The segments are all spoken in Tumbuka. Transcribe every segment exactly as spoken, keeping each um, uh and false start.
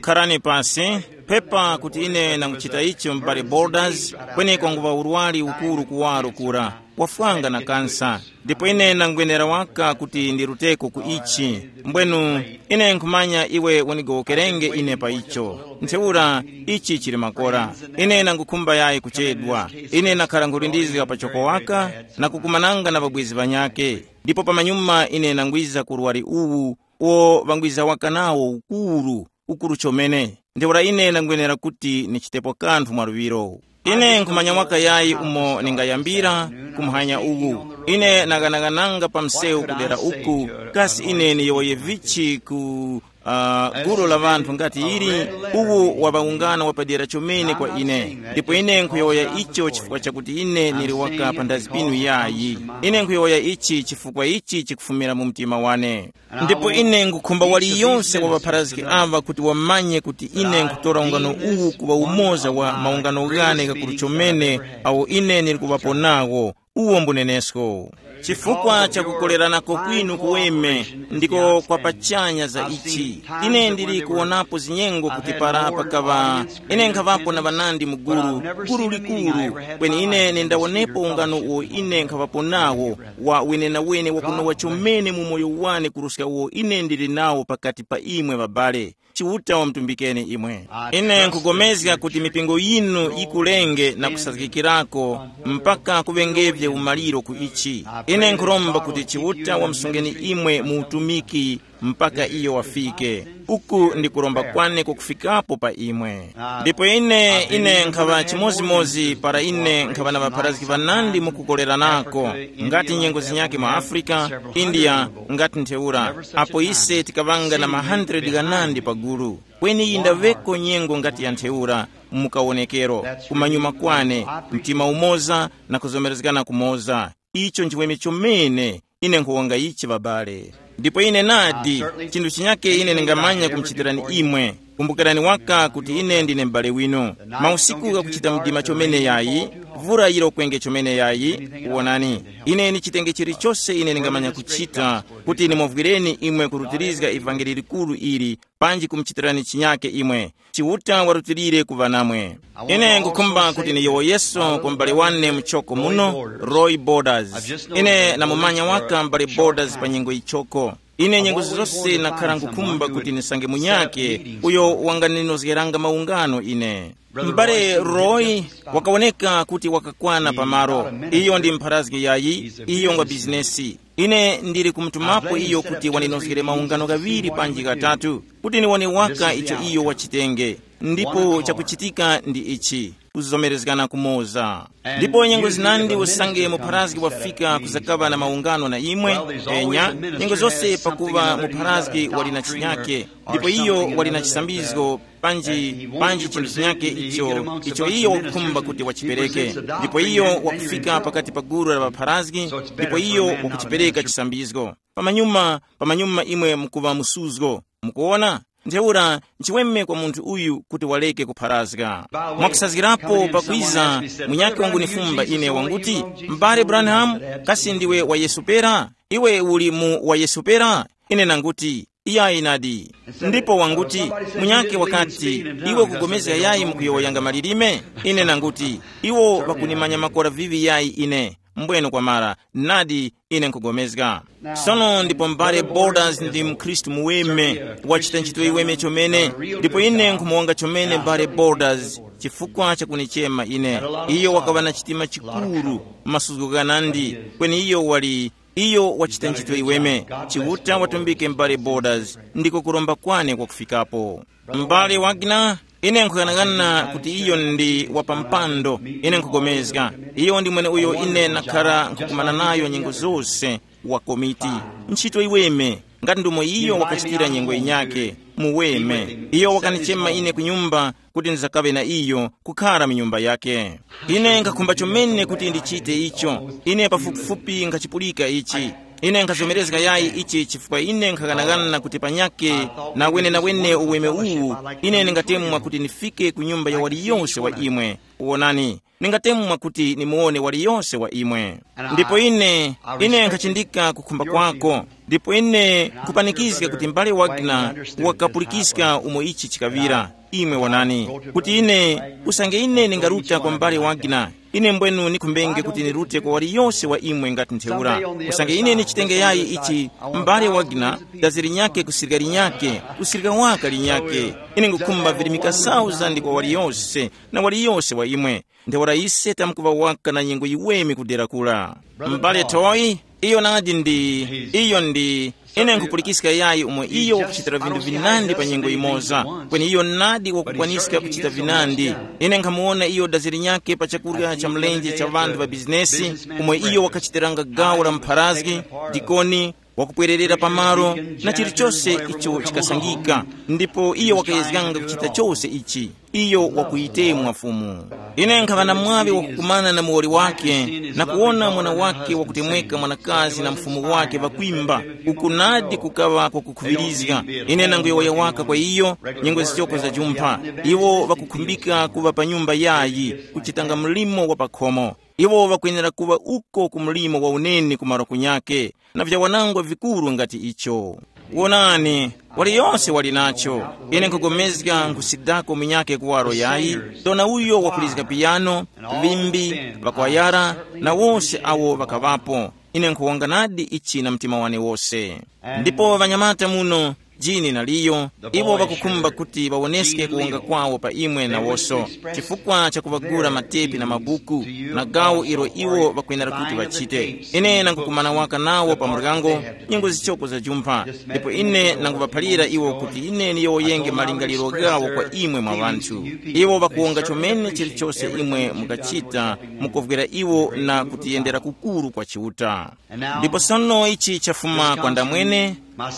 Kharani pasi, pepa kuti ine nanguchita icho m'bale Borders, kweneko nguŵa urwari ukuru kuwaro kura, wafwanga na kansa. Ndipo ine nangwenera waka kuti ndiruteko ku ichi. Mbwenu, ine nkhumanya iwe unigowokerenge ine pa icho. Ntheura, ichi chili makora. Ine nangukhumba yayi kuchedwa. Ine nakhala nkhulindizga pachoko waka, na kukumananga na ŵabwezi ŵanyakhe. Ndipo pamanyuma ine nangwiza ku urwari uwu, uwo ŵangwiza waka nawo ukuru, ukuru chomene. Ntheura ine ndangwenera kuti nichitepo kanthu mwaluŵiro. Ine nkhumanya waka yayi umo ningayambira kumphanya uwu. Ine naghanaghananga pa msewu kudera uku, kasi ine niyowoye vichi ku uh, gulu la ŵanthu ngati ili? Uwu waŵa ungano wapadera chomene kwa ine, ndipo ine nkhuyowoya icho chifukwa chakuti ine nili waka pa ndazi pinu yayi. Ine nkhuyowoya ichi chifukwa ichi chikufumira mu mtima wane. Ndipo ine ngukhumba waliyonse wa ŵapharazgi aŵa kuti wamanye kuti ine nkhutora ungano uwu kuŵa umoza wa maungano ghane ghakuru chomene awo ine ndili kuŵapo nawo. Uwo mbunenesko. Chifukwa cha kukoleranako kwinu kuweme ndiko kwa pachanya za ichi. Ine ndili kuwonapo zinyengo kuti para pakaŵa, ine nkhaŵapo na ŵanandi mu gulu, gulu likuru, kweni ine nindawonepo ungano uwo ine nkhaŵapo nawo, wa wenenawene wakunowa chomene mu moyo wane kuruska uwo ine ndili nawo pakati pa imwe ŵabale. Chiuta wamtumbikeni imwe. Ine nkhugomezga kuti mipingo yinu yikulenge na kusazgikirako mpaka kuŵengevye umaliro ku ichi. Ine nkhuromba kuti Chiuta wamsungeni imwe mu utumiki mpaka iyo wafike. Uku ndi kuromba kwane kukufikapo pa imwe. Ndipo ine ine nkhaŵa chimozimozi para ine nkhaŵa na ŵapharazgi ŵanandi mukukoleranako, ngati nyengo zinyakhe mu Afrika, India, ngati ntheura, apo ise tikaŵanga na ma hundred ghanandi pagulu. Kweni yindaŵeko nyengo ngati ya ntheura, mu kawonekero, kumanyuma kwane, mtima umoza na kuzomerezgana kumoza. Icho nchiweme chomene. Ine nkhuwonga ichi ŵabale. Ndipo ine nadi, chinthu chinyake ine ndingamanya kumuchitirani imwe. Kumbukirani waka kuti ine ndine m'bale winu. Mausiku ghakuchita mdima chomene yayi, vura yirokwenge chomene yayi. Wonani, ine ni chitenge chilichose ine ndingamanya kuchita kuti nimuvwireni imwe kurutirizga ivangeli likuru ili, panji kumuchitirani chinyake imwe. Chiuta warutilire kuŵa namwe. Ine nkukhumba kuti niyowoyeso kwa m'bale wane muchoko muno, Roy Borders. Ine namumanya waka m'bale Borders pa nyengo yichoko. Ine nyengo zose nakhara nkukhumba kuti nisange munyake uyo wanganinozgeranga maungano ine. M'bale Roy wakawoneka kuti wakakwana pamalo. Iyo ndi mpharazgi yayi, iyo ngwa bizinesi. Ine ndili kumutumapo iyo kuti waninozgere maungano ghaŵiri panji ghatatu, kuti niwone waka icho iyo wachitenge. Ndipo chakuchitika ndi ichi, kuzomerezgana kumoza. Ndipo nyengo zinandi usange mupharazgi wafika kuzakaŵa na maungano na imwe, enya, nyengo zose pakuŵa mupharazgi wali na chinyake, ndipo iyo wali na chisambizgo, panji panji chinthu chinyake icho icho iyo wakukhumba kuti wachipereke. Ndipo iyo wakufika pakati pa gulu la ŵapharazgi, ndipo iyo wakuchipereka chisambizgo. Pamanyuma pamanyuma imwe mukuŵa musuzgo. Mukuwona? Ntheura nchiweme kwa munthu uyu kuti waleke kupharazga. Mwakusazgirapo pakwiza, munyakhe wangunifumba ine wanguti, m'bale Branham, kasi ndiwe wa Yesu pera? Iwe uli mu wa Yesu pera? Ine nanguti, iyayi nadi. Ndipo wanguti, munyakhe wakati, iwe ukupulikana yayi mukuyowoyanga malilime? Ine nanguti, iwo ŵakunimanya makora vivi yayi ine. Mbweno kwamara, nadi, ine nkupulikana. Sono ndipo m'bale Borders ndi mkhristu muweme, wachita ntchito iweme chomene. Ndipo ine nkhumuwonga chomene m'bale Borders chifukwa chakunichema ine. Iyo wakaŵa na chitima chikuru, masuzgo ghanandi, kweni iyo wali iyo wachita ntchito iweme. Chiuta watumbike m'bale Borders, ndiko kuromba kwane kwakufikapo. M'bale Wagner, ine nkhughanaghana kuti iyo ndi wapampando. Ine nkhupulikana, iyo ndi mweneuyo ine nakhara nkhukumana nayo nyengo zose, wa komiti. Ntchito iweme, ngati ndomwe iyo wakachitira nyengo yinyakhe, muweme. Iyo wakanichema ine ku nyumba kuti ndizakaŵe na iyo, kukhara mu nyumba yakhe. Ine nkhakhumba chomene kuti ndichite icho. Ine pafupifupi nkhachipulika ichi. Ine nkhazomerezga yayi ichi chifukwa ine nkhaghanaghanana kuti panyakhe na wenenawene uweme uwu, ine ndingatemwa kuti ndifike ku nyumba ya waliyose wa imwe. Wonani, Ningatemwa kuti nimuwone waliyose wa imwe. Ndipo ine, ine nkhachindika kukhumba kwako. Ndipo ine nkhupanikizga kuti m'bale Wagner wakapulikiska umo ichi chikaŵira. Imwe wonani, kuti ine, usange ine ningaruta kwa m'bale Wagner, ine mbwenu nikhumbenge kuti nirute kwa waliyose wa imwe ngati ntheura. Usange ine nichitenge yayi ichi, m'bale Wagner, dazi linyakhe kusirika linyakhe, kusirika waka linyakhe. Ine ngukhumba virimika sauzandi kwa waliyose, na waliyose wa imwe. Ntheura ise tamkuŵa waka na nyengo yiweme kudera kula. M'bale Toyi, iyo nadi ndi, iyo ndi, ine nkhupulikiska yayi umo iyo wakuchitira vinthu vinandi pa nyengo yimoza, kweni iyo nadi wakukwaniska kuchita vinandi. Ine nkhamuwona iyo dazi linyakhe pa chakurya cha mlenje cha ŵanthu ŵa bizinesi, umo iyo wakachitiranga gawo la mpharazgi, dikoni, wakupwererera pamalo, na chilichose icho chikasangika. Ndipo iyo wakayezganga kuchita chose ichi. Iyo wakuyitemwa Fumu. Ine nkhaŵa na mwaŵi wakukumana na muwoli wake, na kuwona mwana wake wakutemweka mwanakazi na mfumu wake ŵakwimba, uku nadi kukaŵa kwakukhuŵirizga. Ine nanguyowoya waka kwa iyo, nyengo zichoko za jumpha. Iwo ŵakukhumbika kuŵa pa nyumba yayi, kuchitanga mlimo wa pakhomo. Iwo ŵakwenera kuŵa uko ku mlimo wa uneni ku malo kunyakhe, na vyawanangwa vikuru ngati icho. Wonani, waliyose wali nacho. Ine nkhugomezga nkhusidako munyakhe kuwaro yayi, dona uyo wakulizga piyano, ŵimbi, ŵakwayara, na wose awo ŵakaŵapo. Ine nkhuwonga nadi ichi na mtima wane wose. Ndipo ŵanyamata muno, Jini na Liyo, iwo ŵakukhumba kuti ŵawoneske kuwonga kwawo pa imwe nawoso, chifukwa cha kuŵagula matepi na mabuku, na gawo ilo iwo ŵakwenera kuti ŵachite. Ine nangukumana waka nawo pa muryango, nyengo zichoko za jumpha, ndipo ine nanguŵaphalira iwo kuti ine niyowoyenge malingaliro ghawo kwa imwe mwa ŵanthu. Iwo ŵakuwonga chomene chilichose imwe mukachita, mukovwera iwo na kutiyendera kukuru kwa Chiuta. Ndipo sono ichi chafuma kwa ndamwene,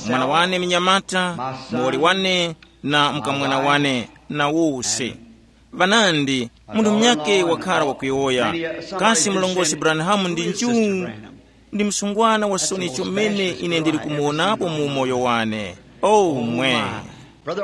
mwana wane munyamata, muwoli wane, na mkamwana wane, na wose. Vanandi, munthu munyakhe wakhala wakuyowoya, kasi mlongosi Branham ndi nju? Ndi msungwana wa soni chomene ine ndili kumuwonapo mu umoyo wane. Oh, mwe.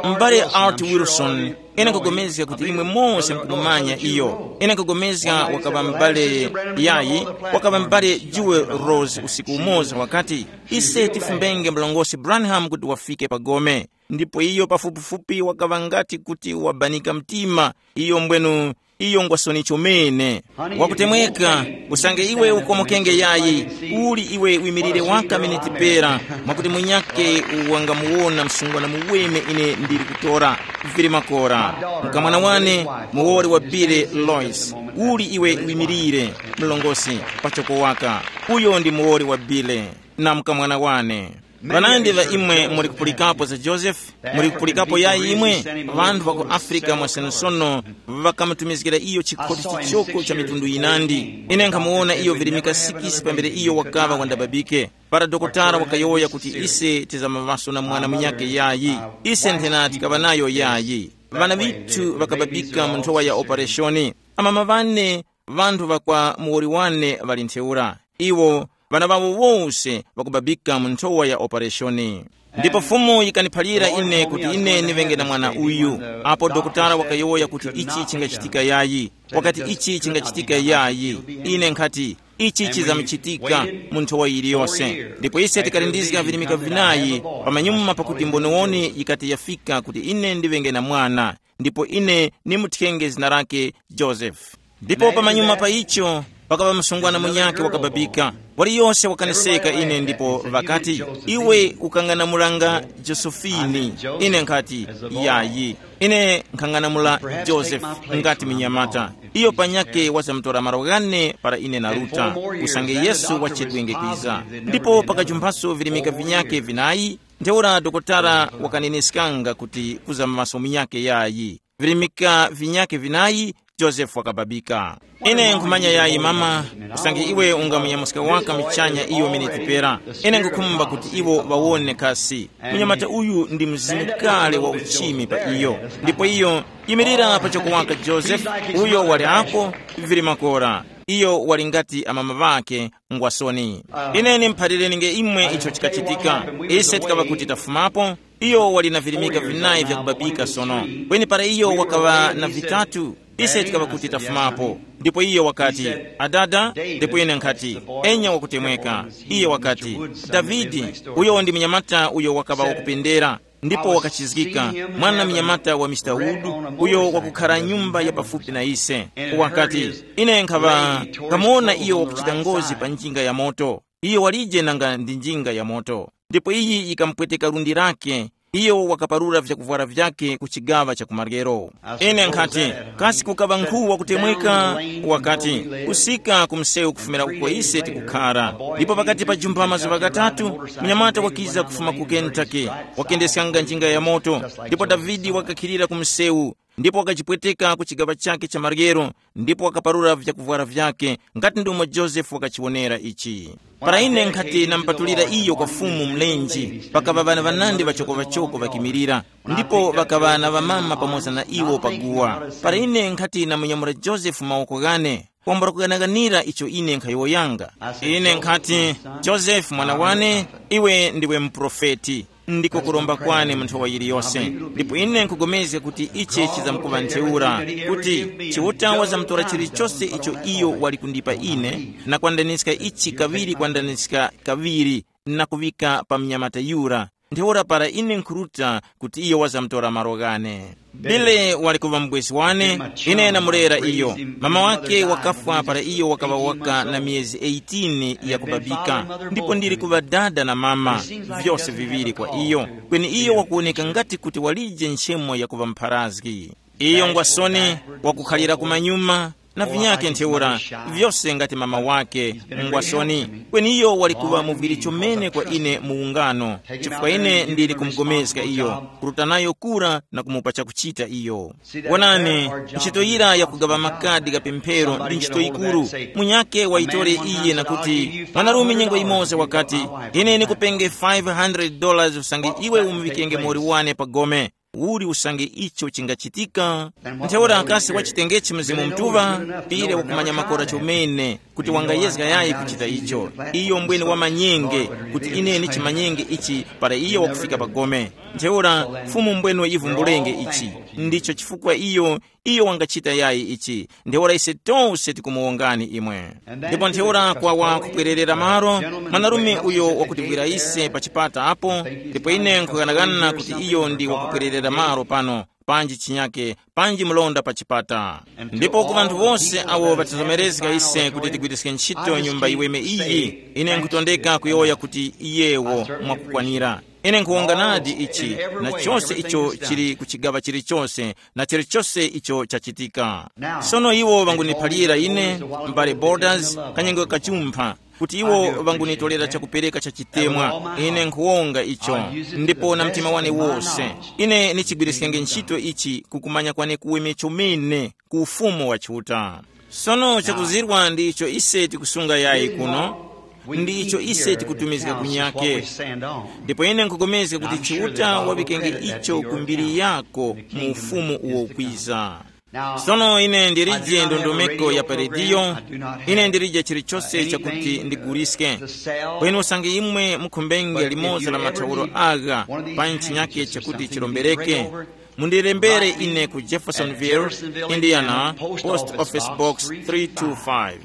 M'bale Art Wilson, ine nkugomezga kuti imwe mose mukumumanya iyo. Ine nkugomezga wakaŵa m'bale yayi, wakaŵa m'bale Jewel Rose usiku umoza wakati, ise tifumbenge mlongosi Branham kuti wafike pa gome. Ndipo iyo pafupifupi wakaŵa ngati kuti wabanika mtima, iyo mbwenu, iyo ngwa soni chomene. Wakutemweka, usange iwe ukomokenge yayi, uli iwe wimirire waka miniti pera, mwakuti munyakhe wangamuwona msungwana muweme ine ndili kutora. Vili makora. Mkamwana wane, muwoli wa Billy Lois, uli iwe wimirire, mlongosi, pachoko waka. Uyo ndi muwoli wa Billy, na mkamwana wane. Vanandi va imwe muli kupulikapo za Joseph, muli kupulikapo ya imwe, vanthu va ku Afrika mwasensono vakamutumizgira iyo chikhoti chichoko cha mitundu yinandi. Ine nkhamuwona iyo virimika sikisi pambere iyo wakaŵa wandababike. Para dokotala wakayowoya kuti ise tizamaŵaso na mwana munyakhe yayi, ise nthena tikaŵa nayo yayi. Vana vithu vakababika mu nthowa ya opereshoni. Amama vane, vanthu va kwa muwoli wane ŵali ntheura. Iwo, vana ŵawo wose ŵakubabika mu nthowa ya opereshoni. Ndipo Fumu yikaniphalira ine kuti ine niŵenge na mwana uyu. Apo dokotala wakayowoya kuti ichi chingachitika yayi, wakati ichi chingachitika yayi, ine nkhati, ichi chizamuchitika mu nthowa yiliyose. Ndipo ise tikalindizga virimika vinayi pamanyuma pakuti mboniwoni yikati yafika kuti ine ndiŵenge na mwana, ndipo ine nimuthyenge zina lake Joseph. Ndipo pamanyuma pa icho, pakaŵa msungwana munyakhe wakababika. Waliyose wakaneseka ine ndipo ŵakati, iwe ukang'anamulanga Josefini. Ine nkhati, yayi. Ine nkhang'anamula Joseph ngati munyamata. Iyo panyakhe wazamutora malo ghane para ine naruta, usange Yesu wachedwenge kwiza. Ndipo pakajumphaso virimika vinyakhe vinayi, ntheura dokotala wakaneneskanga kuti kuzamaso munyakhe yayi. Virimika vinyakhe vinayi, Josefe wakababika. Ine nkhumanya yayi mama, usange iwe ungamunyamuska waka muchanya iyo miniti pera. Ine nkhukhumba kuti iwo ŵawone kasi. Munyamata uyu ndi mzimu kale wa uchimi pa iyo. Ndipo iyo, yimirira pachoko waka Josefe, uyo wali apo, vili makora. Iyo wali ngati amama ŵakhe, ngwasoni. Ine nimuphalirenge imwe icho chikachitika. Ise tikaŵa kuti tafumapo, Iyo wali na virimika vinayi vyakubabika sono. Kweni para iyo wakaŵa na vitatu, ise tikaŵa kuti tafumapo. Ndipo iyo wakati, "Adada," ndipo ine nkhati, "Enya wakutemweka." Iye wakati, "Davide, uyo ndi munyamata uyo wakaŵa wakupendera, ndipo wakachizgika, mwana munyamata wa Mister Wood, uyo wakukhara nyumba ya pafupi na ise." Wakati, "Ine nkhaŵa kamuwona iyo wakuchita ngozi pa njinga ya moto. Iyo walije nanga ndi njinga ya moto." Ndipo iyi yikamupweteka lundi lake. Iyo wakaparura vyakuvwara vyake ku chigaŵa cha kumaryero. Ine nkhati, "Kasi kukaŵa nkhu wakutemweka?" Wakati, "Kusika ku msewu kufumira uko ise tikukhara. Ndipo pakati pa jumba mazuŵa ghatatu, mnyamata wakiza kufuma ku Kentucky, wakendeskanga njinga ya moto, ndipo Davide wakakhilira ku msewu, ndipo wakajipweteka ku chigaŵa chake cha maryero, ndipo wakaparura vyakuvwara vyake, ngati ndomwe Josefe wakachiwonera ichi. Para ine nkhati namupatulira iyo kwa Fumu mlenji, pakaŵa ŵana ŵanandi ŵachokoŵachoko ŵakimirira, ndipo ŵakaŵa na ŵamama pamoza na iwo paguwa. Para ine nkhati namunyamura Josefe mawoko ghane, kwambula kuganaganira icho ine nkhayowoyanga. Ine nkhati, "Josefe mwana wane, iwe ndiwe muprofeti. Ndiko kuromba kwane mu nthowa yiliyose. Ndipo ine nkupulikana kuti ichi chizamkuŵa ntheura, kuti Chiuta wazamtora chilichose icho iyo wali kundipa ine, na kwandaniska ichi kaŵiri kwandaniska kaŵiri, na kuŵika pa mnyamata yura. Ntheura para ine nkhuruta kuti iyo wazamtora malo ghane." Bile wali kuŵa mubwezi wane, ine namulera iyo. Mama wake wakafwa para iyo wakaŵa waka na miyezi eighteen ya kubabika, ndipo ndili kuŵa dada na mama, vyose viŵiri kwa iyo. Kweni iyo wakuwoneka ngati kuti walije nchemo ya kuŵa mpharazgi. Iyo ngwasoni, wakukhalira kumanyuma, na vinyake ntheura, vyose ngati mama wake, ngwasoni. Kweni iyo wali kuŵa muvwiri chomene kwa ine mu ungano, chifukwa ine ndili kumugomezga iyo, kuruta nayo kura na kumupa chakuchita iyo. Wonani, ntchito yira yakugaŵa makadi gha pemphero ndi ntchito yikuru. Munyakhe wayitore iye na kuti, "Mwanarume nyengo yimoza wakati, ine ndikupenge five hundred dollars usange iwe umuŵikenge muwoli wane pa gome. Uli usange icho chingachitika?" Ntheura kasi wachitengechi Mzimu Mutuŵa, pire wakumanya makora chomene kuti wangayezga yayi kuchita icho. Iyo mbwene wamanyenge kuti ine ndichimanyenge ichi para iyo wakufika pa gome. Ntheura Fumu mbwene yivumbulenge ichi. Ndicho chifukwa iyo, iyo wangachita yayi ichi. Ntheura ise tose tikumuwongani imwe. Ndipo ntheura kwawa kupwererera malo, mwanarume uyo wakutivwira ise pa chipata apo, ndipo ine nkughanagana kuti iyo ndi wakupwererera malo pano, panji chinyake, panji mlonda pa chipata. Ndipo ku ŵanthu wose awo ŵatizomerezga ise kuti tigwiriske ntchito nyumba yiweme iyi, ine nkutondeka kuyowoya kuti iyewo mwakukwanira. Ine nkhuwonga nadi ichi, na chose icho chili ku chigaŵa chilichose, na chilichose icho chachitika. Sono iwo ŵanguniphalira ine, m'bale Borders, kanyengo kachumpha, kuti iwo ŵangunitolera chakupereka cha chitemwa. Ine nkhuwonga icho, ndipo na mtima wane wose. Ine nichigwiriskenge ntchito ichi kukumanya kwane kuweme chomene ku ufumu wa Chiuta. Sono chakuzirwa ndi icho ise tikusunga yayi kuno, ndi icho ise tikutumizga kunyake. Ndipo ine nkupulikana kuti Chiuta waŵikenge icho ku mbiri yako mu ufumu uwo ukwiza. Sono ine ndilije ndondomeko ya pa rediyo, ine ndilije chilichose chakuti ndiguliske. Kweni usange imwe mukhumbenge limodzi la mathauro agha pa ntchinyake chakuti chilombereke, mundilembere ine ku Jeffersonville, Indiana, Post Office Box three two five.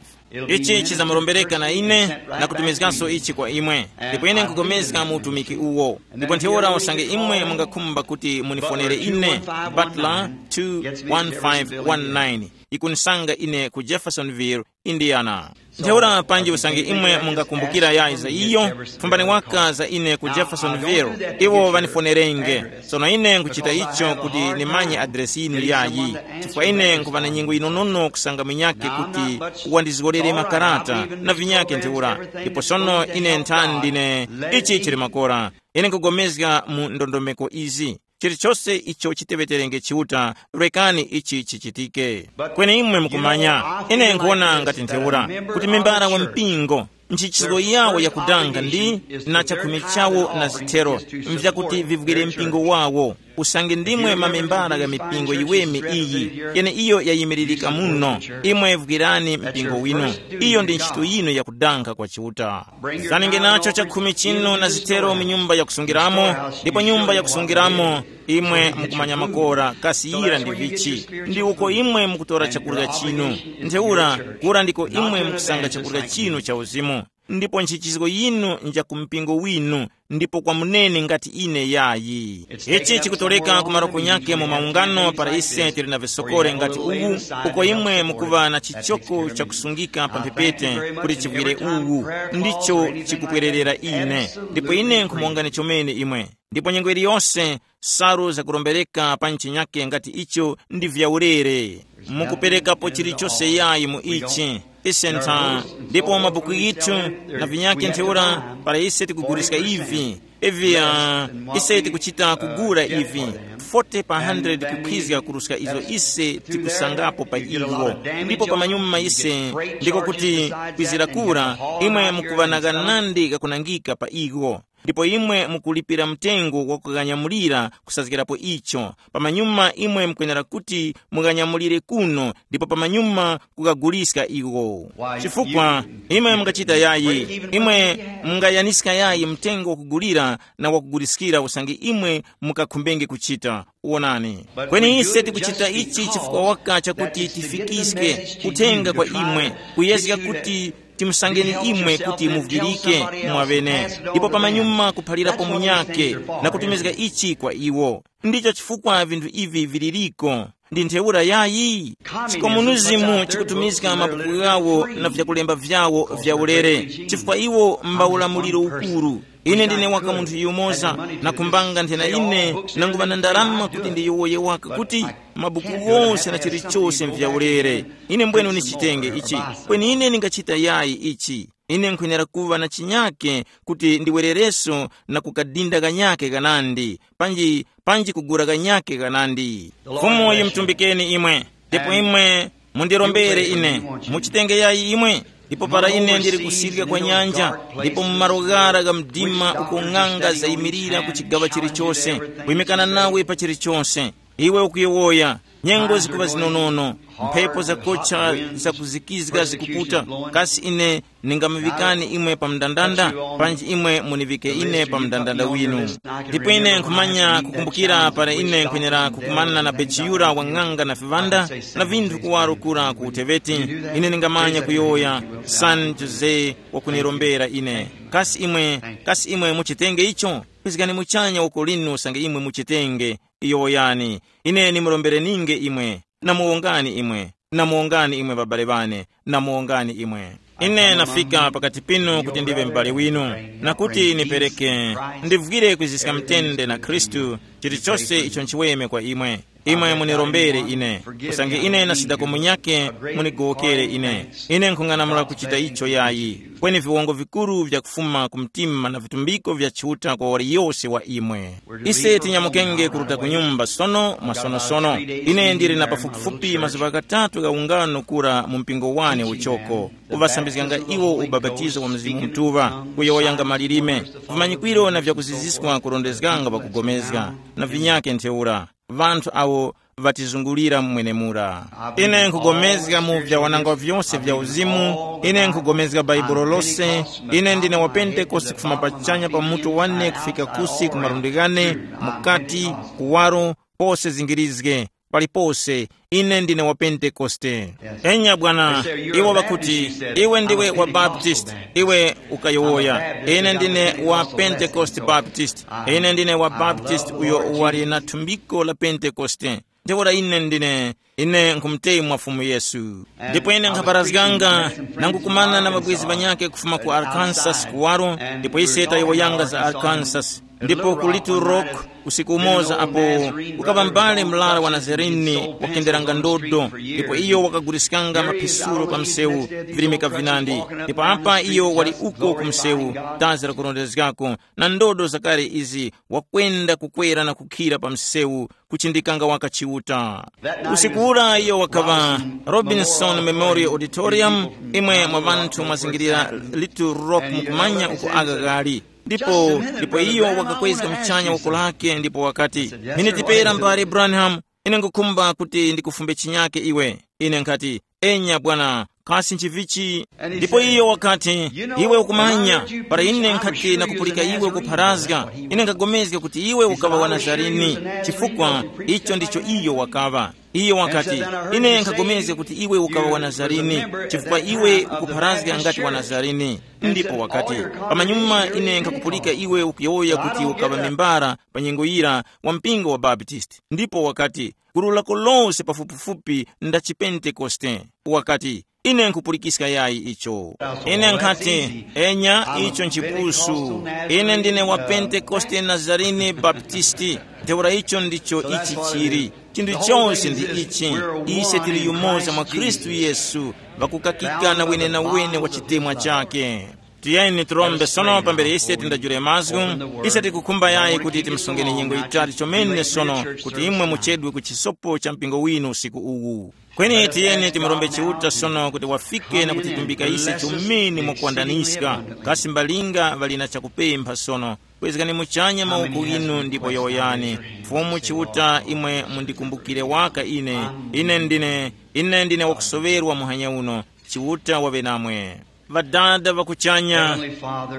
Ichi chizamurombereka na ine, na kutumizganso ichi kwa imwe. Ndipo ine nkupulikana mu utumiki uwo. Ndipo ntheura usange imwe mungakhumba kuti munifonere ine, Butler two one five one nine, ikunisanga ine ku Jeffersonville, Indiana. Ntheura panji usange imwe mungakumbukira yayi za iyo, fumbani waka za ine ku Jeffersonville, iwo ŵanifonerenge. Sono ine nkuchita icho kuti nimanye adresi yinu yayi, chifukwa ine nkuva na nyengo yinonono kusanga munyakhe kuti wandizgorere makarata na vinyakhe ntheura. Ndipo sono ine nthani ndine, ichi chili makora. Ine nkugomezga mu ndondomeko izi. Chilichose icho chiteŵeterenge Chiuta, rekani ichi chichitike. Kweni imwe mukumanya, ine nkhuwona ngati ntheura, kuti membara wa mpingo, nchichizgo yawo yakudanga ndi na chakhumi chawo na zithero, mvyakuti vivwire mpingo wawo. usange ndimwe mamembara gha mipingo yiweme iyi, yeneiyo yayimiririka muno. Imwe vwirani mpingo winu. Iyo ndi ntchito yinu yakudankha kwa Chiuta. Zanenge nacho chakhumi chinu na zithero mu nyumba yakusungiramo, ndipo nyumba yakusungiramo imwe mukumanya makora kasiyira ndi vichi, ndi uko imwe mukutora chakurya chinu. Ntheura, kura ndiko imwe mukusanga chakurya chinu cha uzimu. Ndipo nchichizgo yinu nja ku mpingo winu, ndipo kwa munene ngati ine yayi. Ichi chikutoleka ku maroko nyake mu maungano para ise tili na visokore ngati uwu, uko imwe mukuva na chichoko chakusungika pa mphepete kuti chivwire uwu, ndicho chikupwererera ine. Ndipo ine nkhumongani chomene imwe. Ndipo nyengo iliyonse saru zakurombereka pa nchinyake ngati icho ndi vyaulere. Mukuperekapo chilichose yayi mu ichi. Ise ntha, ndipo mabuku yithu na vinyake ntheura para ise tikuguliska ivi, ivi uh, ise tikuchita kugula ivi, forty pa hundred kukhwizga kuruska izo ise tikusangapo pa iwo. Ndipo pamanyuma ise ndiko kuti kwizira kura, imwe mukuŵa na ghanandi gakunangika pa iwo. Ndipo imwe mukulipira mtengo wa kughanyamulira kusazgirapo icho. Pamanyuma imwe mukwenera kuti mughanyamulire kuno, ndipo pamanyuma kukaguliska iwo. Chifukwa imwe mungachita yayi, imwe mungayaniska yayi mtengo wakugulira na wakuguliskira usange imwe mukakhumbenge kuchita. Wonani, kweni ise tikuchita ichi chifukwa waka chakuti tifikiske uthenga kwa imwe, kuyezga kuti timusangeni imwe kuti muvwirike mwaŵene, ndipo pamanyuma kuphalirapo munyake na kutumizga ichi kwa iwo. Ndicho chifukwa vinthu ivi viliriko. Ndi ntheura yayi, chikomunizimu chikutumizga mabuku ghawo na vyakulemba vyawo vya ulere, chifukwa iwo mba ulamuliro ukuru. Ine ndine waka munthu yumoza, nakhumbanga nthena ine nanguŵa na ndarama kuti ndiyowoye waka kuti mabuku ghose na chilichose nvyaulere. Ine mbwenu nichitenge ichi, kweni ine ningachita yayi ichi? Ine nkhwenera kuŵa na chinyake kuti ndiwerereso na kukadinda kanyake kanandi, panji panji kugura kanyake kanandi. Fumu yimutumbikeni imwe, ndipo imwe mundirombere ine. Muchitenge yayi imwe. Ndipo para ine ndili kusirya kwa nyanja, ndipo mu malo ghara gha mdima uko ng'anga zayimirira ku chigaŵa chilichose, kuyimikana nawe pa chilichose, iwe ukuyowoya, nyengo zikuŵa zinonono, mphepo zakocha zakuzikizga zikuputa, kasi ine ningamuŵikani imwe pa mndandanda? Panji imwe muniŵike ine pa mndandanda winu. Ndipo ine nkhumanya kukumbukira para ine nkhwenera kukumana na bechiyura wa ng'anga na viŵanda na vinthu kuwaro kura ku uteveti, ine ningamanya kuyowoya, San Jose wakunirombera ine. Kasi imwe, kasi imwe muchitenge icho? Pizgani muchanya uko linu usange imwe muchitenge. Yowoyani, ine nimurombereninge imwe. Namuwongani imwe. Namuwongani imwe babale bane. Namuwongani imwe. Ine nafika pakati pinu kuti ndive m'bale winu, na kuti nipereke, ndivwire kwiziska mtende na Khristu, chilichose icho nchiweme kwa imwe. Imwe munirombere ine, usange ine nasidako munyake, munigowokere ine. Ine nkhung'anamula kuchita icho yayi. Kweni viwongo vikuru vyakufuma ku mtima na vitumbiko vya Chiuta kwa waliyose wa imwe. Ise tinyamukenge kuruta ku nyumba sono mwasonosono. Ine ndili na pafupifupi mazuŵa ghatatu gha ungano kura mu mpingo wane uchoko, kuŵasambizganga iwo ubapatizo wa Mzimu Mutuŵa, kuyowoyanga malilime, vimanyikwiro na vyakuziziswa kurondezganga ŵakugomezga, na vinyake ntheura, ŵanthu awo ŵatizungulira mwenemura. Ine nkhugomezga mu vyawanangwa vyose vya uzimu. Ine nkhugomezga Bhaibuli lose. Ine ndine wa Pentekoste kufuma pachanya pa mutu wane kufika kusi ku malundi ghane, mukati, kuwaro, pose zingirizge, palipose. Ine ndine wa Pentekoste. Enya bwana, iwo ŵakuti, iwe ndiwe wa Baptist, iwe ukayowoya, ine ndine wa Pentecost Baptist. Ine ndine wa Baptist uyo wali na thumbiko la Pentekoste. Ntheura ine ndine, ine nkhumutemwa Fumu Yesu. Ndipo ine nkhaparazganga, nangukumana na ŵabwezi ŵanyakhe kufuma ku Arkansas kuwaro, ndipo ise tayowoyanga za Arkansas. Ndipo ku Little Rock, usiku umoza apo, kukaŵa mbale murara wa Nazarene wakenderanga ndodo, ndipo iyo wakaguliskanga maphisuro pa msewu, virimika vinandi. Ndipo apa iyo wali uko ku msewu, dazi lakurondezgako, na ndodo zakale izi, wakwenda kukwera na kukhira pa msewu, kuchindikanga waka Chiuta. Usiku ura iyo wakaŵa Robinson Memorial Auditorium, imwe mwa ŵanthu mwazingirira Little Rock mukumanya uko aka ghali. Ndipo ndipo iyo wakakwezga muchanya woko lake ndipo wakati, "Miniti pera, mbale Branham, ine ngukhumba kuti ndikufumbe chinyake iwe." Ine nkhati, "Enya bwana, kasi nchivichi?" Ndipo iyo wakati, "Iwe ukumanya, para ine nkhati nakupulika iwe ukupharazga, ine nkhapulikana kuti iwe ukaŵa wa Nazarene, chifukwa icho ndicho iyo wakaŵa." Iyo wakati, "Ine nkhapulikana kuti iwe ukaŵa wa Nazarene, chifukwa iwe ukupharazga ngati wa Nazarene." Ndipo wakati, "Pamanyuma ine nkhakupulika iwe ukuyowoya kuti ukaŵa membara pa nyengo yira wa mpingo wa Baptist." Ndipo wakati, "Gulu lako lose pafupifupi nda chipentekoste." Wakati, "Ine nkhupulikiska yayi icho." Ine nkhati, "Enya, icho nchipusu. Ine ndine wa Pentekoste Nazarene Baptisti." Ntheura icho ndicho ichi chili. Chinthu chose ndi ichi. Ise tili yumoza mwa Khristu Yesu, ŵakukakika na wenenawene wa chitemwa chake. Tiyeni tirombe sono pambere ise tindajule mazgu. Ise tikukhumba yayi kuti timusungeni nyengo yitali chomene sono, kuti imwe muchedwe ku chisopo cha mpingo winu usiku uwu. Kweni tiyeni timurombe Chiuta sono kuti wafike na kutitumbika ise chomene mwakuwandaniska. Kasi mbalinga ŵali na chakupempha sono? Kwezgani muchanya mawoko inu ndipo yowoyani. Fumu Chiuta, imwe mundikumbukire waka ine. Ine ndine, ine ndine wakusoŵerwa muhanya uno. Chiuta waŵe namwe. Ŵadada ŵa kuchanya,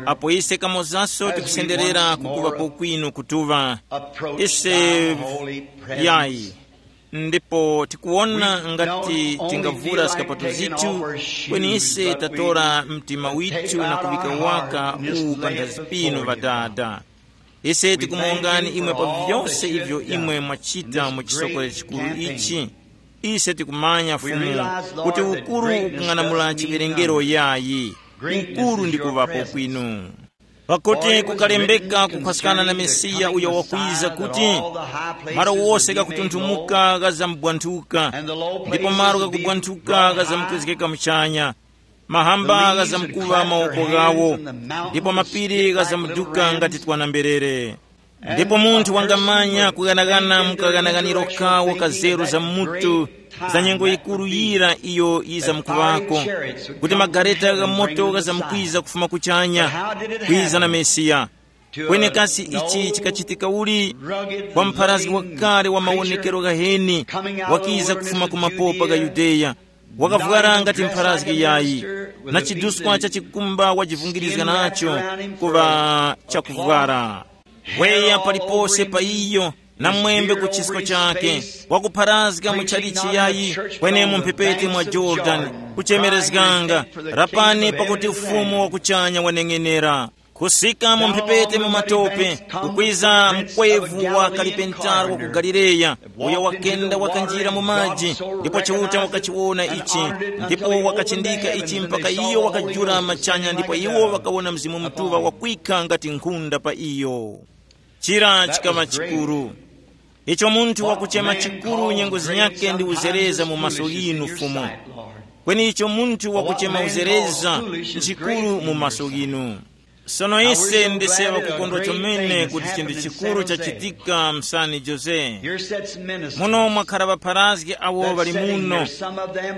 apo ise kamozaso tikusenderera kukuŵapo kwinu kutuŵa, ise yayi, ndipo tikuwona ngati tingavura zikapato zithu, kweni ise tatora mtima withu na kuŵika waka uwu panthazi pinu, Ŵadada. Ise tikumuwongani imwe pa vyose ivyo imwe mwachita mu chisokolo chikuru ichi. Ise tikumanya, Fumu, kuti ukuru ukung'anamula chiwerengero yayi, ukuru ndi kuŵapo kwinu. Pakuti kukalembeka kukhwaskana na Mesiya uyo wakwiza kuti, malo wose ghakutunthumuka ghazamubwanthuka, ndipo malo ghakubwanthuka ghazamkwezgeka muchanya. Mahamba ghazamkuŵa mawoko ghawo, ndipo mapiri ghazamuduka ngati twana mberere. Ndipo munthu wangamanya kughanaghana mu kaghanaganiro kawo ka zeru za mutu, za nyengo yikuru yira iyo yizamkuŵako, kuti magareta gha moto ghazamkwiza kufuma kuchanya, kwiza na Mesiya. Kweni kasi ichi chikachitika uli? Kwa mpharazgi wakale wa mawonekero ghaheni, wakiza kufuma ku mapopa gha Yudeya, wakavwara ngati mpharazgi yayi, na chiduskwa cha chikumba wajivungirizga nacho kuŵa chakuvwara. Weya palipose pa iyo, na mwembe ku chisko chake, wakupharazga mu chalichi yayi, kwenemo mphepete mwa Jorodani, kuchemerezganga, rapani pakuti ufumu wa kuchanya waneng'enera. Kusika mu mphepete mu matope, kukwiza mkwevu wa kalipentaro wa ku Galileya, uyo wakenda wakanjira mu maji, ndipo Chiuta wakachiwona ichi, ndipo wakachindika ichi mpaka iyo wakajula machanya, ndipo iwo wakawona Mzimu Mutuŵa wakwikha ngati nkhunda pa iyo. Chira chikaŵa chikuru. Icho munthu wakuchema chikuru nyengo zinyakhe ndi uzereza mu maso ghinu, Fumu. Kweni icho munthu wakuchema uzereza nchikuru mu maso ghinu. Sono ise ndise ŵakukondwa chomene kuti chinthu chikuru chachitika msani Jose. Muno mwakhara ŵapharazgi awo ŵali muno.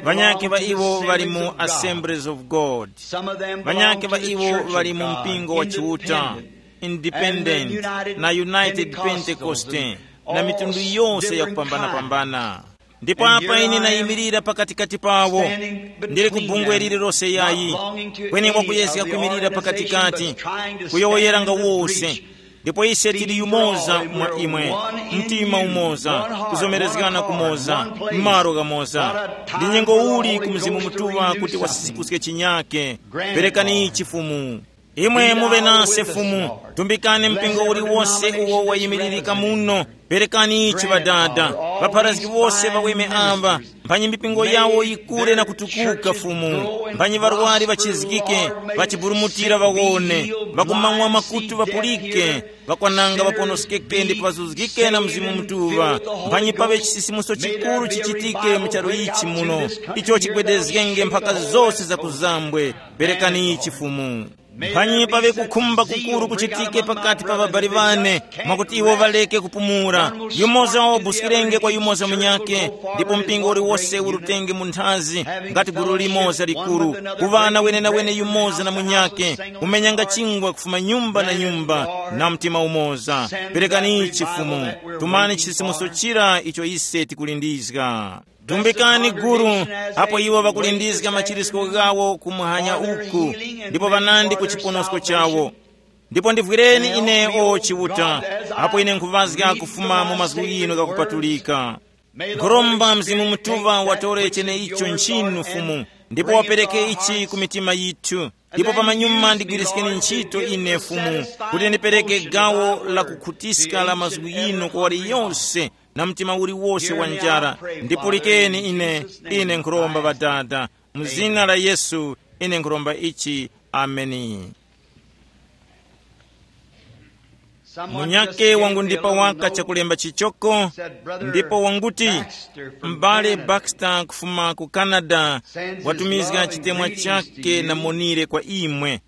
Ŵanyakhe ŵa iwo ŵali mu Assemblies of God. Ŵanyakhe ŵa iwo ŵali mu mpingo wa Chiuta, Independent, na United Pentecost, na mitundu yose yakupambanapambana. Ndipo apa ine nayimirira pakatikati pawo, ndili ku bungwe lililose yayi, kweni wakuyezga kwimirira pakatikati, kuyowoyeranga wose. Ndipo ise tili yumoza mwa imwe, mtima umoza, kuzomerezgana kumoza, m'malo ghamoza. Ndi nyengo uli ku Mzimu Mutuŵa kuti wasisikuske chinyake? Perekani ichi, Fumu. Imwe muŵe nase, Fumu. Tumbikani mpingo uliwose uwo wayimiririka muno. Perekani ichi, Ŵadada. Ŵapharazgi wose ŵaweme aŵa, mphanyi mipingo yawo yikure na kutukuka, Fumu. Mphanyi ŵarwari ŵachizgike, ŵachiburumutira ŵawone, ŵakumamwa makutu ŵapulike, ŵakwananga ŵaponoskeke ndipo ŵazuzgike na Mzimu Mutuŵa. Mphanyi paŵe chisisimuso chikuru chichitike mu charu ichi muno, icho chigwedezgenge mphaka zose za kuzambwe. Perekani ichi, Fumu. Mphanyi paŵe kukhumba kukuru kuchitike pakati pa ŵabali ŵane, mwakuti iwo ŵaleke kupumula. Yumoza wabuskirenge kwa yumoza munyake, ndipo mpingo uliwose urutenge mu nthazi, ngati gulu limoza likuru, kuŵana wenenawene yumoza na munyake, kumenyanga chingwa kufuma nyumba na nyumba, na mtima umoza. Perekani ichi Fumu, tumani chisimuso chira icho ise tikulindizga. Tumbikani guru, apo iwo ŵakulindizga machirisko ghawo kumuhanya uku, ndipo ŵanandi ku chiponosko chawo. Ndipo ndivwireni ine o Chiuta, apo ine nkhuvazga kufuma mu mazgu ghinu ghakupatulika. Nkhuromba Mzimu Mutuŵa watore cheneicho nchinu Fumu, ndipo wapereke ichi ku mitima yithu. Ndipo pamanyuma ndigwiriskeni ntchito ine Fumu, kuti ndipereke gawo la kukhutiska la mazgu yinu kwa waliyonse, na mtima uliwose wa njara. Ndipulikeni ine, ine nkhuromba Ŵadada, mu zina la Yesu ine nkhuromba ichi. Ameni. Munyake wangundipa waka chakulemba chichoko, ndipo wanguti, m'bale Baxter kufuma ku Canada watumizga chitemwa chake na monire kwa imwe,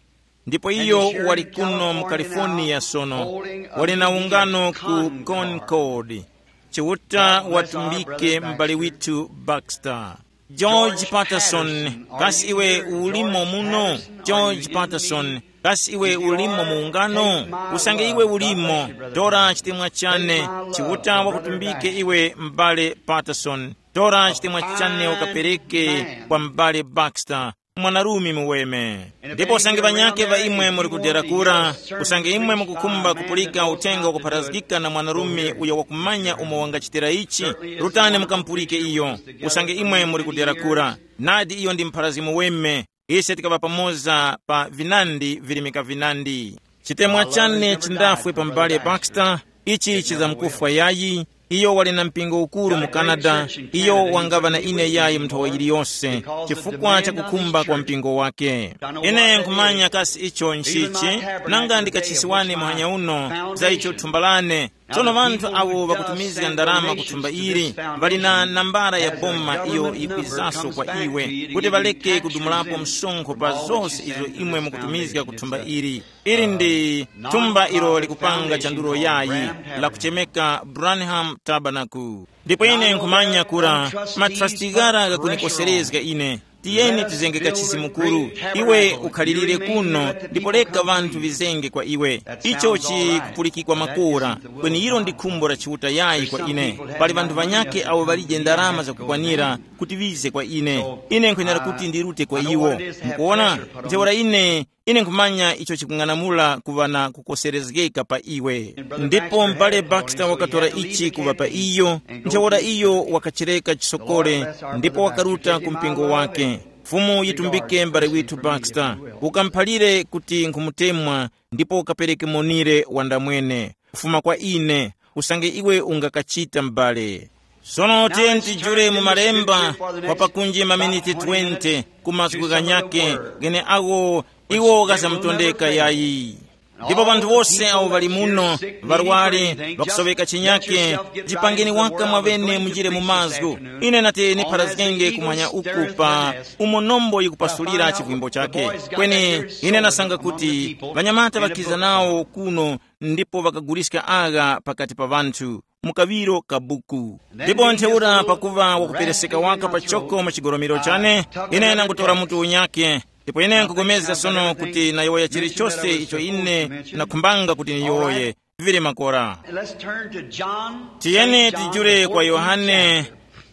ndipo iyo wali kuno mu California sono, wali na ungano ku Concord. Chiuta watumbike m'bale withu Baxter. George Patterson, kasi iwe ulimo muno? George Patterson, kasi iwe ulimo mu ungano? Usange iwe ulimo, tora chitemwa chane. Chiuta wakutumbike iwe, m'bale Patterson. Tora chitemwa chane ukapereke kwa m'bale Baxter, mwanarume muweme. Ndipo usange ŵanyake ŵa imwe muli kudera kura, usange imwe mukukhumba kupulika uthenga wakupharazgika na mwanarume uyo wakumanya umo wangachitira ichi, rutani mukamupulike iyo. Usange imwe muli kudera kura, nadi iyo ndi mpharazgi muweme. Ise tikaŵa pamoza pa vinandi virimika vinandi. Chitemwa chane chindafwe pa m'bale Baxter, ichi chizamkufwa yayi. Iyo wali na mpingo ukuru mu Canada. Iyo wangaŵa na ine yayi mu nthawa yiliyose, chifukwa cha kukhumba kwa mpingo wake. Ine nkhumanya kasi icho nchichi, nanga ndikachisiwani muhanya uno za icho thumba lane. Tsono ŵanthu awo ŵakutumizga ndarama ku thumba ili, ŵali na nambara ya boma iyo yikwizaso kwa iwe, kuti ŵaleke kudumulapo msonkho pa zose izo imwe mukutumizga ku thumba ili. Ili ndi thumba ilo likupanga chandulo yayi, lakuchemeka Branham Tabernacle. Ndipo ine nkhumanya kura matrasti ghara ghakunikoserezga ine. Tiyeni tizenge kachisi mukuru. Iwe ukhalirire kuno, ndipo reka ŵanthu vizenge kwa iwe. Icho chikupulikikwa makora, kweni ilo ndi khumbo la Chiuta yayi kwa ine. Pali ŵanthu ŵanyakhe awo ŵalije ndarama zakukwanira kuti ŵize kwa ine. Ine nkhwenera kuti ndirute kwa iwo. Mukuona? Ntheura ine, ine nkhumanya icho chikung'anamula kuŵa na kukoserezgeka pa iwe. Ndipo m'bale Baxter wakatora ichi kuŵa pa iyo, ntheura iyo wakachireka chisokole, ndipo wakaruta ku mpingo wake. Fumu yitumbike m'bale withu Baxter, ukamuphalire kuti nkhumutemwa, ndipo ukapereke monire wandamwene kufuma kwa ine, usange iwe ungakachita m'bale. Sono tiyeni tijule mu malemba kwa pakunji maminiti twenty ku mazgu ghanyakhe gheneagho iwo ghazamutondeka yayi. Ndipo panthu wose awo ŵali muno, ŵarwari, ŵakusoweka chinyakhe, jipangeni waka mwaŵene munjire mu mazgu. Ine nati nipharazgenge kumwanya uku pa umo nombo yikupasulira chivwimbo chakhe. Kweni ine nasanga kuti ŵanyamata ŵakiza nawo kuno ndipo ŵakaguliska agha pakati pa ŵanthu mu kaŵiro ka buku. Ndipo ntheura pakuva wakupereseka waka pachoko mu chigolomero chane, ine nangutora mutu unyakhe, ndipo ine nkupulikana sono kuti nayowoya chilichose icho ine nakhumbanga kuti niyowoye. Vili makora. Let's turn to John. Tiyeni Saint John, tijule kwa Yohane.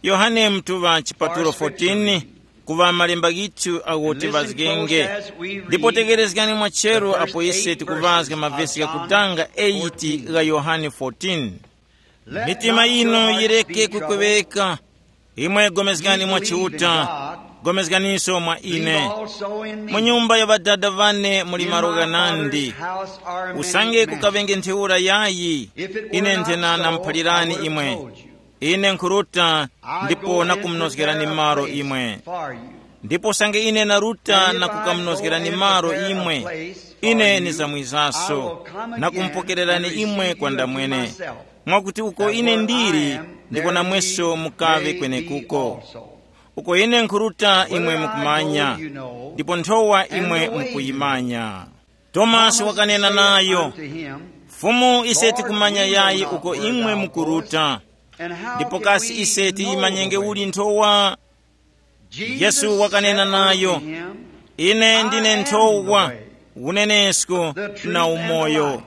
Yohane mtuŵa chipatulo fourteen, kuŵa malemba ghithu agho tivazgenge. Ndipo tegerezgani mwachero apo ise tikuvazga mavesi ghakutanga eight gha Yohane fourteen. Mitima yinu yireke kukweŵeka. Imwe gomezgani mwa Chiuta, gomezganiso mwa ine. Mu nyumba ya ŵadada ŵane muli malo ghanandi. Usange kukaŵenge ntheura yayi, ine nthena namuphalirani imwe. Ine nkhuruta, ndipo nakumunozgerani malo imwe. Ndipo usange ine naruta na kukamunozgerani malo imwe, ine nizamwizaso, na kumupokererani imwe kwa ndamwene, mwakuti uko ine ndili, ndiko namweso mukaŵe kwenekuko. Uko ine nkhuruta imwe mukumanya, ndipo nthowa imwe mukuyimanya. Tomasi wakanena nayo, "Fumu, ise tikumanya yayi uko imwe mukuruta, ndipo kasi ise tiyimanyenge uli nthowa?" Yesu wakanena nayo, "Ine ndine nthowa, unenesko na umoyo.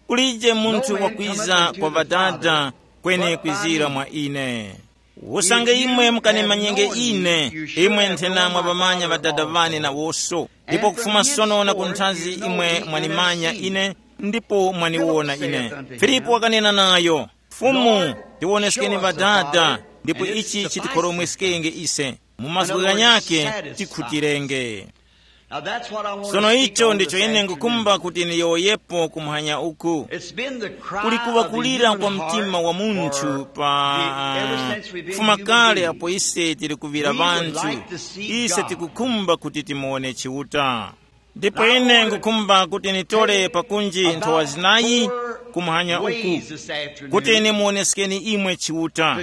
Kulije munthu wakwiza kwa Ŵadada kweni kwizira mwa ine. Usange imwe mukanimanyenge ine, imwe nthena mwa ŵamanya Ŵadada ŵane nawoso, ndipo kufuma sono na kunthazi imwe mwanimanya ine, ndipo mwaniwona ine." Filipu wakanena nayo, "Fumu, tiwoneskeni Ŵadada, ndipo ichi chitikhoromweskenge ise." Mu mazgu ghanyakhe tikhutirenge. Sono icho ndicho ine ngukumba kuti niyowoyepo kumhanya uku. Kuli kuŵa kulira kwa mtima wa munthu pa kufuma kale apo ise tili kuŵira ŵanthu, ise tikukhumba kuti timuwone Chiuta. Ndipo ine ngukhumba kuti nitole pakunji nthowa zinayi kumhanya uku, kuti nimuwoneskeni imwe Chiuta.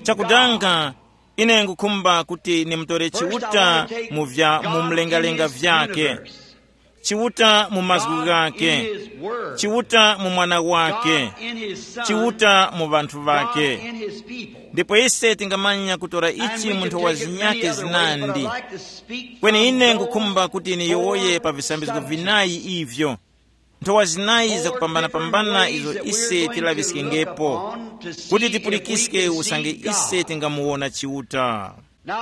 Chakudanga, ine ngukhumba kuti nimutore Chiuta mu vya mu mlengalenga vyake, Chiuta mu mazgu ghake, Chiuta mu Mwana wake, Chiuta mu ŵanthu ŵake. Ndipo ise tingamanya kutora ichi mu nthowa zinyakhe zinandi. Kweni ine ngukhumba kuti niyowoye pa visambizgo vinayi ivyo, nthowa zinayi zakupambanapambana izo ise tilaŵiskengepo, kuti tipulikiske usange ise tingamuwona Chiuta.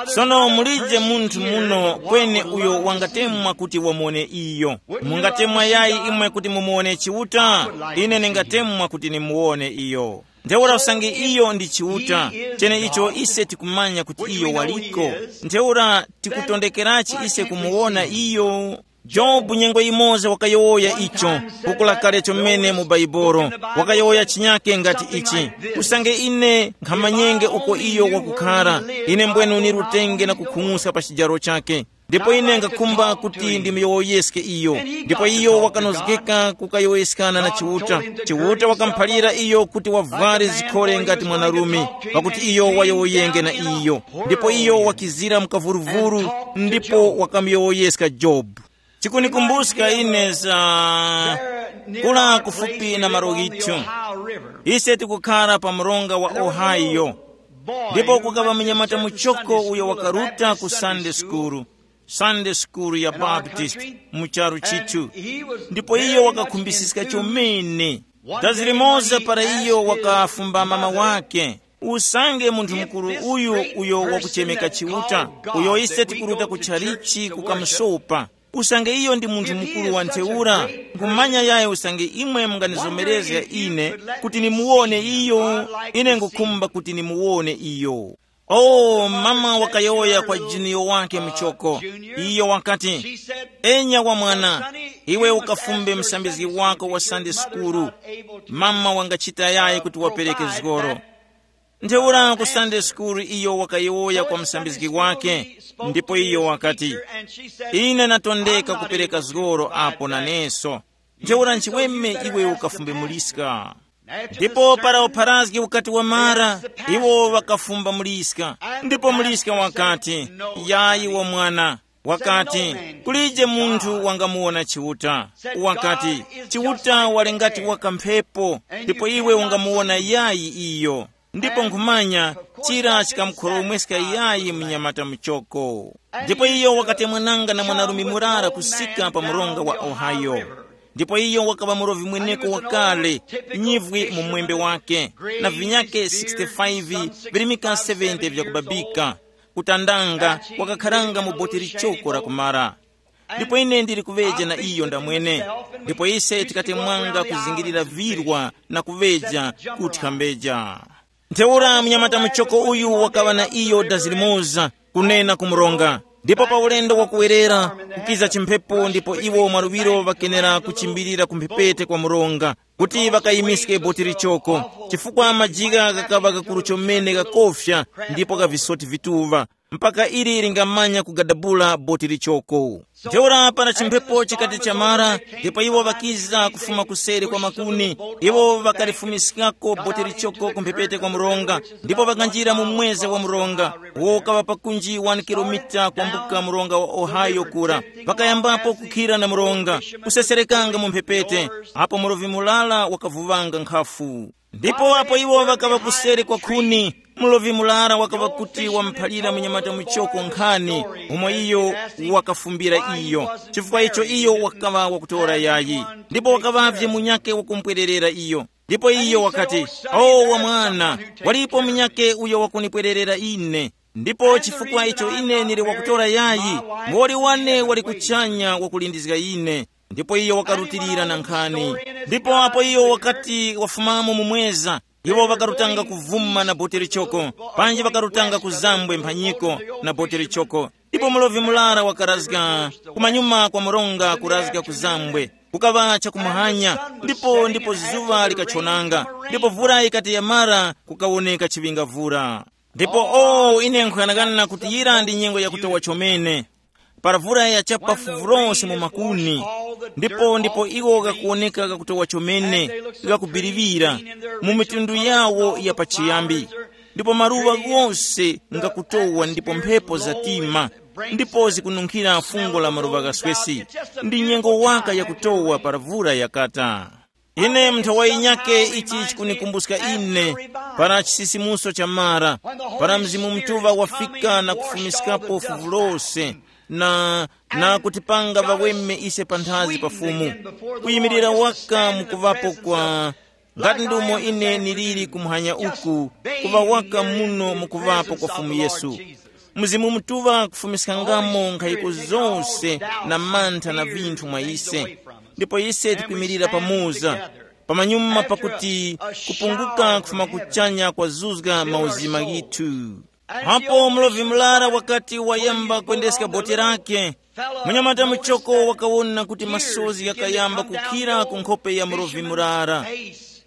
Sono mulije munthu muno kweni uyo wangatemwa kuti wamuwone iyo. Mungatemwa yayi imwe kuti mumuwone Chiuta? Ine ningatemwa kuti nimuwone iyo. Ntheura usange iyo ndi Chiuta, cheneicho ise tikumanya kuti iyo waliko, ntheura tikutondekerachi ise kumuwona iyo? Jobu nyengo yimoza wakayowoya icho, buku la kale chomene mu Baibolo, wakayowoya chinyake ngati ichi, usange ine nkhamanyenge uko iyo wakukhara, ine mbwenu nirutenge na kukhung'uska pa chijaro chake. Ndipo ine ngakhumba kuti ndimuyowoyeske iyo. Ndipo iyo wakanozgeka kukayowoyeskana na Chiuta. Chiuta wakamuphalira iyo kuti wavware zikhole ngati mwanarume, pakuti iyo wayowoyenge na iyo. Ndipo iyo wakizira mu kavuruvuru, ndipo wakamuyowoyeska Jobu. Chikunikumbuska ine za kula kufupi na malo ghithu. Ise tikukhara pa mronga wa Ohio. Ndipo kukaŵa munyamata muchoko uyo wakaruta ku Sunday school, Sunday school ya Baptist mu charu chithu. Ndipo iyo wakakhumbisiska chomene. Dazi limoza para iyo wakafumba mama wake, usange munthu mukuru uyu uyo wakuchemeka Chiuta, uyo ise tikuruta ku chalichi kukamusopa, usange iyo ndi munthu mukuru wa ntheura, nkhumanya yayi usange imwe munganizomerezga ine kuti nimuwone iyo, ine ngukhumba kuti nimuwone iyo. Oh, mama wakayowoya kwa junior wake muchoko. Iyo wakati, "Enya wa mwana, iwe ukafumbe msambizgi wako wa Sunday school." Mama wangachita yayi kuti wapereke zgoro. Ntheura ku Sunday school iyo wakayowoya kwa msambizgi wake, ndipo iyo wakati, "Ine natondeka kupereka zgoro apo naneso." Ntheura nchiweme iwe ukafumbe muliska. Ndipo para upharazgi ukati wamara, iwo ŵakafumba muliska. Ndipo muliska wakati, "Yayi wa mwana." Wakati, "Kulije munthu wangamuwona Chiuta." Wakati, "Chiuta wali ngati waka mphepo, ndipo iwe ungamuwona yayi iyo." Ndipo nkhumanya, chira chikamukhoromweska yayi mnyamata muchoko. Ndipo iyo wakatemwananga na mwanarume murara kusika pa mronga wa Ohio. Ndipo iyo wakaŵa murovi mweneko wakale, nyivwi mu mwembe wake, na vinyake sixty-five virimika seventy vyakubabika, kutandanga, wakakharanga mu boti lichoko la kumara. Ndipo ine ndili kuŵeja na iyo ndamwene. Ndipo ise tikatemwanga kuzingirira virwa na kuŵeja kuti kambeja. Ntheura mnyamata muchoko uyu wakaŵa na iyo dazi limoza kunena ku mronga. Ndipo pa ulendo wakuwerera, kukiza chimphepo ndipo iwo mwaluŵiro ŵakenera kuchimbirira ku mphepete kwa mronga kuti ŵakayimiske boti lichoko, chifukwa majigha ghakaŵa ghakuru chomene ghakofya ndipo gha visoti vituŵa. mpaka ili lingamanya kugadabula boti lichoko. Ntheura para chimphepo chikati chamara, ndipo iwo ŵakiza kufuma kuseri kwa makuni, iwo ŵakalifumiskako boti lichoko ku mphepete kwa mronga, ndipo ŵakanjira mu mweze wa mronga, uwo ukaŵa pakunji wani kilomita kwambuka mronga wa Ohio kura. Ŵakayambapo kukhira na mronga, kuseserekanga mu mphepete, apo mulovi mulala wakavuŵanga nkhafu. Ndipo apo iwo ŵakaŵa kuseri kwa khuni, mulovi murara wakaŵa kuti wamuphalira munyamata muchoko nkhani, umo iyo wakafumbira iyo, chifukwa icho iyo wakaŵa wakutora yayi. Ndipo wakaŵavye munyakhe wakumupwererera iyo. Ndipo iyo wakati, "O wa mwana, walipo munyakhe uyo wakunipwererera ine. Ndipo chifukwa icho ine ndili wakutora yayi, muwoli wane wali kuchanya wakulindizga ine." Ndipo iyo wakarutilira na nkhani. Ndipo apo iyo wakati wafumamo mu mweza, iwo ŵakarutanga kuvuma na bote lichoko, panji ŵakarutanga ku zambwe mphanyiko na bote lichoko. Ndipo mulovi murara wakarazga kumanyuma kwa mronga kurazga ku zambwe. Kukaŵa chakumuhanya, ndipo ndipo zuŵa likachonanga, ndipo vura ikati yamara, kukawoneka chiŵingavura. Ndipo o ine nkhuyanakana kuti yira ndi nyengo yakutowa chomene. Para vura yachapa fuvu lose mu makuni, ndipo ndipo iwo ghakuwoneka ghakutowa chomene, ghakubiriŵira mu mitundu yawo ya pachiyambi. Ndipo maluŵa ghose ngakutowa ndipo mphepo zatima, ndipo zikununkhira fungo la maluŵa ghaswesi. Ndi nyengo waka yakutowa para vura yakata. Ine mnthawayi nyakhe ichi chikunikumbuska ine, para chisisimuso cha mara, para Mzimu Mutuŵa wafika na kufumiskapo fuvu lose, na, na kutipanga ŵaweme ise panthazi pa Fumu, kuyimirira waka mukuvapo kwa, ngati ndumo ine niliri kumuhanya uku, kuŵa waka muno mukuvapo kwa Fumu Yesu. Mzimu Mutuŵa kufumiskangamo nkhayiko zose na mantha na vinthu mwa ise, ndipo ise tikwimirira pamoza, pamanyuma pakuti kupunguka kufuma kuchanya kwazuzga mauzima ghithu. Apo mulovi murara wakati wayamba kwendeska bote lake, munyamata muchoko wakawona kuti masozi ghakayamba kukhira ku nkhope ya mulovi murara.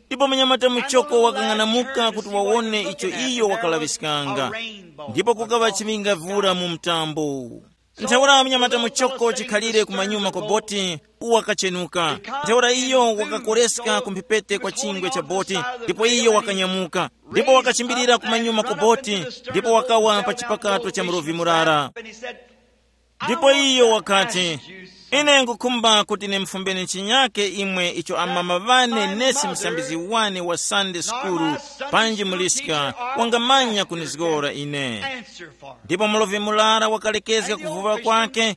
Ndipo munyamata muchoko wakang'anamuka kuti wawone icho iyo wakalaŵiskanga. Ndipo kukaŵa chiŵingavura mu mtambo. Ntheura munyamata muchoko chikhalire kumanyuma kwa boti, wakachenuka. Ntheura iyo wakakoreska ku mphepete kwa chingwe cha boti, ndipo iyo wakanyamuka, ndipo wakachimbirira kumanyuma kwa boti, ndipo wakawa pa chipakato cha mulovi murara. Ndipo iyo wakati, "Ine nkhukhumba kuti nimufumbeni chinyake imwe icho amama ŵane nesi msambizi wane wa Sunday school, panji muliska, wangamanya kunizgora ine." Ndipo mulovi murara wakalekezga kuvuŵa kwake,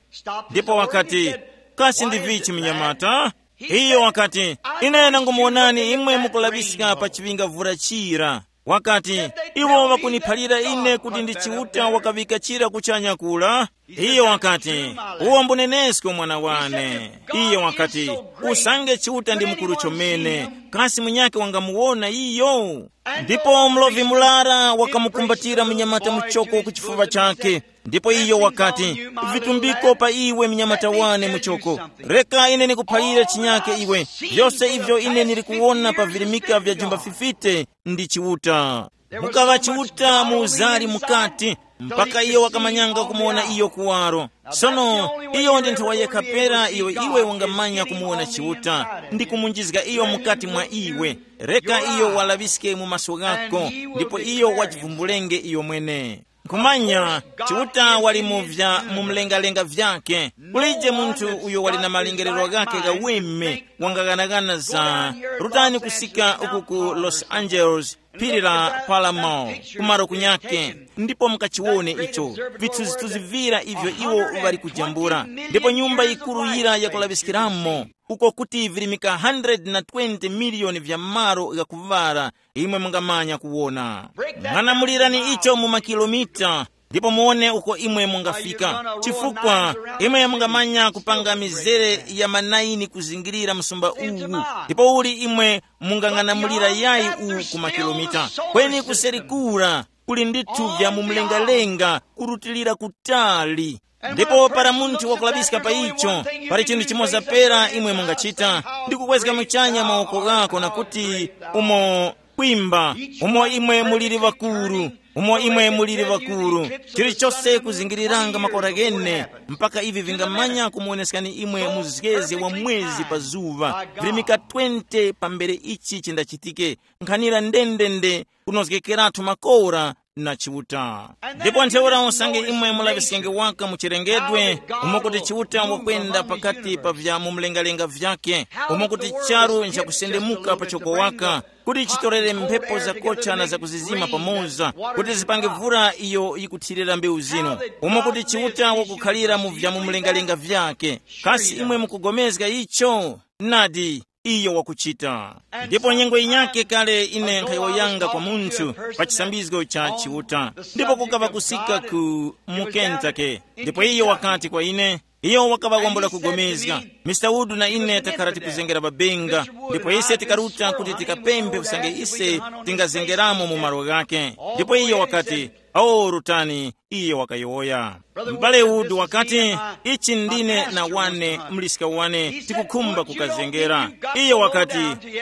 ndipo wakati, "Kasi ndi vichi, munyamata?" Iyo wakati, "Ine nangumuwonani imwe mukulaŵiska pa chiŵingavura chira." Wakati, "Iwo ŵakuniphalira ine kuti ndi Chiuta wakaŵika chira kuchanya kula?" Iyo wakati, "Uwo mbunenesko mwana wane." Iyo wakati, "Usange Chiuta ndi mukuru chomene, kasi munyakhe wangamuwona iyo?" Ndipo mlovi murara wakamukumbatira munyamata muchoko ku chifuŵa chakhe. Ndipo iyo wakati, "Vitumbiko pa iwe mnyamata wane muchoko. Reka ine nikuphalire chinyake iwe. Vyose ivyo ine nili kuwona pa virimika vya jumba fifite ndi Chiuta." Mukaŵa Chiuta mu uzari mukati, mpaka iyo wakamanyanga kumuwona iyo kuwaro. Sono, iyo ndi nthawa yekha pera iyo iwe ungamanya kumuwona Chiuta, ndi kumunjizga iyo mukati mwa iwe. Reka iyo walaŵiske mu maso ghako, ndipo iyo wajivumbulenge iyo mwene. Nkhumanya, Chiuta wali mu vya mu mlengalenga vyake. Kulije munthu uyo wali na malingerero ghakhe ghaweme wangaghanagana za, rutani kusika uku ku Los Angeles, phiri la Paramount, kumaro kunyake, ndipo mukachiwone icho, vithunzithunzi vira ivyo iwo ŵali kujambula, ndipo nyumba yikuru yira yakulaŵiskiramo, uko kuti virimika hundred na twenty miliyoni vya malo ghakuŵala, imwe mungamanya kuwona. Ng'anamulirani icho mu makilomita, ndipo muwone uko imwe mungafika, chifukwa imwe mungamanya kupanga mizere ya manaini kuzingirira msumba uwu, ndipo uli imwe mungang'anamulira yayi uwu ku makilomita? Kweni kuseri kura kuli ndithu vya mu mlengalenga kurutilira kutali. Ndipo para munthu wakulaŵiska pa icho, pali chinthu chimoza pera imwe mungachita, ndi kukwezga muchanya mawoko ghako na kuti, "Umo kwimba, umo imwe muliri ŵakuru, umo imwe muliri ŵakuru, chilichose kuzingiriranga makora ghene, mpaka ivi vingamanya kumuwoneskani imwe muzgezi wa mwezi pa zuŵa, virimika twenty pambere ichi chindachitike, nkhanira ndendende kunozgekeratu makora na Chiuta. Ndipo ntheura usange imwe mulaŵiskenge waka mu chilengedwe, umo kuti Chiuta wakwenda pakati pa vya mu mlengalenga vyake, umo kuti charu nchakusendemuka pachoko waka, kuti chitorere mphepo zakocha na zakuzizima pamoza, kuti zipange vura iyo yikuthirira mbewu zinu, umo kuti Chiuta wakukhalira mu vya mu mlengalenga vyake. Kasi imwe mukugomezga icho? Nadi, iyo wakuchita. Ndipo nyengo yinyake kale ine nkhayowoyanga kwa munthu pa chisambizgo cha Chiuta, ndipo kukaŵa kusika ku mu Kentucky. Ndipo iyo wakati kwa ine, iyo wakaŵa wambula kugomezga, Mr Wood na ine takhala tikuzengera babenga, ndipo ise tikaruta kuti tikapemphe usange ise tingazengeramo mu malo ghake. Ndipo iyo wakati, awo rutani, iye wakayowoya. M'bale Wood wakati, ichi ndine na wane mliska wane tikukhumba kukazengera. Iye wakati,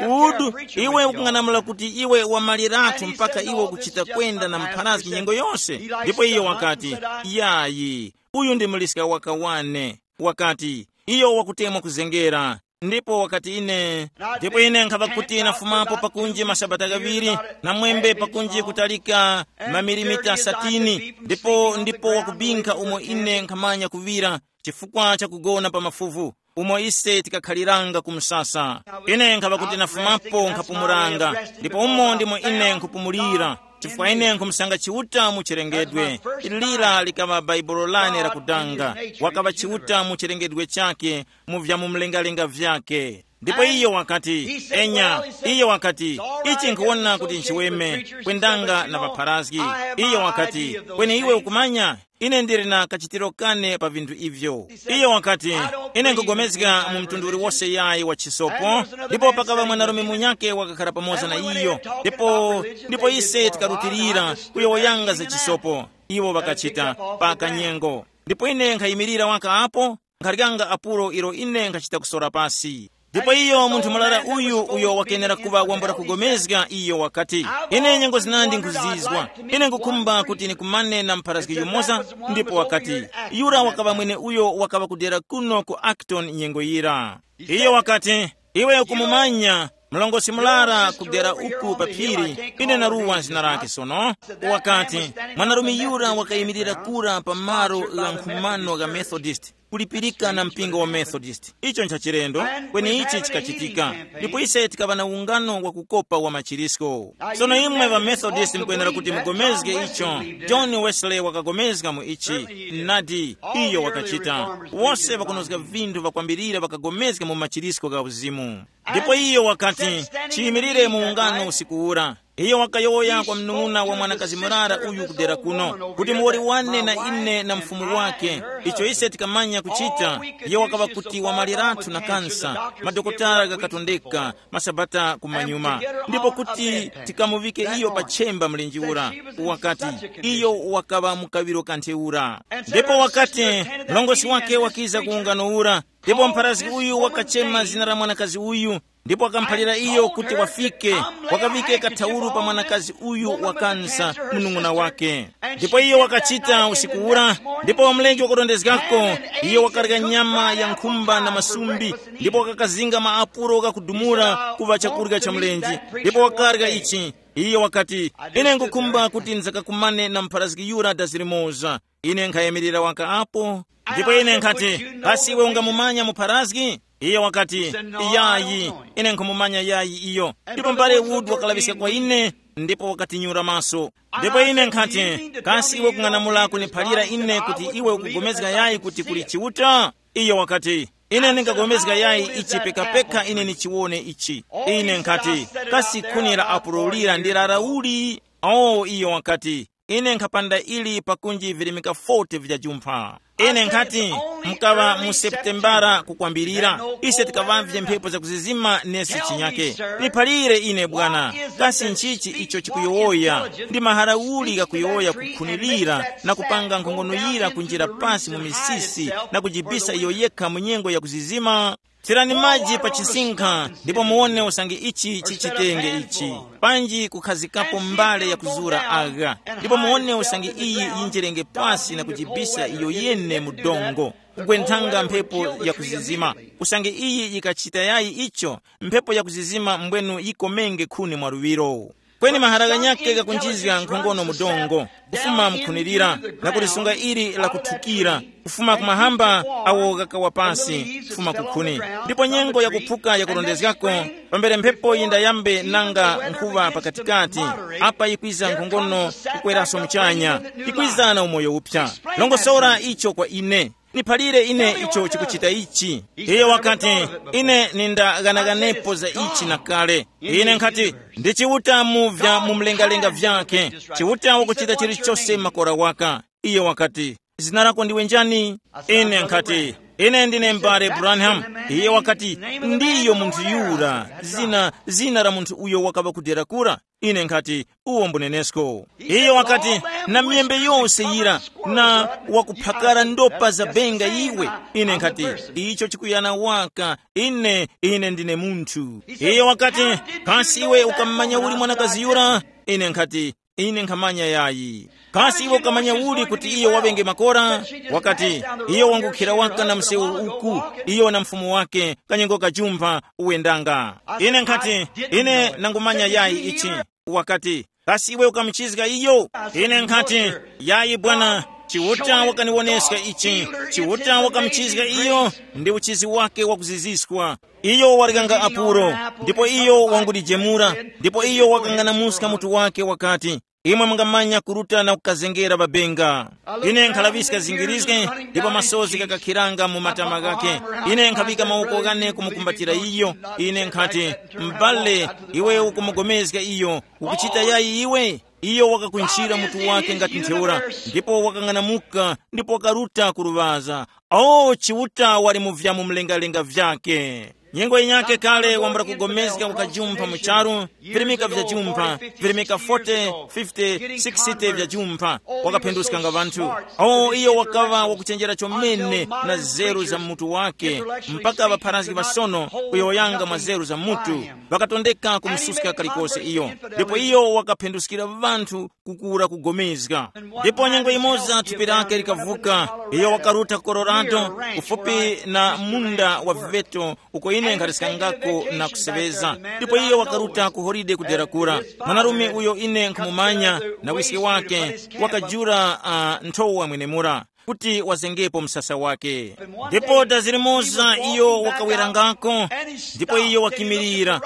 Wood, iwe ukung'anamula kuti iwe wamaliratu mpaka iwe ukuchita kwenda na mpharazgi nyengo yose? Ndipo iye wakati, yayi, uyu ndi mliska waka wane. Wakati, iyo wakutemwa kuzengera. Ndipo wakati ine, ndipo ine nkhava kuti nafumapo pakunji masabata ghaŵiri, na mwembe pakunji kutalika mamilimita satini, ndipo ndipo wakubinkha umo ine nkhamanya kuŵira, chifukwa cha kugona pa mafuvu, umo ise tikakhaliranga ku msasa. Ine nkhava kuti nafumapo nkhapumuranga, ndipo umo ndimo ine nkhupumulira, chifukwa ine nkhumusanga Chiuta mu chilengedwe. Ili lira likaŵa baibulo lane lakudanga, wakaŵa Chiuta mu chilengedwe chake, mu vya mu mlengalenga vyake. Ndipo iyo wakati, enya, iyo wakati, ichi nkhuwona kuti nchiweme, kwendanga na ŵapharazgi. Iyo wakati, kweni iwe ukumanya, ine ndili na kachitiro kane pa vinthu ivyo. Iyo wakati, ine nkugomezga mu mtundu uliwose yayi wa chisopo, ndipo pakaŵa mwanarume munyake wakakhala pamoza na iyo, ndipo ndipo ise tikarutilira kuyowoyanga za chisopo. Iwo ŵakachita pa kanyengo. Ndipo ine nkhayimirira waka apo, nkharyanga apuro ilo ine nkhachita kusora pasi. Ndipo iyo munthu murara uyu uyo wakenera kuŵa wambula kugomezga iyo wakati, ine nyengo zinandi nkhuzizwa, ine nkukhumba kuti nikumane na mpharazgi yumoza. Ndipo wakati, yura wakaŵa mwene uyo wakaŵa kudera kuno ku Acton nyengo yira. Iyo wakati, iwe ukumumanya mlongosi murara kudera uku pa phiri, ine naruwa zina lake sono. Wakati, mwanarume yura wakayimirira kura pa malo gha nkhumano gha Methodist, kulipirika na mpingo wa Methodist. Icho nchachilendo, kweni ichi chikachitika. Ndipo ise tikaŵa na ungano wa kukopa wa machirisko. Sono imwe ŵa Methodist mukwenera kuti mugomezge icho. John Wesley wakagomezga mu ichi. Nadi, iyo wakachita. Wose ŵakunozga vinthu ŵakwambirira ŵakagomezga mu machirisko gha uzimu. Ndipo iyo wakati, chiyimirire mu ungano usiku ura. Iyo wakayowoya kwa mnung'una wa mwanakazi murara uyu kudera kuno, kuti muwoli wane na ine na mfumu wake, icho ise tikamanya kuchita. Iyo wakaŵa kuti wamaliratu na kansa, madokotala ghakatondeka, masabata kumanyuma, ndipo kuti tikamuŵike iyo pa chemba mlenje ura. Wakati, iyo wakaŵa mukaŵiro ka ntheura. Ndipo wakati, mlongosi wake wakiza ku ungano ura, ndipo mpharazgi uyu wakachema zina la mwanakazi uyu, ndipo wakamuphalira iyo kuti wafike, wakaŵike kathauru pa mwanakazi uyu wakansa, munung'una wake. Ndipo iyo wakachita usiku ura, ndipo mlenje wakurondezgako, iyo wakarya nyama ya nkhumba na masumbi, ndipo wakakazinga maapulo ghakudumula kuŵa chakurya cha mlenje, ndipo wakarya ichi. Iyo wakati, ine nkukhumba kuti nzakakumane na mpharazgi yura dazi limoza. Ine nkhayimirira waka apo, ndipo ine nkhati, kasi iwe ungamumanya mupharazgi? Iye wakati, yayi, ine nkhumumanya yayi iyo. Ndipo mbale Wood wakalaŵiska kwa ine, ndipo wakatinyura maso. Ndipo ine nkhati, kasi iwe kung'anamula kuniphalira ine kuti iwe ukugomezga yayi kuti kuli Chiuta? Iyo wakati, ine ndingagomezga yayi ichi pekapeka ine nichiwone ichi. Ine nkhati, kasi khuni la apulo lira ndi la uli? Oh, iyo wakati, ine nkhapanda ili pakunji virimika forty vya jumpha. Ine nkhati, mukaŵa mu Seputembara kukwambirira, ise tikaŵavye mphepo zakuzizima nesi chinyake. Niphalire ine, Bwana, kasi nchichi icho chikuyowoya? Ndi mahara uli ghakuyowoya kukhunilira na kupanga nkhongono yira kunjira pasi mu misisi na kujibisa iyo yekha mu nyengo yakuzizima? Thirani maji pa chinsinkha, ndipo muwone usange ichi chichitenge ichi. Panji kukhazikapo mbale yakuzura agha, ndipo muwone usange iyi yinjerenge pasi na kujibisa iyo yene mu dongo, kugwenthanga mphepo yakuzizima. Usange iyi yikachita yayi icho, mphepo yakuzizima mbwenu yikomenge khuni mwa luŵiro. Kweni mahara ghanyakhe ghakunjizga nkhongono mu dongo, kufuma mukhunirira, na kulisunga ili lakuthukira, kufuma kumahamba awo ghakawa pasi, kufuma kukhuni. Ndipo nyengo yakuphuka yakurondezgako, pambere mphepo yindayambe nanga nkhuŵa pakatikati, apa yikwiza nkhongono kukweraso muchanya, yikwiza na umoyo uphya. Longosora icho kwa ine. Niphalire ine icho chikuchita ichi. Iye wakati, ine nindaghanaghanepo za ichi na kale. Ine nkhati, ndi Chiuta mu vya mu mlengalenga vyake. Chiuta wakuchita chilichose makora waka. Iye wakati, zina lako ndiwe njani? Ine nkhati, ine ndine m'bale Branham. Iye wakati, ndiyo munthu yura. Zina, zina la munthu uyo wakaŵa kudera kura. Ine nkhati, uwo mbunenesko. Iyo wakati, na myembe yose yira, na wakuphakara ndopa za benga iwe. Ine nkhati, icho chikuyana waka. Ine, ine ndine munthu. Iyo wakati, kasi iwe ukammanya uli mwanakazi yura? Ine nkhati, ine nkhamanya yayi. Kasi iwe ukamanya uli kuti iyo wabenge makora? Wakati, iyo wangukhira waka na msewu uku, iyo na mfumu wake, kanyengo kajumpha uwendanga. Ine nkhati, ine nangumanya yayi ichi. Wakati, kasi iwe ukamuchizga iyo? Ine nkhati, yayi bwana, Chiuta wakaniwoneska ichi. Chiuta wakamuchizga iyo, ndi uchizi wake wakuziziswa. Iyo walikanga apuro, ndipo iyo wangudijemura, ndipo iyo wakang'anamuska mutu wake wakati, imwe mungamanya kuruta na kukazengera babenga. Ine nkhalaŵiska zingirizge, ndipo masozi gakakhiranga mu matama ghakhe. Ine nkhaŵika mawoko ghane kumukumbatira iyo. Ine nkhati, m'bale, iwe ukumugomezga iyo, ukuchita yayi iwe? Iyo wakakunjira mutu wake ngati ntheura, ndipo wakang'anamuka, ndipo wakaruta ku luŵaza. O, Chiuta wali mu vyamu mlengalenga vyake. Nyengo yinyakhe kale wambula kugomezga wakajumpha mu charu, virimika vya jumpha, virimika forty, fifty, sixty vya jumpha, wakaphenduskanga ŵanthu. O, iyo wakaŵa wakuchenjera chomene na zeru za mutu wake, mpaka ŵapharazgi ŵasono kuyowoyanga mwa zeru za mutu, ŵakatondeka kumususka kalikose iyo. Ndipo iyo wakaphenduskira ŵanthu kukura kugomezga. Ndipo nyengo yimoza thupi lake likavuka, iyo wakaruta ku Colorado, kufupi na munda wa viveto, uko ine nkhaliskangako na kuseŵeza. Ndipo iyo wakaruta ku holide kudera kura. Mwanarume uyo ine nkhumumanya na wiske wake, wakajula uh, nthowa mwenemura kuti wazengepo msasa wake. Ndipo dazi limoza iyo wakawerangako, ndipo iyo wakimirira,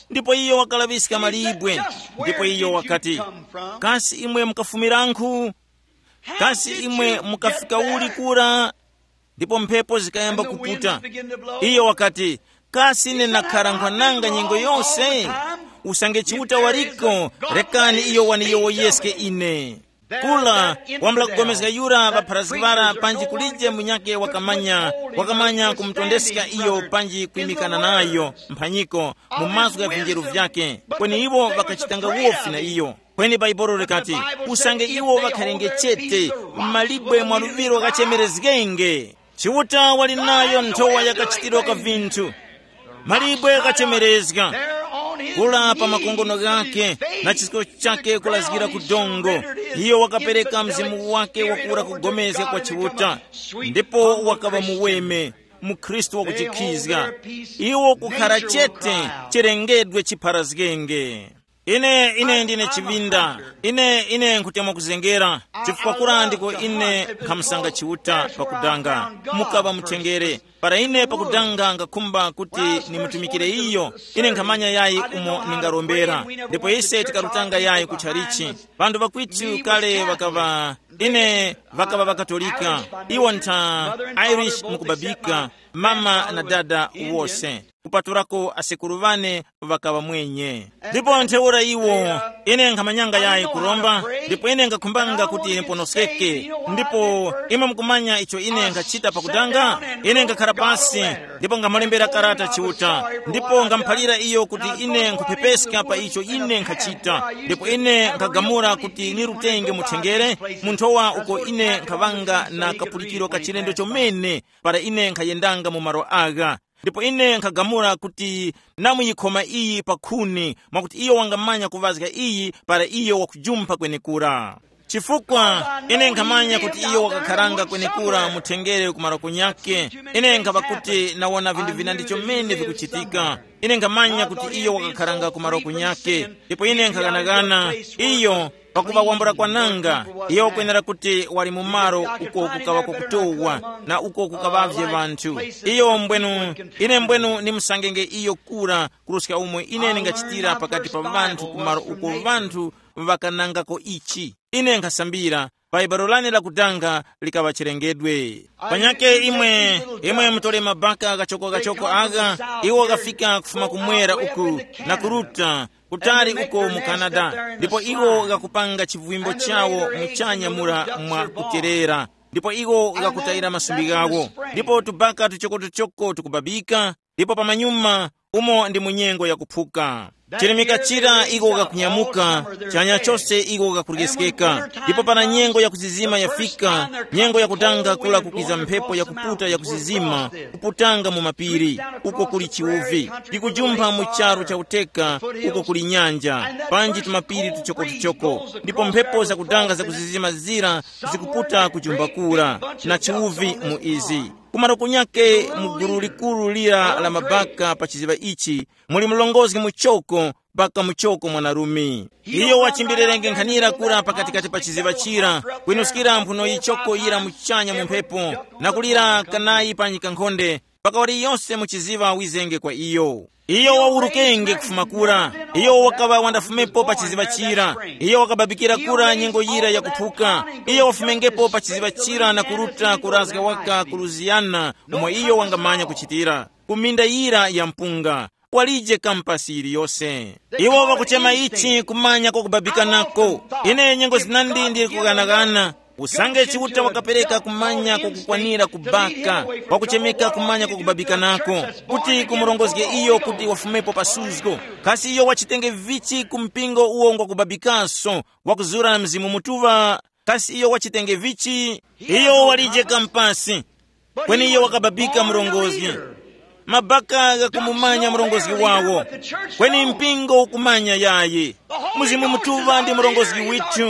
ndipo iyo wakalaŵiska malibwe, ndipo iyo wakati, kasi imwe mukafumirankhu? Kasi imwe mukafika uli kura? Ndipo mphepo zikayamba kuputa. Iyo wakati, kasi ine nakhara nkhwananga nyengo yose? Usange Chiuta waliko, rekani iyo waniyowoyeske ine. Kula, wambula kugomezga yura ŵapharazgi ŵara panji kulije munyakhe wakamanya, wakamanya kumutondeska iyo panji kwimikana nayo mphanyiko mu mazgu gha vinjeru vyakhe, kweni iwo ŵakachitanga wofi na iyo. Kweni Baibolo likati, usange iwo ŵakharenge chete, malibwe mwa luŵiro ghachemerezgenge. Chiuta wali nayo nthowa yakachitiro ka vinthu. Malibwe ghachemerezga. Kula pa makongono ghakhe na chisko chakhe kulazgira ku dongo. Iyo wakapereka mzimu wake wakura kugomezga kwa Chiuta, ndipo wakaŵa muweme, mukhristu wakuchikhizga. Iwo kukhara chete, chilengedwe chipharazgenge. Ine ine ndine chivinda. Ine ine nkutemwa kuzengera, chifukwa kura ndiko ine nkhamusanga Chiuta pakudanga. Mukaŵa mutengere. Para ine pakudanga ngakhumba kuti nimutumikire iyo, ine nkhamanya yayi umo ningarombera. Ndipo ise tikarutanga yayi ku chalichi. Panthu pakwitu kale ŵakaŵa, ine ŵakaŵa ŵakatolika. Iwo ntha Irish mukubabika. mama na dada wose, kupatulako asekuru ŵane ŵakaŵa mwenye. Ndipo ntheura iwo, ine nkhamanyanga yayi kuromba, ndipo ine nkakhumbanga kuti ndiponoskeke. Ndipo imwe mukumanya icho ine nkhachita pakutanga? Ine ngakhara pasi, ndipo ngamulembera karata Chiuta, ndipo ngamuphalira iyo kuti ine nkhuphepeska pa icho ine nkhachita. Ndipo ine nkhagamula kuti nirutenge muthengere munthowa uko ine nkhaŵanga na kapulikiro ka chilendo chomene, para ine nkhayendanga mu malo agha. Ndipo ine nkhagamula kuti namuyikhoma iyi pa khuni, mwakuti iyo wangamanya kuŵazga iyi para iyo wakujumpha kwenekura. Chifukwa ine nkhamanya kuti iyo wakakharanga kwenekura muthengere ku maroko nyakhe. Ine nkhapa kuti nawona vinthu vina ndicho mmene vikuchitika. Ine nkhamanya kuti iyo wakakharanga ku maroko nyakhe. Ndipo ine nkhaganagana iyo, pakuŵa wambula kwananga, iyo wakwenera kuti wali mu malo uko kukaŵa kwakutowa, na uko kukaŵavye ŵanthu. Iyo mbwenu, ine mbwenu ndimusangenge iyo kura, kuruska umo ine ndingachitira pakati pa ŵanthu ku malo uko ŵanthu ŵakanangako ichi. Ine nkhasambira, pa ibaro lane lakudanga likaŵa chilengedwe. Panyake imwe, imwe mutole mabaka kachoko-kachoko agha, iwo ghafika kufuma kumwera uku, na kuruta kutali uko mu Canada, ndipo iwo ghakupanga chivwimbo chawo muchanya mura mwa kuterera, ndipo iwo ghakutayira masumbi ghawo, ndipo tubaka tuchokotuchoko tukubabika, ndipo pamanyuma umo ndi mu nyengo yakuphuka. Chirimika chira iko kakunyamuka, chanya chose iko kakuryeskeka, ndipo para nyengo yakuzizima yafika, nyengo yakutanga kula kukwiza mphepo yakuputa yakuzizima, kuputanga mu mapiri, uko kuli chiwuvi, ikujumpha mu charu cha uteka, uko kuli nyanja, panji tumapiri tuchokotuchoko, ndipo mphepo zakutanga zakuzizima zira zikuputa kujumbakura, na chiwuvi mu izi. Kumaro kunyake mu gulu likuru lira la mabaka pa chiziŵa ichi, muli mlongozi muchoko, baka muchoko mwanarume. Iyo wachimbirirenge nkhanira kura pakatikati pa chiziŵa chira, kwinuskira mphuno yichoko yira muchanya mu mphepo, na kulira kanayi pa nyikankhonde, mpaka waliyose mu chiziŵa wizenge kwa iyo. Iyo wawurukenge kufuma kura. Iyo wakaŵa wandafumepo pa chiziŵa chira. Iyo wakababikira kura nyengo yira yakuphuka. Iyo wafumengepo pa chiziŵa chira na kuruta kurazga waka ku Lusiyana, umo iyo wangamanya kuchitira, ku minda yira ya mpunga. Walije kampasi yiliyose. Iwo ŵakuchema ichi kumanya kwakubabikanako. Ine nyengo zinandi ndili kughanagana. Usange Chiuta wakapereka kumanya kwakukwanira kubaka, kwakuchemeka kumanya kwakubabikanako, kuti kumurongozge iyo kuti wafumepo pa suzgo. Kasi iyo wachitenge vichi ku mpingo uwo ngwakubabikaso, wakuzura na Mzimu Mutuŵa? Kasi iyo wachitenge vichi? Iyo walije kampasi. Kweni iyo wakababika murongozgi. Mabaka ghakumumanya murongozgi wawo. Kweni mpingo ukumanya yayi. Mzimu Mutuŵa ndi murongozgi withu.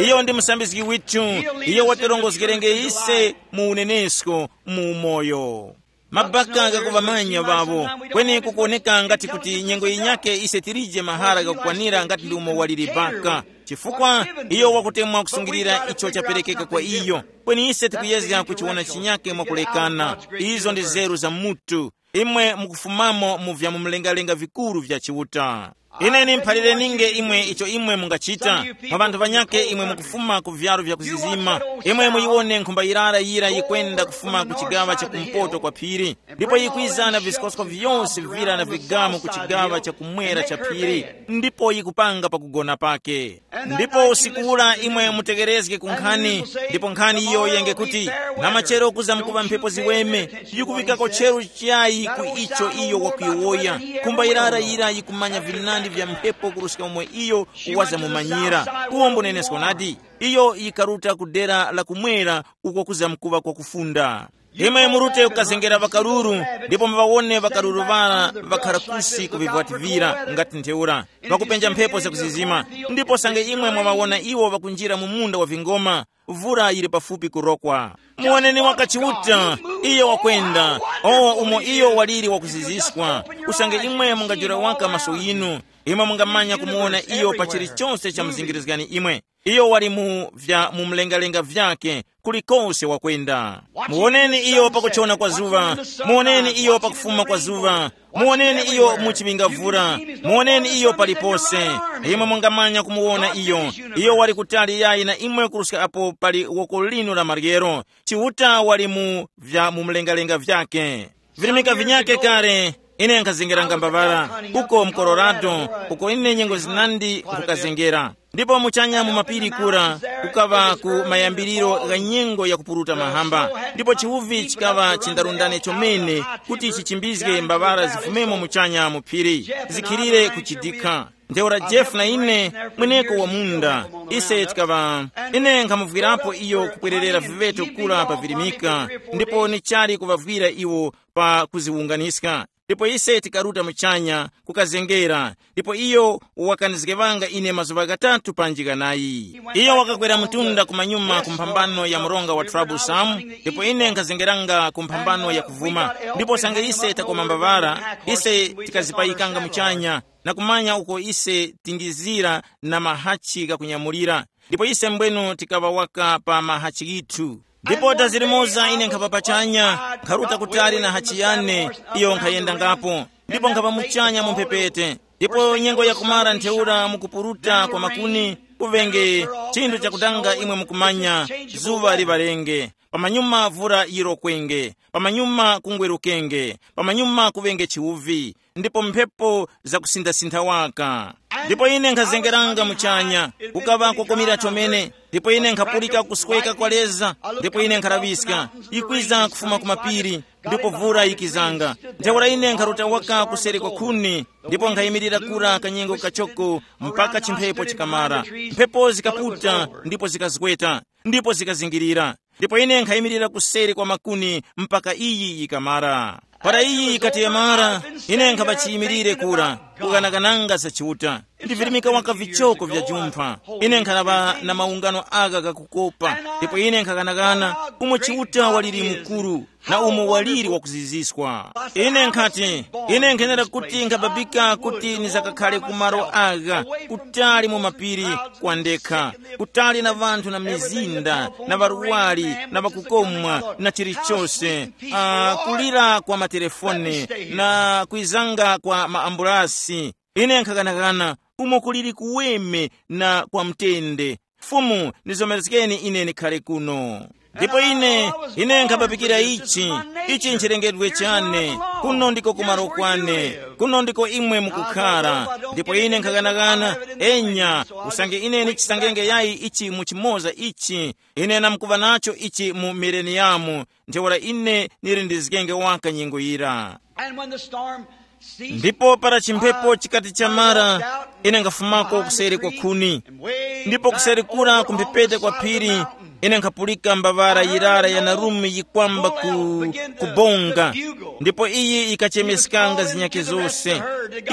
Iyo ndi musambizgi withu. Iyo watirongozgerenge ise mu unenesko, mu umoyo. Mabaka ghakuŵamanya ŵawo. Kweni kukuwoneka ngati kuti nyengo yinyake ise tilije mahara ghakukwanira ngati ndi umo waliri baka. Chifukwa iyo wakutemwa kusungilira icho chaperekeka kwa iyo. Kweni ise tikuyezga kuchiwona chinyake mwakulekana. Izo ndi zeru za mutu. Imwe mukufumamo mu vya mu mlengalenga vikuru vya Chiuta. Ine nimphalire ninge imwe icho imwe mungachita. Mwa ŵanthu ŵanyake imwe mukufuma ku vyaro vya kuzizima, imwe muyiwone nkhumba yirara yira yikwenda kufuma ku chigaŵa cha kumpoto kwa phiri, ndipo yikwiza na viskosko vyose vira na vigamu ku chigaŵa cha kumwera cha phiri, ndipo yikupanga pakugona pake. Ndipo usiku ura imwe mutegerezge ku nkhani, ndipo nkhani iyo yenge kuti, na machero kuza mkuŵa mphepo ziweme, yikuŵikako cheru chayi ku icho iyo wakuyowoya. Nkhumba yirara yira yikumanya vinandi vya mphepo kuruska umwe iyo wazamumanyira. Uwo mbunenesko nadi. Iyo yikaruta ku dera la kumwera uko kuza mkuŵa kwakufunda. Imwe murute kukazengera ŵakaruru, ndipo muŵawone ŵakaruru ŵara ŵakhara kusi ku vivwati vira ngati ntheura, ŵakupenja mphepo zakuzizima. Ndipo sange imwe mwaŵawona iwo ŵakunjira mu munda wa vingoma, vura yili pafupi kurokwa. Muwoneni waka Chiuta, iyo wakwenda. O, umo iyo waliri wakuziziswa. Usange imwe mungajula waka maso yinu, imwe mungamanya kumuwona iyo pa chilichose chamuzingirizgani imwe. Iyo wali mu vya mu mlengalenga vyake, kulikose wakwenda. Muwoneni iyo pakuchona kwa zuŵa, muwoneni iyo pakufuma kwa zuŵa, muwoneni iyo mu chiŵingavura, muwoneni iyo palipose. Imwe mungamanya kumuwona iyo. Iyo wali kutali yayi na imwe kuruska apo pali woko linu la maryero. Chiuta wali mu vya mu mlengalenga vyake. Virimika vinyake kale, ine nkhazengeranga mbavara uko mu Colorado, uko ine nyengo zinandi nkhukazengera. Ndipo muchanya mu mapiri kura kukaŵa ku mayambiriro gha nyengo yakupuruta mahamba, ndipo chiwuvi chikaŵa chindarundane chomene kuti chichimbizge mbavara zifumemo muchanya mu phiri, zikhilire kuchidikha. Ntheura Jeff na ine, mweneko wa munda, ise tikaŵa, ine nkhamuvwirapo iyo kupwererera viveto kura pa virimika, ndipo ni chali kuvavwira iwo pa kuziwunganiska. Ndipo ise tikaruta muchanya kukazengera, ndipo iyo wakanizgeŵanga ine mazuŵa ghatatu panji ghanayi. Iyo wakakwera mtunda kumanyuma ku mphambano ya mronga wa Troublesome, ndipo ine nkhazengeranga ku mphambano ya kuvuma. Ndipo sange ise takoma mbavara, ise tikazipayikanga muchanya na kumanya uko ise tingizira na mahachi ghakunyamulira. Ndipo ise mbwenu tikaŵa waka pa mahachi ghithu. Ndipo dazirimoza ine nkhapa pachanya, nkharuta kutali na hachi yane, iyo nkhayendangapo. Ndipo nkhapa muchanya mu mphepete. Ndipo nyengo yakumara ntheura mukupuruta kwa makuni, kuvenge chinthu chakutanga imwe mukumanya, zuŵa liŵalenge, pamanyuma vura yirokwenge, pamanyuma kungwerukenge, pamanyuma kuvenge chiwuvi, ndipo mphepo zakusintha-sintha waka. Ndipo ine nkhazengeranga muchanya, kukaŵa kokomera chomene, ndipo ine nkhapulika kusweka kwa leza, ndipo ine nkhalaŵiska, ikwiza kufuma ku mapiri, ndipo vura yikizanga. Ntheura ine nkharuta waka kuseri kwa khuni, ndipo nkhayimirira kura kanyengo kachoko mpaka chimphepo chikamara. Mphepo zikaputa ndipo zikazgweta, ndipo zikazingirira. Ndipo ine nkhayimirira kuseri kwa makuni mpaka iyi yikamara. Para iyi yikati yamara, ine nkhapa chiyimirire kura, kuganagananga za Chiuta. Ndivirimika waka vichoko vya jumpha. Ine nkhanava na maungano agha ghakukopa, ndipo ine nkhaganagana umo Chiuta waliri mukuru na umo waliri wakuziziswa. Ine nkhati, ine nkhenera kuti nkhababika kuti nizakakhale ku malo agha, kutali mu mapiri, kwa ndekha, kutali na ŵanthu na mizinda na ŵarwari na ŵakukomwa na chilichose, uh, kulira kwa matelefone na kwizanga kwa maambulasi. Ine nkhakanakana umo kuliri kuweme na kwa mtende. Fumu, nizomerezgeni ine ndikhale kuno. Ndipo ine, ine nkhabapikira ichi, ichi nchilengedwe chane, kuno ndiko kumaro kwane, kuno ndiko imwe mukukhara. Ndipo ine nkhakanakana, enya, usange ine ndichisangenge yayi ichi mu chimoza ichi, ine namkuva nacho ichi mu mileniyamu, ntheura ine nili ndizgenge waka nyengo yira. And when the storm ceased, ndipo para chimphepo chikati chamara, ine ngafumako kuseri kwa khuni. Ndipo kuseri kura kumphepete kwa phiri, ine nkhapulika mbavara yirara ya narumi yikwamba ku, kubonga. Ndipo iyi yikachemeskanga zinyake zose,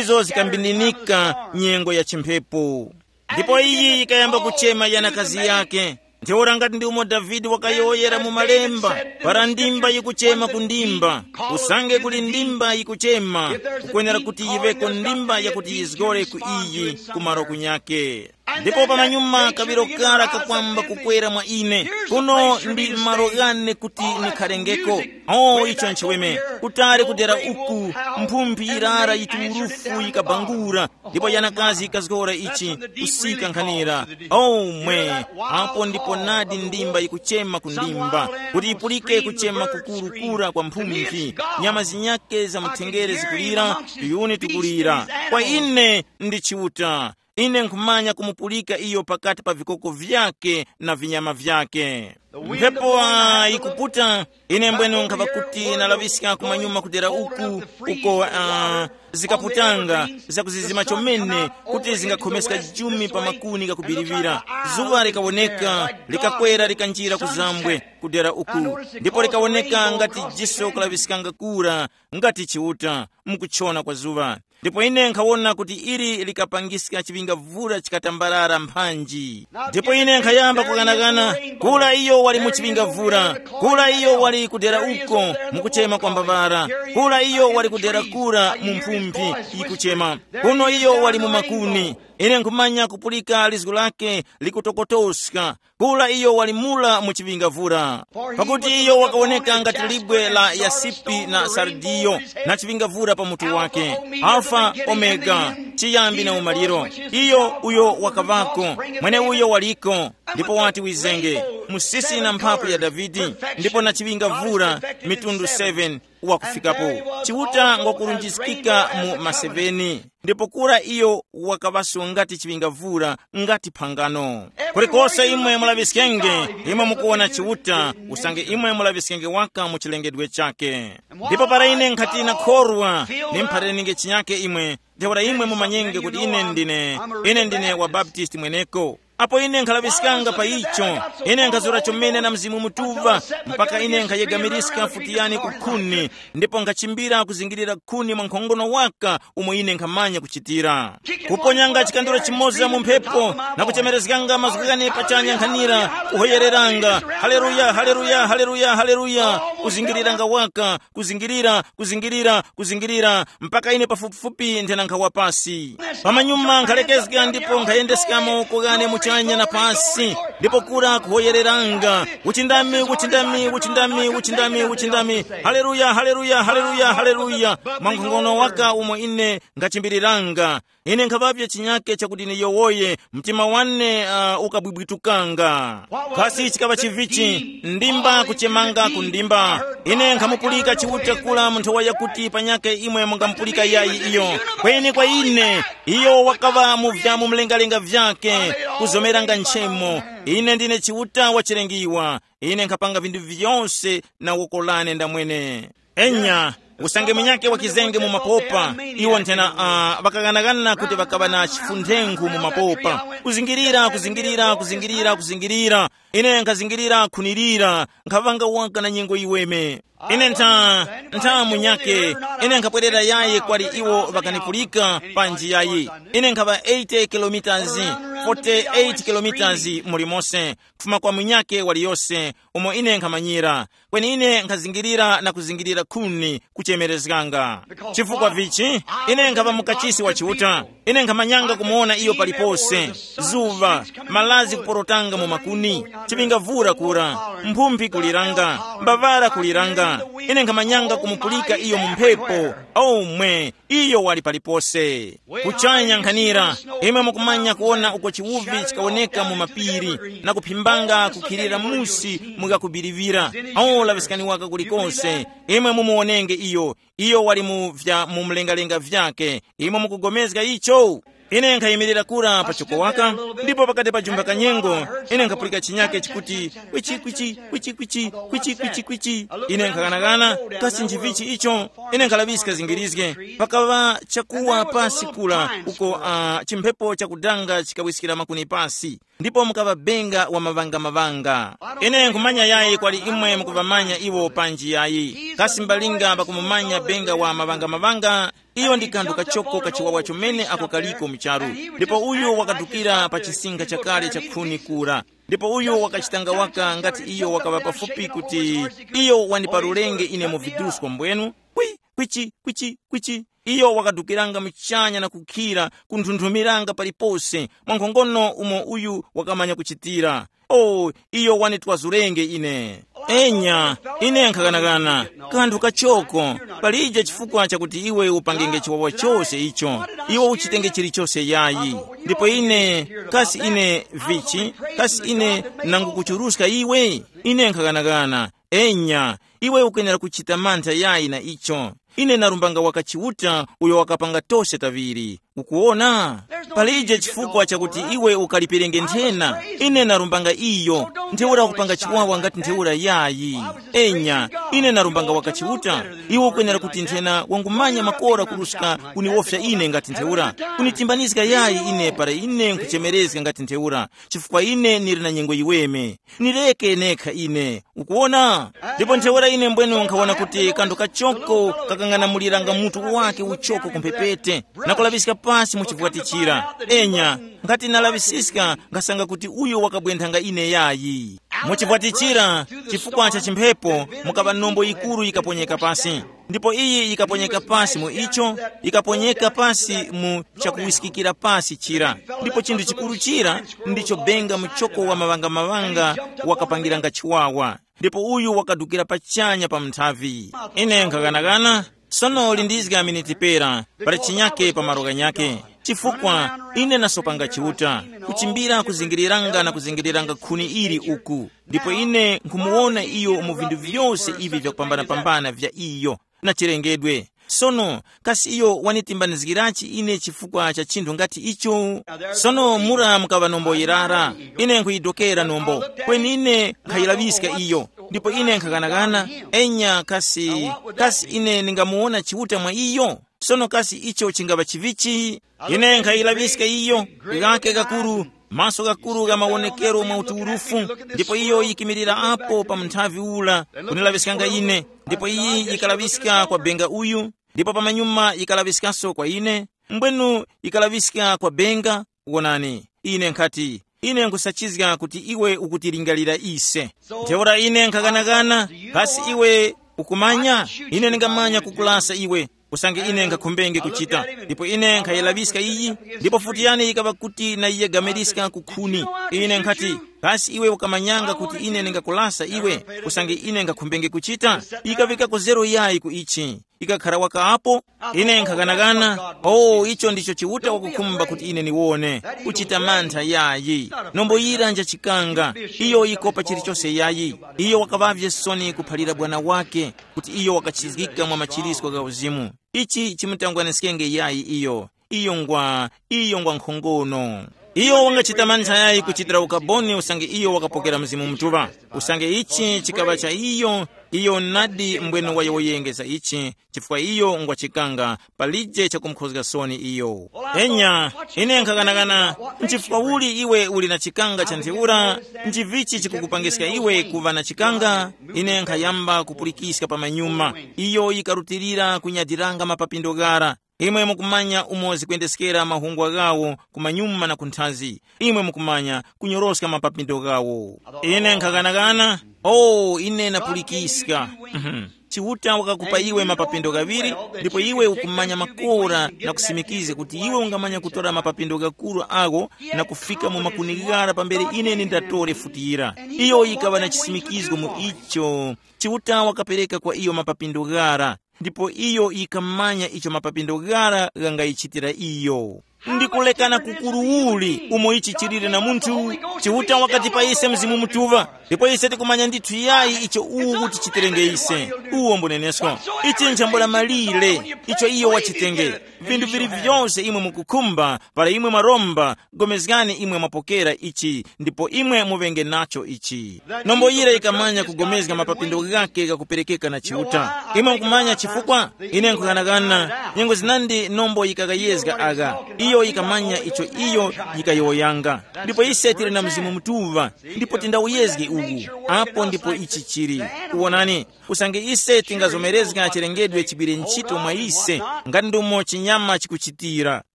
izo zikambindinika nyengo ya chimphepo. Ndipo iyi yikayamba kuchema yanakazi yake. Ntheura ngati ndi umo Davide wakayowoyera mu malemba, para ndimba yikuchema ku ndimba, usange kuli ndimba yikuchema, kukwenera kuti yiŵeko ndimba yakuti yizgore ku iyi, ku malo kunyake. Ndipo pamanyuma kaŵiro kara kakwamba kukwera mwa ine, kuno ndi malo ghane kuti nikharengeko. O, icho nchiweme, kutali kudera uku, mphumphi yirara yiturufu yikabangura, ndipo yanakazi yikazgora ichi, kusika nkhanira. O mwe, apo ndipo nadi ndimba yikuchema ku ndimba, kuti yipulike kuchema kukurukura kwa mphumphi. Nyama zinyake za muthenjere zikulira, tuyuni tukulira. Kwa ine ndi Chiuta. Ine nkhumanya kumupulika iyo pakati pa vikoko vyake na vinyama vyake. Mphepo, ah, yikuputa. Ine mbwenu nkhava kuti nalaŵiska kumanyuma kudera uku, uko, ah, zikaputanga zakuzizima chomene, kuti zingakhomeska jumi pa makuni ghakubiriŵira. Zuŵa likawoneka, likakwera likanjira ku zambwe kudera uku, ndipo likawoneka ngati jiso kulaŵiskanga kura, ngati Chiuta, mukuchona kwa zuŵa. Ndipo ine nkhawona kuti ili likapangiska chiŵingavura chikatambarara mphanji. Ndipo ine nkhayamba kukanakana, kula iyo wali mu chiŵingavura, kula iyo wali kudera uko, mukuchema kwa mbavara, kula iyo wali kudera kura mu mphumphi yikuchema, kuno iyo wali mu makuni. Ine nkhumanya kupulika lizgu lake likutokotoska, kula iyo wali mula mu chiŵingavura. Pakuti iyo wakawoneka ngati libwe la yasipi na sardiyo, na chiŵingavura pa mutu wake. Alfa, Omega, chiyambi na umaliro. Iyo uyo wakavako, mweneuyo waliko, ndipo wati wizenge, musisi na mphapu ya Davide, ndipo na chiŵingavura, mitundu seven, wakufikapo. Chiuta ngwakurunjiskika mu maseveni, ndipo kura iyo wakaŵaso ngati chiŵingavura, ngati phangano. Kulikose imwe mulaŵiskenge, imwe mukuwona Chiuta, usange imwe mulaŵiskenge waka mu chilengedwe chake. Ndipo para ine nkhati nakhorwa, nimphareninge chinyake imwe, ntheura imwe mumanyenge kuti ine ndine, ine ndine wa Baptist mweneko. Apo ine nkhalaŵiskanga pa icho, ine nkhazura chomene na Mzimu Mutuŵa, mpaka ine nkhayegamirizga futi yani ku khuni, ndipo nkhachimbira kuzingirira khuni mwa nkhongono waka umo ine nkhamanya kuchitira. Kuponyanga chikanduro chimoza mu mphepo, na kuchemerezganga mazgu ghane pachanya nkhanira, kuhoyereranga, haleluya, haleluya, haleluya, haleluya, kuzingiriranga waka, kuzingirira, kuzingirira, kuzingirira, mpaka ine pafupifupi nthena nkhawa pasi. Pamanyuma nkhalekezga ndipo nkhayendeska mawoko ghane muchanya na pasi, ndipo kura kuhoyereranga, uchindami, uchindami, uchindami, uchindami, uchindami. Haleluya, haleluya, haleluya, haleluya. Mwa nkhongono waka umo ine nkhachimbiriranga, ine nkhaŵavye chinyake chakuti niyowoye, mtima wane uh, ukabwibwitukanga. Kasi chikaŵa chivichi, ndimba kuchemanga ku ndimba. Ine nkhamupulika Chiuta kula mu nthowa yakuti panyake imwe mungamupulika yayi iyo. Kweni kwa ine, iyo wakaŵa mu vya mu mlengalenga vyake, kuzomeranga nchemo. Ine ndine Chiuta wachilengiwa. Ine nkhapanga vinthu vyose na woko lane ndamwene. Enya, usange munyakhe wakizenge mu mapopa, iwo nthena uh, ŵakaghanaghana kuti ŵakaŵa na chifunthengu mu mapopa. Kuzingirira, kuzingirira, kuzingirira, kuzingirira. Ine nkhazingirira khunirira, nkhaŵanga waka na nyengo yiweme. Ine ntha, ntha munyakhe, ine nkhapwerera yayi kwali iwo ŵakanipulika panji yayi. Ine nkhaŵa eighty kilometers, forty-eight kilometers mulimose, kufuma kwa munyakhe waliyose, umo ine nkhamanyira. Kweni ine nkhazingirira na kuzingirira khuni kuchemerezganga. Chifukwa vichi? Ine nkhava mukachisi wa Chiuta. Ine nkhamanyanga kumuwona iyo palipose. Zuŵa, malazi kuporotanga mu makuni, chiŵingavura kura, mphumphi kuliranga, mbavara kuliranga. Ine nkhamanyanga kumupulika iyo mu mphepo. Omwe, iyo wali palipose. Kuchanya nkhanira, imwe mukumanya kuwona uko chiwuvi chikawoneka mu mapiri, na kuphimbanga kukhilira musi mukakubiriwira. Awo laŵiskani waka kulikonse, imwe mumuwonenge iyo, iyo wali mu vya mu mlengalenga vyake. Imwe mukugomezga icho? Ine nkhayimirira kura pa choko waka, ndipo pakati pa jumba kanyengo, ine nkhapulika chinyake chikuti, kwichi kwichi kwichi kwichi kwichi kwichi kwichi. Ine nkhaghanaghana, kasi nchivichi icho? Ine nkhalaŵiska zingirizge. Pakaŵa chakuwa pasi kula uko uh, chimphepo chakudanga chikawiskira makuni pasi, ndipo mukaŵa benga wa maŵangamavanga. Ine nkhumanya yayi kwali imwe mukuŵamanya iwo panji yayi. Kasi mbalinga pakumumanya benga wa maŵangamavanga? Iyo ndi kanthu kachoko kachiwawa chomene ako kaliko mu charu. Ndipo uyu wakadukira pa chisinga chakale cha khuni kura. Ndipo uyu wakachitanga waka ngati iyo wakaŵa pafupi kuti iyo wandiparurenge ine mu vidusko mbwenu. Kwi, kwichi, kwichi, kwichi. Iyo wakadukiranga muchanya na kukhira kunthunthumilanga palipose mwa nkhongono umo uyu wakamanya kuchitira. O, iyo wanitwazurenge ine. Enya, ine nkhakanakana, kanthu kachoko, palije chifukwa chakuti iwe upangenge chiwawa chose icho, iwe uchitenge chilichose yayi. Ndipo ine, kasi ine vichi, kasi ine nangukuchuruska iwe? Ine nkhakanakana. Enya, iwe ukwenera kuchita mantha yayi na icho. Ine narumbanga waka Chiuta uyo wakapanga tose taŵiri. Ukuwona? Palije chifukwa chakuti iwe ukalipirenge nthena. Ine narumbanga iyo. Ntheura kupanga chiwawa ngati ntheura yayi. Enya, ine narumbanga waka Chiuta. Iwe ukwenera kuti nthena wangumanya makora kuruska kuniwofya ine ngati ntheura. Kunitimbanizga yayi ine para ine nkuchemerezga ngati ntheura. Chifukwa ine nili na nyengo yiweme. Nireke nekha ine. Ukuwona? Ndipo ntheura ine mbwenu nkhawona kuti kanthu kachoko kakang'anamuliranga mutu wake uchoko kumphepete, na kulaŵiska pasi mu chivwatichira. Enya, nkhati nalaŵisiska, nkhasanga kuti uyo wakabwenthanga ine yayi. Mu chivwatichira, chifukwa cha chimphepo, mukaŵa nombo yikuru yikaponyeka pasi. Ndipo iyi yikaponyeka pasi mu icho, yikaponyeka pasi mu chakuwiskikira pasi chira. Ndipo chinthu chikuru chira ndicho benga muchoko wa maŵangamavanga wakapangiranga chiwawa. Ndipo uyu wakadukira pachanya pa mnthavi. Ine nkhaghanaghana, sono lindizga miniti pera, pali chinyake pa malo ghanyake. Chifukwa ine nasopanga Chiuta, kuchimbira kuzingiriranga na kuzingiriranga khuni ili uku. Ndipo ine nkhumuwona iyo mu vinthu vyose ivi vyakupambanapambana vya iyo. na chilengedwe. Sono, kasi iyo wanitimbanizgirachi ine chifukwa cha chinthu ngati icho? Sono mura mukaŵa nombo yirara, ine nkhuyidokera nombo, kweni ine nkhayilaŵiska iyo, ndipo ine nkhaghanagana, enya kasi, kasi ine ndingamuwona Chiuta mwa iyo? Sono kasi icho chingaŵa chivichi? Ine nkhayilaŵiska iyo, ghake gakuru, maso gakuru gha mawonekero mwa utuwurufu, ndipo iyo yikimirira apo pa munthavi ura, kunilaŵiskanga ine, ndipo iyi yikalaŵiska kwa benga uyu, ndipo pamanyuma yikalaŵiskaso kwa ine, mbwenu yikalaŵiska kwa benga. Wonani, ine nkhati, ine nkhusachizga kuti iwe ukutilingalira ise. Ntheura ine nkhaghanaghana, kasi iwe ukumanya? Ine ndingamanya kukulasa iwe, usange ine nkhakhumbenge kuchita. Ndipo ine nkhayiraŵiska iyi, ndipo futi yane yikaŵa kuti nayiyegamiska ku khuni. Ine nkhati, kasi iwe ukamanyanga kuti ine ndingakulasa iwe, usange ine nkhakhumbenge kuchita? Yikaŵikako zero yayi ku ichi. Ikakhara waka apo, ine nkhaghanaghana. Oh, icho ndicho Chiuta wakukhumba kuti ine niwone. Kuchita mantha yayi. Nombo yira nja chikanga. Iyo yikopa chilichose yayi. Iyo wakaŵavye soni kuphalira bwana wake, kuti iyo wakachizgika mwa machirisko gha uzimu. Ichi chimutangwaniskenge yayi iyo. Iyo ngwa, iyo ngwa nkhongono. Iyo wangachita mantha yayi kuchitira ukaboni usange iyo wakapokera Mzimu Mutuŵa. Usange ichi chikaŵa cha iyo, iyo nadi mbwene wayowoyenge za ichi, chifukwa iyo ngwa chikanga, palije chakumukhozga soni iyo. Enya, ine nkhaghanaghana, nchifukwa uli iwe uli na chikanga cha ntheura? Nchivichi chikukupangiska iwe kuŵa na chikanga? Ine nkhayamba kupulikiska pa manyuma. Iyo yikarutilira kunyadiranga mapapindo ghara. Imwe mukumanya umo zikwendeskera mahungwa ghawo kumanyuma na kunthazi. Imwe mukumanya kunyoroska mapapindo ghawo. Ine nkhaghanaghana, oh, ine napulikiska. Mhm. Chiuta wakakupa iwe mapapindo ghaŵiri, ndipo iwe ukumanya makora na kusimikiza kuti iwe ungamanya kutora mapapindo ghakuru agho na kufika mu makuni ghara pambere ine nindatore futi yira. Iyo yikaŵa na chisimikizgo mu icho. Chiuta wakapereka kwa iyo mapapindo ghara, ndipo iyo yikamanya icho mapapindo ghara ghangayichitira iyo. Ndi kulekana kukuru uli umo ichi chilire na munthu. Chiuta wakatipa ise Mzimu Mutuŵa, ndipo ise tikumanya ndithu yayi icho uwu utichitirenge ise. Uwo mbunenesko. Ichi nchambula malire icho iyo wachitenge. Vinthu vili vyose imwe mukukhumba, para imwe mwaromba, gomezgani imwe mwapokera ichi, ndipo imwe muŵenge nacho ichi. Nombo yira yikamanya kugomezga mapapindo ghake ghakuperekeka na Chiuta. Imwe mukumanya chifukwa? Ine nkughanagana, nyengo zinandi nombo yikakayezga agha. Iyo yikamanya icho iyo yikayowoyanga. Ndipo ise tili na Mzimu Mutuŵa, ndipo tindawuyezge uwu. Apo ndipo ichi chili. Wonani, usange ise tingazomerezga chilengedwe chigwire ntchito mwa ise, ngati ndumo chinyama chikuchitira.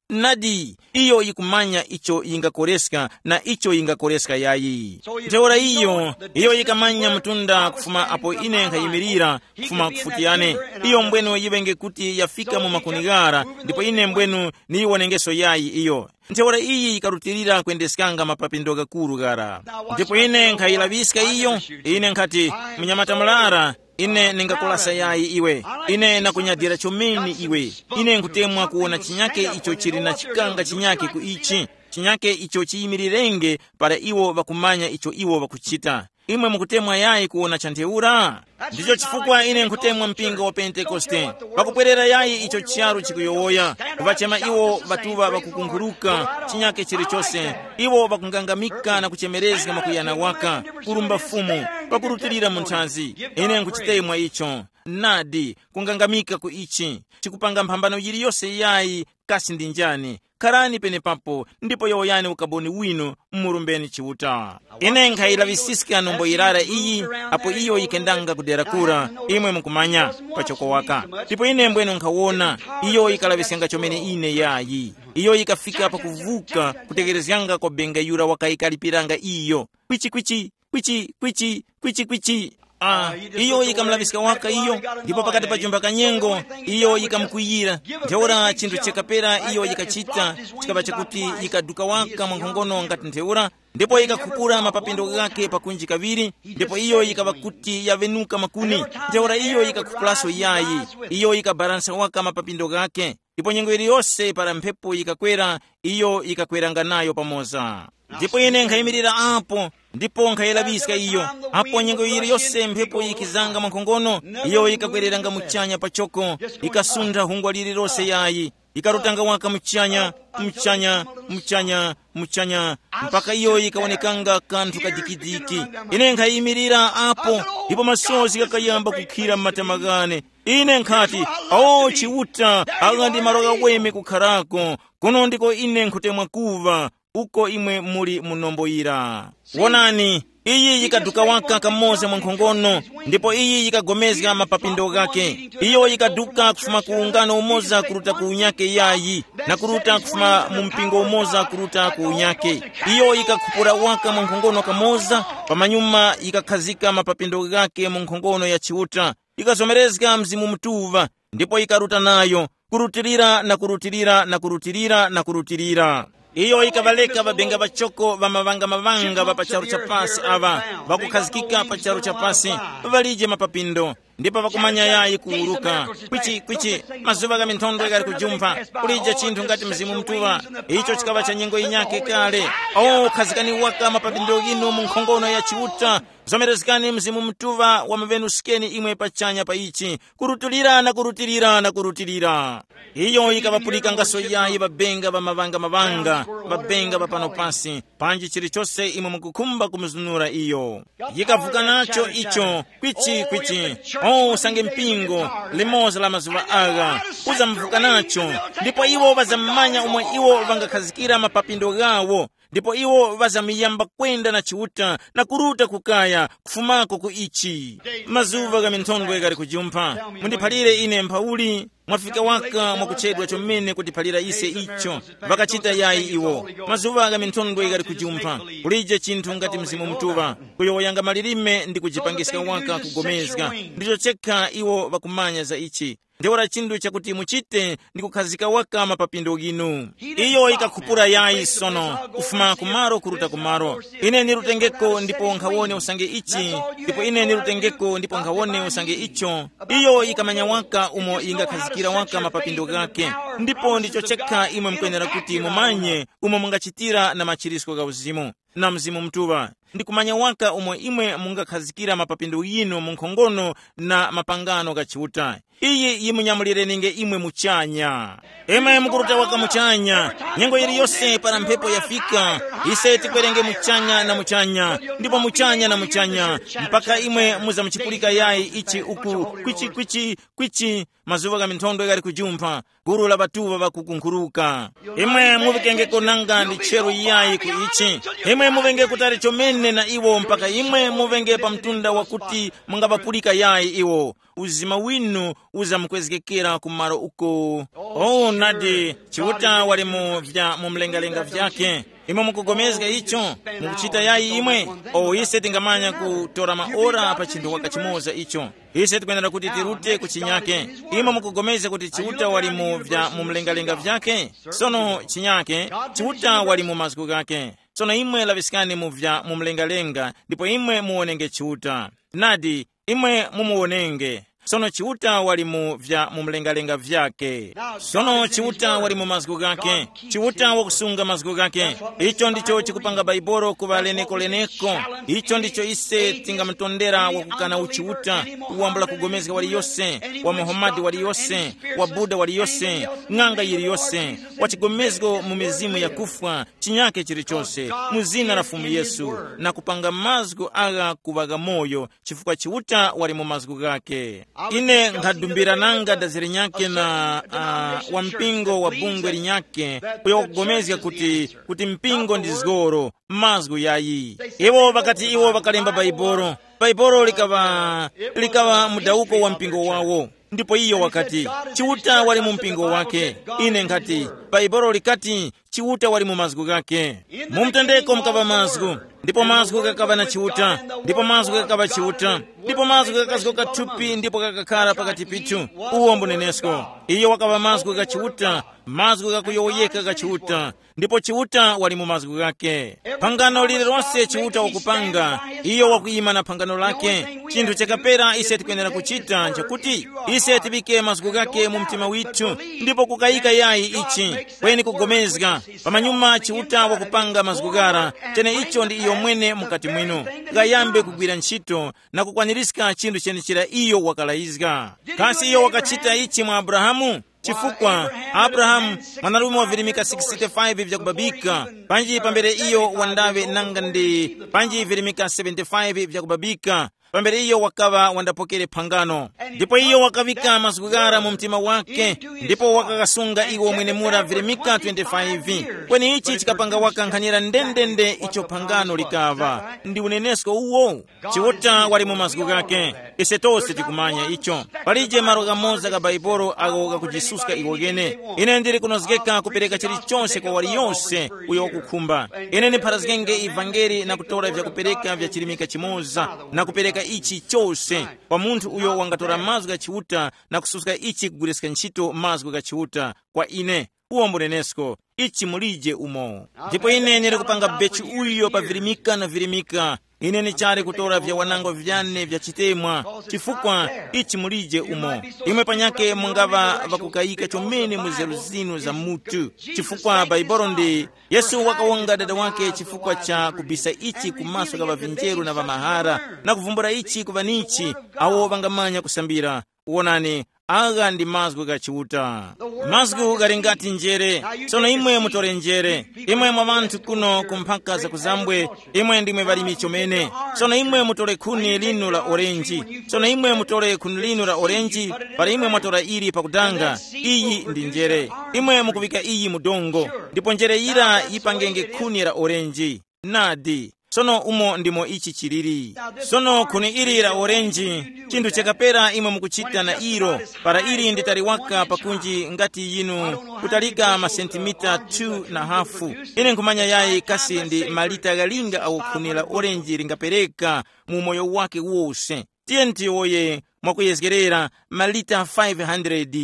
Nadi, iyo yikumanya icho yingakoreska na icho yingakoreska yayi. Ntheura iyo, iyo yikamanya mtunda kufuma apo ine nkhayimirira, kufuma kufuti yane. Iyo mbwenu yiŵenge kuti yafika mu makuni ghara, ndipo ine mbwenu niyiwonengeso yayi iyo. Ntheura iyi yikarutilira kwendeskanga mapapindo ghakuru ghara. Ndipo ine nkhayilaŵiska iyo, ine nkhati, munyamata murara, ine ningakulasa yayi iwe. Ine nakunyadira chomene iwe. Ine nkutemwa kuwona chinyake icho chili na chikanga chinyake ku ichi, chinyake icho chiyimirirenge para iwo ŵakumanya icho iwo ŵakuchita. Imwe mukutemwa yayi kuwona cha ntheura? Ndicho chifukwa ine nkutemwa mpingo wa Pentekoste. Pakupwerera yayi icho charu chikuyowoya, kuŵachema iwo ŵatuŵa ŵakukunkhuluka, chinyake chilichose, iwo ŵakungangamika na kuchemerezga mwakuyana waka, kurumba Fumu, pakurutilira mu nthazi. Ine nkuchitemwa icho. Nadi, kungangamika ku ichi, chikupanga mphambano yiliyose yayi, kasi ndi njani? Kharani penepapo, ndipo yowoyani ukaboni winu, murumbeni Chiuta. Ine nkhayilaŵisiska nombo yirara iyi, apo iyo yikendanga kudera kura, imwe mukumanya, pachoko waka. Ndipo ine mbwenu nkhawona, iyo yikalaŵiskanga chomene ine yayi. Iyo yikafika pakuvuka, kutegherezganga kwa benga yura wakayikalipiranga iyo. Kwichi, kwichi, kwichi, kwichi, kwichi, kwichi. Ah, iyo yikamulaŵiska waka iyo, ndipo pakati pa jumba kanyengo, iyo yikamukwiyira. Ntheura chinthu chakapera iyo yikachita, chikaŵa chakuti yikaduka waka mwankhongono ngati ntheura, ndipo yikakhupura mapapindo ghake pakunji kaŵiri, ndipo iyo yikaŵa kuti yaŵenuka makuni. Ntheura iyo yikakhupuraso yayi, iyo yikabaransa waka mapapindo ghake. Ndipo nyengo yiliyose para mphepo yikakwera, iyo yikakweranga nayo pamoza. Ndipo ine nkhayimirira apo, ndipo nkhayelaŵiska iyo. Apo nyengo yiliyose mphepo yikizanga mwankhongono, iyo yikakwereranga muchanya pachoko, yikasuntha hungwa lililose yayi, ikarutanga waka muchanya, muchanya, muchanya, muchanya, mpaka iyo yikawonekanga kanthu kadikidiki. Ine nkhayimirira apo, ndipo masozi ghakayamba kukhira m'matama ghane. Ine nkhati, o Chiuta, agha ndi malo ghaweme kukharako. Kuno ndiko ine nkhutemwa kuva, uko imwe muli mu nombo yira. Wonani, iyi yikaduka waka kamoza mwa nkhongono, ndipo iyi yikagomezga mapapindo ghake. Iyo yikaduka kufuma ku ungano umoza kuruta ku unyake yayi, na kuruta kufuma mu mpingo umoza kuruta ku unyake. Iyo yikakhupura waka mwa nkhongono kamoza, pamanyuma yikakhazika mapapindo ghake mu nkhongono ya Chiuta, yikazomerezga Mzimu Mutuŵa, ndipo yikaruta nayo, kurutilira na kurutilira na kurutilira na kurutilira. Iyo yikaŵaleka ŵabenga ŵachoko ŵa maŵanga-maŵanga ŵa pa charu cha pasi aŵa, ŵakukhazikika pa charu cha pasi, ŵalije mapapindo, ndipo ŵakumanya yayi kuwuruka. Kwichi, kwichi, mazuŵa gha minthondwe ghali kujumpha, kulije chinthu ngati Mzimu Mutuŵa, icho chikaŵa cha nyengo yinyakhe kale. O, khazikani waka mapapindo ghinu mu nkhonono ya Chiuta, zomerezgani Mzimu Mutuŵa wamuŵenuskeni imwe pachanya pa ichi, kurutulira na kurutulira na kurutulira. Iyo yikaŵapulika ngaso yayi ŵabenga ŵa maŵanga-maŵanga, ŵabenga ŵa pano pasi, panji chilichose imwe mukukhumba kumuzunura iyo. Yikavuka nacho icho, kwichi, kwichi. O, usange mpingo, limoza la mazuŵa agha, uzamuvuka nacho, ndipo iwo ŵazamanya umo iwo ŵangakhazikira mapapindo ghawo, ndipo iwo ŵazamuyamba kwenda na Chiuta na kuruta ku kaya, kufumako ku ichi. Mazuŵa gha minthondwe ghali kujumpha. Mundiphalire ine mphauli, mwafika waka mwakuchedwa chomene kutiphalira ise icho. Ŵakachita yayi iwo. Mazuŵa gha minthondwe ghali kujumpha. Kulije chinthu ngati Mzimu Mutuŵa, kuyowoyanga malilime ndi kujipangiska waka kugomezga. Ndicho chekha iwo ŵakumanya za ichi. Ntheura chinthu chakuti muchite ndi kukhazika waka mapapindo ghinu. Iyo yikakhupura yayi sono, kufuma kumaro kuruta kumaro. Ine nirutengeko ndipo nkhawone usange ichi, ndipo ine nirutengeko ndipo nkhawone usange icho. Iyo yikamanya waka umo yingakhazikira waka mapapindo ghake. Ndipo ndicho chekha imwe mukwenera kuti mumanye umo mungachitira na machirisko gha uzimu na Mzimu Mutuŵa, ndi kumanya waka umo imwe mungakhazikira mapapindo ghinu mu nkhongono na mapangano gha Chiuta. Iyi yimunyamulireninge imwe muchanya. Imwe mukuruta waka muchanya, nyengo yiliyose para mphepo yafika, ise tikwerenge muchanya na muchanya, ndipo muchanya na muchanya, mpaka imwe muzamuchipulika yayi ichi uku, kwichi, kwichi, kwichi, mazuŵa gha minthondwe ghali kujumpha, gulu la ŵatuŵa ŵakukunkhuruka. Imwe muŵikengeko nanga ndi chero iyayi ku ichi. Imwe muŵenge kutali chomene na iwo mpaka imwe muŵenge pa mtunda wakuti mungaŵapulika yayi iwo. Uzima winu uzamukwezgekera ku malo uko. Oh, nadi, Chiuta wali mu vya mu mlengalenga vyake. Imwe mukugomezga icho? Mukuchita yayi imwe? O, ise tingamanya kutora maora pa chinthu waka chimoza icho. Ise tikwenera kuti tirute ku chinyake. Imwe mukupulikana kuti Chiuta wali mu vya mu mlengalenga vyake? Sono chinyake, Chiuta wali mu mazgu ghake. Sono imwe laŵiskani mu vya mu mlengalenga, ndipo imwe muwonenge Chiuta. Nadi, imwe mumuwonenge. Sono Chiuta wali mu vya mu mlengalenga vyake. Sono Chiuta wali mu mazgu ghake. Chiuta wakusunga mazgu ghake. Icho ndicho chikupanga Baibolo kuŵa leneko-leneko. Icho ndicho ise tingamutondera wakukana uchiuta, uwambula kugomezga waliyose, wa Muhamadi waliyose, wa Buda waliyose, ng'anga yiliyose, wa chigomezgo mu mizimu yakufwa, chinyake chilichose, mu zina la Fumu Yesu, na kupanga mazgu agha kuŵa ghamoyo, chifukwa Chiuta wali mu mazgu ghake. Ine nkhadumbira nanga daziri nyakhe na uh, wa mpingo wa bungwe linyakhe, uyo wakugomezga kuti, kuti mpingo ndi zgoro, mazgu yayi. Iwo ŵakati iwo ŵakalemba Baibolo, Baibolo likaŵa, likaŵa mudawuko wa mpingo wawo. Ndipo iyo wakati, Chiuta wali mu mpingo wake. Ine nkhati, Baibolo likati, Chiuta wali mu mazgu ghake. Mu mtendeko mukaŵa mazgu, ndipo mazgu ghakaŵa na Chiuta, ndipo mazgu ghakaŵa Chiuta. Ndipo mazgu ghakazgoka thupi ndipo ghakakhara pakati pithu. Uwo mbunenesko. Iyo wakaŵa mazgu gha Chiuta, mazgu ghakuyowoyeka gha Chiuta. Ndipo Chiuta wali mu mazgu ghake. Phangano lililonse Chiuta wakupanga, iyo wakuyima na phangano lake. Chinthu chakapera ise tikwenera kuchita nchakuti ise tiŵike mazgu ghake mu mtima withu, ndipo kukayika yayi ichi, kweni kugomezga. Pamanyuma Chiuta wakupanga mazgu ghara, chene icho ndi iyo mwene mukati mwinu. Ghayambe kugwira ntchito na kukwanirizga chinthu chenechera iyo wakalayizga. Kasi iyo wakachita ichi mwa Abrahamu? Chifukwa Abrahamu, mwanarume wa virimika sixty-five vyakubabika, panji pambere iyo wandawe nanga ndi panji virimika seventy-five vyakubabika, pambere iyo wakaŵa wandapokere phangano. Ndipo iyo wakavika mazgu ghara mu mtima wake, ndipo wakakasunga iwo mwenemura virimika twenty-five. Kweni ichi chikapanga wakankhanira ndendende icho phangano likaŵa. Ndi unenesko uwo. Chiuta wali mu mazgu ghake. Ise tose tikumanya icho. Palije malo ghamoza ga Baibolo agho gakujisuska iwo ghene. Ine ndili kunozgeka kupereka chilichonse kwa waliyonse uyo wakukhumba. Ine ndipharazgenge ivangeli na kutora vyakupereka vya chilimika chimoza na kupereka ichi chose kwa munthu uyo wangatora mazgu gha Chiuta na kususka ichi kugwiriska ntchito mazgu gha Chiuta kwa ine. Uwo mbunenesko, ichi mulije umo. Ndipo ine ndili kupanga bechi uyo pa virimika na virimika. Ine ndichali kutora vya wanango vyane vya chitemwa, chifukwa ichi mulije umo. Imwe panyake mungaŵa ŵakukayika chomene mu nzeru zinu za mutu, chifukwa Baibolo ndi Yesu wakawonga dada wake chifukwa cha kubisa ichi ku maso gha ŵavinjeru na ŵamahara, na kuvumbula ichi ku ŵanichi awo ŵangamanya kusambira. Wonani, agha ndi mazgu gha Chiuta. Mazgu ghali ngati njere. Sono imwe mutore njere. Imwe mwa ŵanthu kuno ku mphaka za kuzambwe, imwe ndimwe ŵalimi chomene. Sono imwe mutore khuni linu la orenji. Sono imwe mutore khuni linu la orenji, para imwe mwatora ili pakudanga. Iyi ndi njere. Imwe mukuŵika iyi mu dongo, ndipo njere yira yipangenge khuni la orenji. Nadi. Sono umo ndimo ichi chiliri. Sono khuni ili la orenji, chinthu chakapera imwe mukuchita na ilo, para ili ndi tali waka pakunji ngati yinu, kutalika masentimita two na hafu. Ine nkhumanya yayi kasi ndi malita ghalinga awo khuni la orenji lingapereka mu umoyo wake wose. Tiyeni tiyowoye mwakuyezgerera malita five hundred.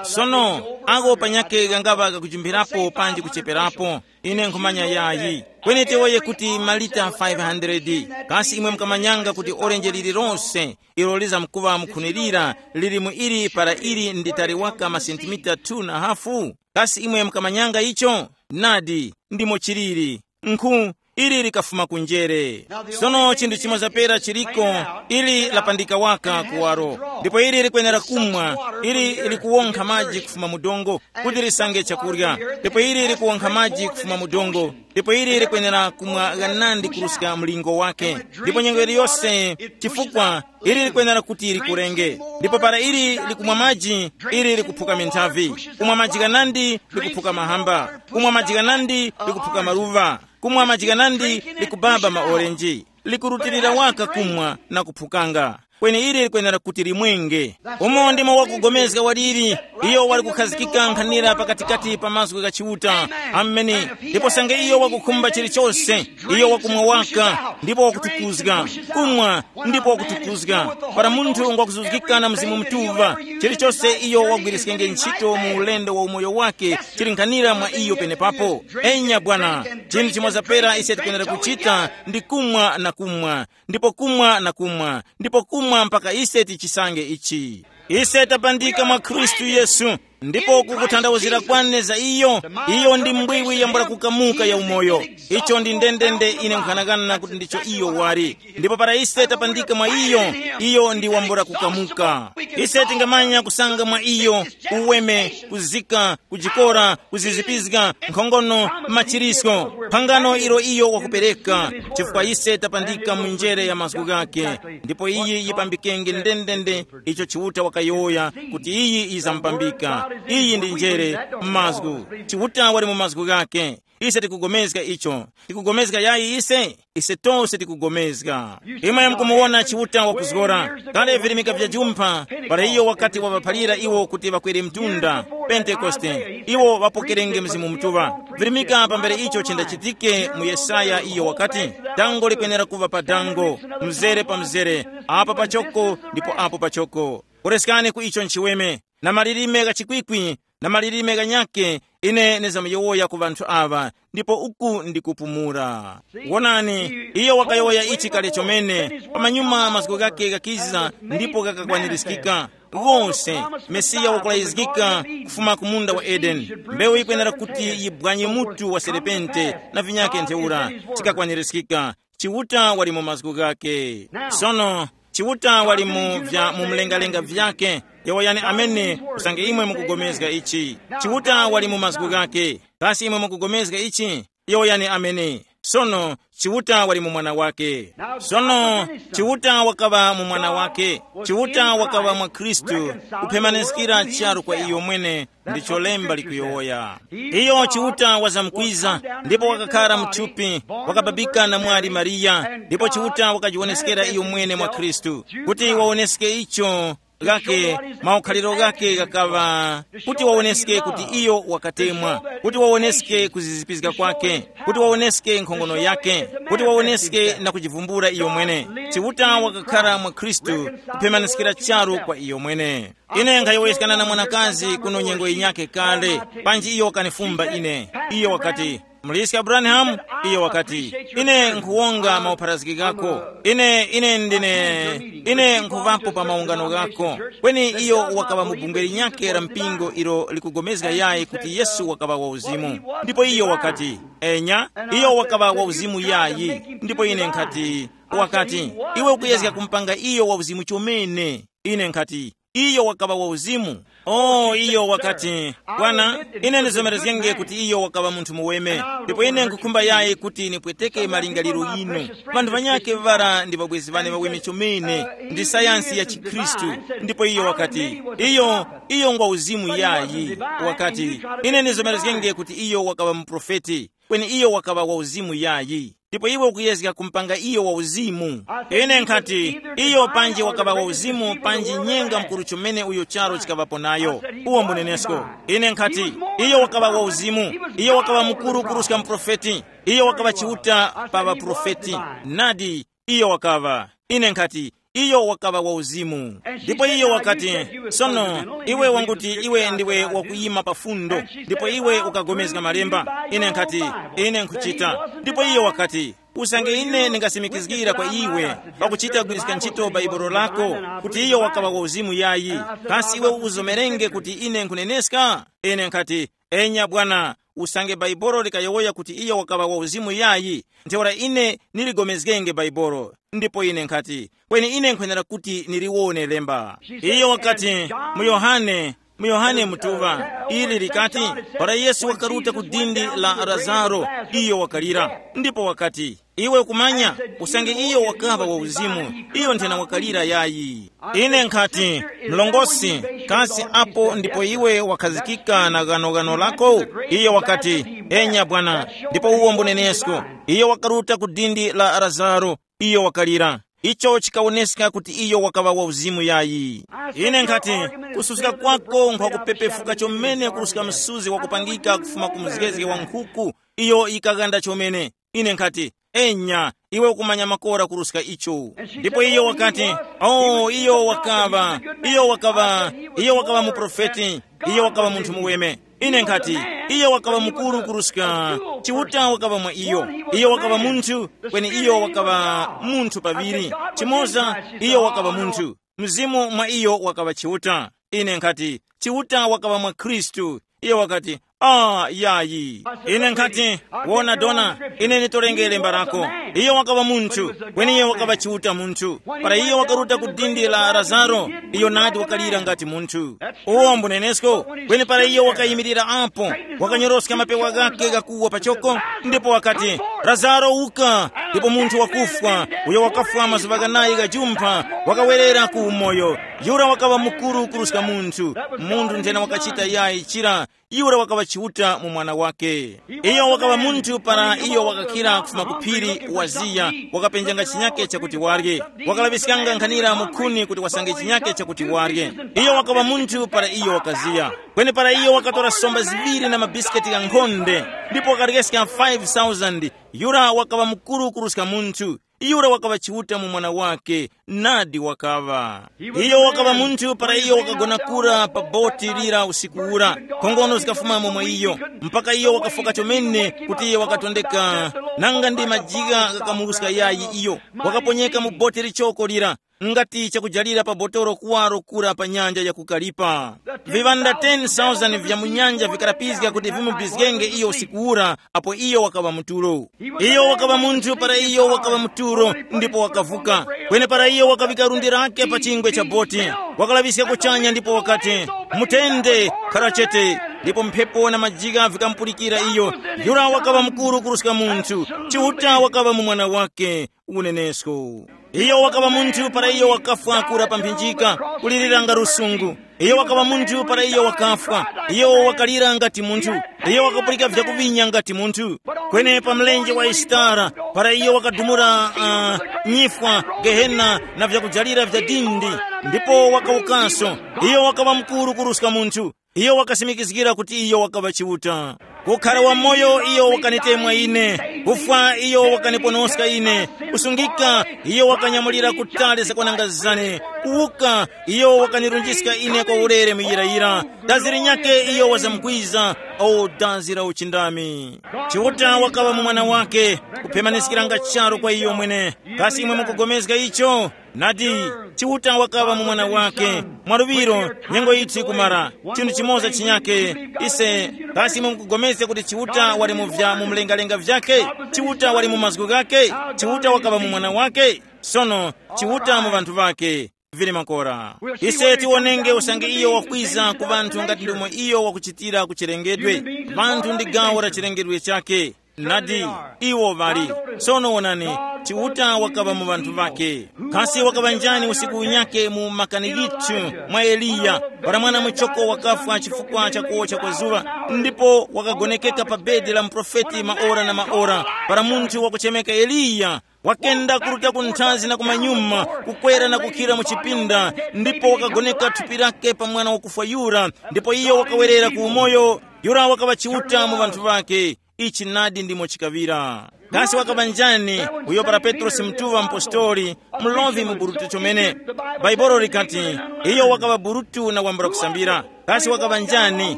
Sono, ako panyakhe kangaŵa kakujumpirapo panji kucheperapo, ine nkhumanya yayi. Kweni tiwoye kuti malita five hundred. Kasi imwe mukamanyanga kuti orenje lililonse ilo lizamkuŵa mukhunilira lili mu ili para ili ndi tali waka masentimita two na hafu? Kasi imwe mukamanyanga icho? Nadi, ndimo chiliri. Nkhu, ili likafuma ku njere. Sono chinthu chimoza pera chiliko, ili lapandika waka kuwaro, ndipo ili likwenera kumwa, ili likuwonkha maji kufuma mu dongo kuti lisange chakurya, ndipo ili likuwonkha maji kufuma mu dongo, ndipo ili likwenera kumwa ghanandi kuruska mlingo wake, ndipo nyengo iliyose, chifukwa ili likwenera kuti likurenge. Ndipo para ili likumwa maji, ili likuphuka minthavi. Kumwa maji ghanandi likuphuka mahamba, kumwa maji ghanandi likuphuka maluva, kumwa maji ghanandi likubaba maorenji. Likurutilira waka kumwa na kuphukanga. Kweni ili likwenera kuti limwenge. Umo ndimo wakugomezga waliri, iyo wali kukhazikika nkhanira pakatikati pa mazgu gha Chiuta. Ameni. Ndipo sange iyo wakukhumba chilichose, iyo wakumwa waka, ndipo wakutukuzga. Kumwa, ndipo wakutukuzga. Para munthu ngwakuzuzgika na Mzimu Mutuŵa, chilichose iyo wagwiriskenge ntchito mu ulendo wa umoyo wake chili nkhanira mwa iyo penepapo. Enya bwana, chinthu chimoza pera ise tikwenera kuchita ndi kumwa na kumwa, ndipo kumwa na kumwa, ndipo kumwa mpaka ise tichisange ichi. Ise tapandika mwa Khristu Yesu, ndipo kukuthandawuzira kwane za iyo, iyo ndi mbwiwi yambula kukamuka ya umoyo. Icho ndi ndendende ine nkhanakana kuti ndicho iyo wali. Ndipo para ise tapandika mwa iyo, iyo ndi wambula kukamuka. Ise tingamanya kusanga mwa iyo uweme, kuzika, kujikora, kuzizipizga, nkhongono, machirisko, phangano ilo iyo wakupereka, chifukwa ise tapandika mu njere ya mazgu ghake. Ndipo iyi yipambikenge ndendende icho Chiuta wakayowoya kuti iyi yizamupambika. Iyi ndi njere, mazgu. Chiuta wali mu mazgu ghake. Ise tikugomezga icho. Tikugomezga yayi ise? Ise tose tikugomezga. Imwe mukumuwona Chiuta wakuzgora. Kale virimika vya jumpha, para iyo wakati wavaphalira iwo kuti ŵakwere mtunda, Pentekoste, iwo ŵapokerenge Mzimu Mutuŵa. Virimika pambere icho chindachitike mu Yesaya, iyo wakati, dango likwenera kuŵa pa dango, mzere pa mzere, apa pachoko ndipo apo pachoko. Koreskani ku icho nchiweme, na malilime gha chikwikwi, na malilime ghanyakhe, ine ndizamuyowoya ku ŵanthu aŵa, ndipo uku ndikupumula. Wonani, iyo wakayowoya ichi kale chomene, pamanyuma mazgu ghakhe ghakiza ndipo ghakakwanirizgika. Ghose, Mesiya wakulayizgika kufuma ku munda wa Edeni. Mbewu yikwenera kuti yibwanye mutu wa serepente na vinyakhe ntheura, chikakwanirizgika. Chiuta wali mu mazgu ghake. Sono, Chiuta wali mu vya mu mlengalenga vyake. Yowoyani amene, usange imwe mukugomezga ichi. Chiuta wali mu mazgu ghake. Kasi imwe mukugomezga ichi? Yowoyani amene. Sono, Chiuta wali mu mwana wake. Sono, Chiuta wakaŵa mu mwana wake. Chiuta wakaŵa mwa Khristu, kuphemaniskira charu kwa iyo mwene, ndicho lemba likuyowoya. Iyo Chiuta wazamkwiza, ndipo wakakhara mu thupi, wakababika na mwali Mariya, ndipo Chiuta wakajiwoneskera iyo mwene mwa Khristu, kuti wawoneske icho ghake, maukhaliro ghake ghakaŵa, kuti wawoneske kuti iyo wakatemwa, kuti wawoneske kuzizipizga kwake, kuti wawoneske nkhongono yake, kuti wawoneske na kujivumbula iyo mwene. Chiuta wakakhara mwa Khristu, kuphemaniskira charu kwa iyo mwene. Ine nkhayowoyeskana na mwanakazi kuno nyengo yinyakhe kale, panji iyo wakanifumba ine. Iyo wakati, muliska Branham? Iyo wakati, ine nkhuwonga maupharazgikako. Ine, ine ndine, ine nkhuŵapo pa maungano ghako. Kweni iyo wakaŵa mu bungwe linyakhe la mpingo ilo likugomezga yayi kuti Yesu wakaŵa wa uzimu. Ndipo iyo wakati, enya, iyo wakaŵa wa uzimu yayi. Ndipo ine nkhati, wakati, iwe ukuyezga kumpanga iyo wa uzimu chomene. Ine nkhati, iyo wakaŵa wa uzimu. Oh, iyo wakati, bwana, ine ndizomerezgenge kuti iyo wakaŵa munthu muweme, ndipo ine nkukhumba yayi kuti nipweteke malingaliro yinu. Vanthu vanyakhe vara ndi ŵabwezi ŵane ŵaweme chomene, ndi sayansi ya chikhristu. Ndipo iyo wakati, iyo, iyo ngwa uzimu yayi. Wakati, ine ndizomerezgenge kuti iyo wakaŵa muprofeti, kweni iyo wakaŵa wa uzimu yayi. Ndipo iwe ukuyezga kumpanga iyo wa uzimu. Ine nkhati, iyo panji wakaŵa wa uzimu panji nyenga mkuru chomene uyo charo chikaŵapo nayo. Uwo mbunenesko. Ine nkhati, iyo wakaŵa wa uzimu. Iyo wakaŵa mukuru kuruska muprofeti. Iyo wakaŵa chiuta pa ŵaprofeti. Nadi, iyo wakaŵa. Ine nkhati, iyo wakaŵa wa uzimu. Ndipo iyo wakati, sono, iwe wanguti iwe ndiwe wakuyima pa fundo, ndipo iwe ukagomezga malemba. Ine nkhati, ine nkhuchita. Ndipo iyo wakati, usange ine ndingasimikizgira kwa iwe, pakuchita kugwiriska ntchito bhaibolo lako, kuti iyo wakaŵa wa uzimu yayi, kasi iwe uzomerenge kuti ine nkhuneneska? Ine nkhati, enya bwana, usange bhaibolo likayowoya kuti iyo wakaŵa wa uzimu yayi, ntheura ine ndiligomezgenge bhaibolo. Ndipo ine nkhati, kweni ine nkhwenera kuti niliwone lemba. Iyo wakati, mu Yohane, mu Yohane mutuŵa, ili likati, para Yesu wakaruta ku dindi la Lazaro, iyo wakalira. Ndipo wakati, iwe ukumanya, usange iyo wakaŵa wa uzimu, iyo nthena wakalira yayi. Ine nkhati, mlongosi, kasi apo ndipo iwe wakhazikika na ghanoghano lako? Iyo wakati, enya bwana, ndipo uwo mbunenesko. Iyo wakaruta ku dindi la Lazaro, iyo wakalira. Icho chikawoneska kuti iyo wakaŵa wa uzimu yayi. Ine nkhati, kususka kwako nkhwakupepefuka chomene kuruska msuzi wakupangika kufuma ku mzgezge wa nkhuku, iyo yikaghanda chomene. Ine nkhati, enya, iwe ukumanya makora kuruska icho. Ndipo iyo wakati, oh, iyo wakaŵa, iyo wakaŵa, iyo wakaŵa muprofeti, iyo wakaŵa munthu muweme. Ine nkhati, iyo wakaŵa mukuru kuruska, Chiuta wakaŵa mwa iyo. Iyo wakaŵa munthu, kweni iyo wakaŵa munthu paŵiri. Chimoza, iyo wakaŵa munthu. Mzimu mwa iyo wakaŵa Chiuta. Ine nkhati, Chiuta wakaŵa mwa Khristu. Iyo wakati, ah, yayi. Ine nkhati, wona dona, ine nditorenge lemba lako. Iyo wakaŵa munthu, kweni iyo wakaŵa Chiuta munthu. Para iyo wakaruta ku dindi la Lazaro, iyo nadi wakalira ngati munthu. Uwo mbunenesko, kweni para iyo wakayimirira apo, wakanyoroska mapewa ghake ghakuwa pachoko, ndipo wakati, Lazaro, uka! Ndipo munthu wakufwa, uyo wakafwa mazuŵa ghanayi gha jumpha, wakawerera ku umoyo. Yura wakaŵa mukuru kuruska munthu. Munthu nthena wakachita yayi chira, Yura wakaŵa Chiuta mu mwana wake. Iyo wakaŵa munthu para iyo wakakhira kufuma ku phiri waziya, wakapenjanga chinyake chakuti warye. Wakalaŵiskanga nkhanira mu khuni kuti wasange chinyake chakuti warye. Iyo wakaŵa munthu para iyo wakaziya. Kweni para iyo wakatora somba ziŵiri na mabisiketi ghankhonde, ndipo wakaryeska five thousand, yura wakaŵa mukuru kuruska munthu. Yura wakaŵa Chiuta mu mwana wake. Nadi wakaŵa. Iyo wakaŵa munthu para iyo wakagona kura pa boti lira usiku ura. Nkhongono zikafumamo mwa iyo, mpaka iyo wakafoka chomene kuti iyo wakatondeka, nanga ndi majigha ghakamuruska yayi. Iyo wakaponyeka mu boti lichoko lira, ngati chakujalira pa botoro kuwaro kura pa nyanja ya kukalipa. Viŵanda ten thousand vya mu nyanja vikarapizga kuti vimubizgenge iyo usiku ura, apo iyo wakaŵa mu tulo. Iyo wakaŵa munthu para iyo wakaŵa mu tulo, ndipo wakavuka. Kweni para iyo wakaŵika lundi lake pa chingwe cha boti, wakalaŵiska kuchanya ndipo wakati, "Mutende, khara chete." Ndipo mphepo na majigha vikamupulikira iyo. Yura wakaŵa mukuru kuruska munthu. Chiuta wakaŵa mu mwana wake. Unenesko. Iyo wakaŵa munthu para iyo wakafwa kura pa mphinjika, kulirira nga lusungu. Iyo wakaŵa munthu para iyo wakafwa. Iyo wakalira ngati munthu. Iyo wakapulika vyakuvinya ngati munthu. Kweni pa mlenje wa Isitara, para iyo wakadumula uh, nyifwa, gehena, na vyakujalira vya dindi, ndipo wakawukanso. Iyo wakaŵa mukuru kuruska munthu. Iyo wakasimikizgira kuti iyo wakaŵa Chiuta. Kukhara wamoyo iyo wakanitemwa ine. Kufwa iyo wakaniponoska ine. Kusungika iyo wakanyamulira kutali zakwananga zane. Kuwuka iyo wakanirunjiska ine kwa ulere muyirayira. Dazi linyake iyo wazamkwiza. O dazi la uchindami. Chiuta wakaŵa mu mwana wake. Kuphemaniskiranga charu kwa iyo mwene. Kasi imwe mukugomezga icho? Nadi, Chiuta wakaŵa mu mwana wake. Mwaluŵiro, nyengo yithu ikumara. Chinthu chimoza chinyake. Ise, kasi imwe mukugomezga kuti Chiuta wali mu vya mu mlengalenga vyake? Chiuta wali mu mazgu ghake? Chiuta wakaŵa mu mwana wake? Sono, Chiuta mu ŵanthu ŵake. Vili makora. Ise tiwonenge usange iyo wakwiza ku ŵanthu ngati ndomwe iyo wakuchitira ku chilengedwe. Ŵanthu ndi gawo la chilengedwe chake. Nadi, iwo ŵali. Sono wonani, Chiuta wakaŵa mu ŵanthu ŵake. Kasi wakaŵa njani usiku unyake mu makani yithu mwa Eliya, para mwana muchoko wakafwa chifukwa cha kuwocha kwa zuŵa, ndipo wakagonekeka pa bedi la muprofeti maora na maora, para munthu wakuchemeka Eliya wakenda kuruta ku nthazi na kumanyuma, kukwera na kukhira mu chipinda, ndipo wakagoneka thupi lake pa mwana wakufwa yura, ndipo iyo wakawerera ku umoyo. Yura wakaŵa Chiuta mu ŵanthu ŵake. Ichi nadi ndimo chikaŵira. Kasi wakaŵa njani? Uyo para Petrosi Mtuŵa mpostoli, mlovi mu burutu chomene. Bhaibuli likati, iyo wakaŵa burutu na wambula kusambira. Kasi wakaŵa njani?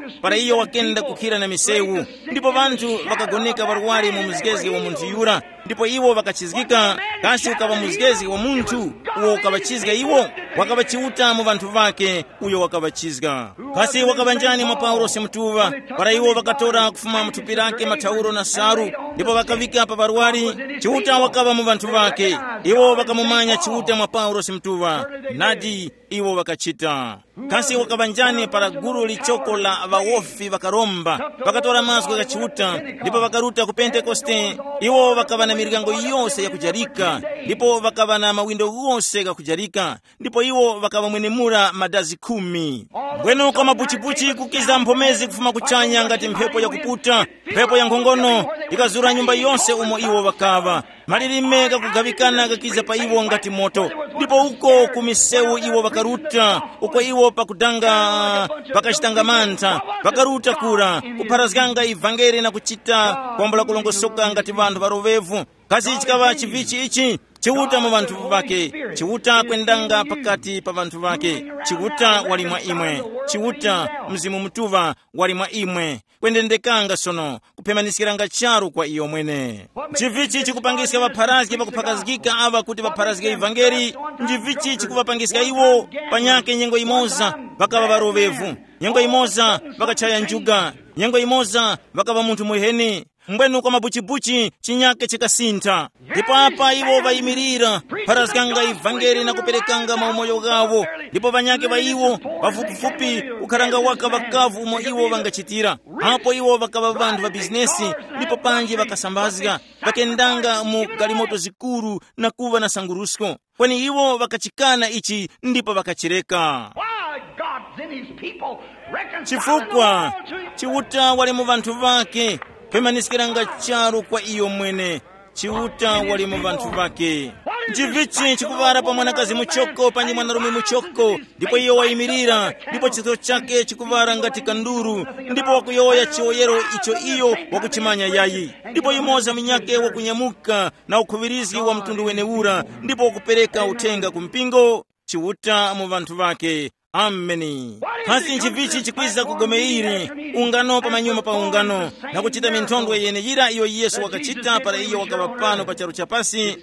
Para iyo wakenda kukhira na misewu, ndipo ŵanthu ŵakagoneka ŵarwari mu mzgezge wa munthu yura, ndipo iwo ŵakachizgika. Kasi ukaŵa mzgezge wa munthu uwo ukaŵachizga iwo? Wakaŵa Chiuta mu ŵanthu ŵake, uyo wakaŵachizga. Kasi wakaŵa njani mwa Paulosi Mutuŵa, para iwo ŵakatora kufuma mu thupi lake mathauro na salu, ndipo ŵakaŵika pa ŵarwari? Chiuta wakaŵa mu ŵanthu ŵake. Iwo ŵakamumanya Chiuta mwa Paulosi Mutuŵa. Nadi, iwo ŵakachita. Kasi wakaŵa njani para gulu lichoko la ŵawofi ŵakaromba, ŵakatora mazgu gha Chiuta, ndipo ŵakaruta ku Pentekoste? Iwo ŵakaŵa na miryango yose yakujarika, ndipo ŵakaŵa na mawindo ghose ghakujarika, ndipo iwo ŵakaŵamwenemura madazi khumi. Mbwenu kwa mapuchipuchi kukiza mphomezi kufuma kuchanya ngati mphepo yakuputa, mphepo ya nkhongono, ikazura nyumba yose umo iwo ŵakaŵa. Malilime ghakugaŵikana ghakiza pa iwo ngati moto, ndipo uko ku misewu iwo ŵakaruta, uko iwo pakudanga ŵakachitanga mantha, ŵakaruta kura, kupharazganga ivangeli na kuchita kwambula kulongosoka ngati ŵanthu ŵaroŵevu. Kasi chikaŵa chivichi ichi? Chiuta mu ŵanthu ŵake. Chiuta kwendanga pakati pa ŵanthu ŵake. Chiuta wali mwa imwe. Chiuta, Mzimu Mutuŵa, wali mwa imwe. Kwendendekanga sono, kuphemaniskiranga charu kwa iyo mwene. Nchivichi chikupangiska ŵapharazgi ŵakuphakazgika aŵa kuti ŵapharazge ivangeli? Nchivichi chikuŵapangiska iwo? Panyakhe nyengo imoza ŵakaŵa ŵaroŵevu. Nyengo imoza ŵakachaya njuga. Nyengo imoza ŵakaŵa munthu muheni. Mbwenu kwa mabuchibuchi chinyake chikasintha. Ndipo apa iwo ŵayimirira, pharazganga ivangeli na kuperekanga maumoyo ghawo. Ndipo ŵanyakhe ŵa iwo, pafupifupi kukharanga waka ŵakavu umo iwo ŵangachitira. Apo iwo ŵakaŵa ŵanthu ŵa bizinesi, ndipo panji ŵakasambazga, ŵakendanga mu galimoto zikuru na kuŵa na sangurusko. Kweni iwo ŵakachikana ichi ndipo ŵakachireka. Why God sent his people reconciled the chifukwa world to himself. Chiuta wali mu vanthu vake, kwemaniskiranga charu kwa iyo mwene. Chiuta wali mu vanthu vake. Nchivichi chikuŵara pa mwanakazi muchoko panji mwanarume muchoko, ndipo iyo wayimirira, ndipo chitho chake chikuŵara ngati kanduru, ndipo wakuyowoya chiwoyero icho iyo wakuchimanya yayi. Ndipo yumoza munyake wakunyamuka na ukhuŵirizgi wa mtundu wenewura, ndipo wakupereka uthenga ku mpingo. Chiuta mu vanthu vake. Ameni. Pasi nchivichi chikwiza kugomeiri, ungano pa manyuma pa ungano, na kuchita minthondwe yeneyira iyo Yesu wakachita para iyo wakaŵa pano pa charu cha pasi,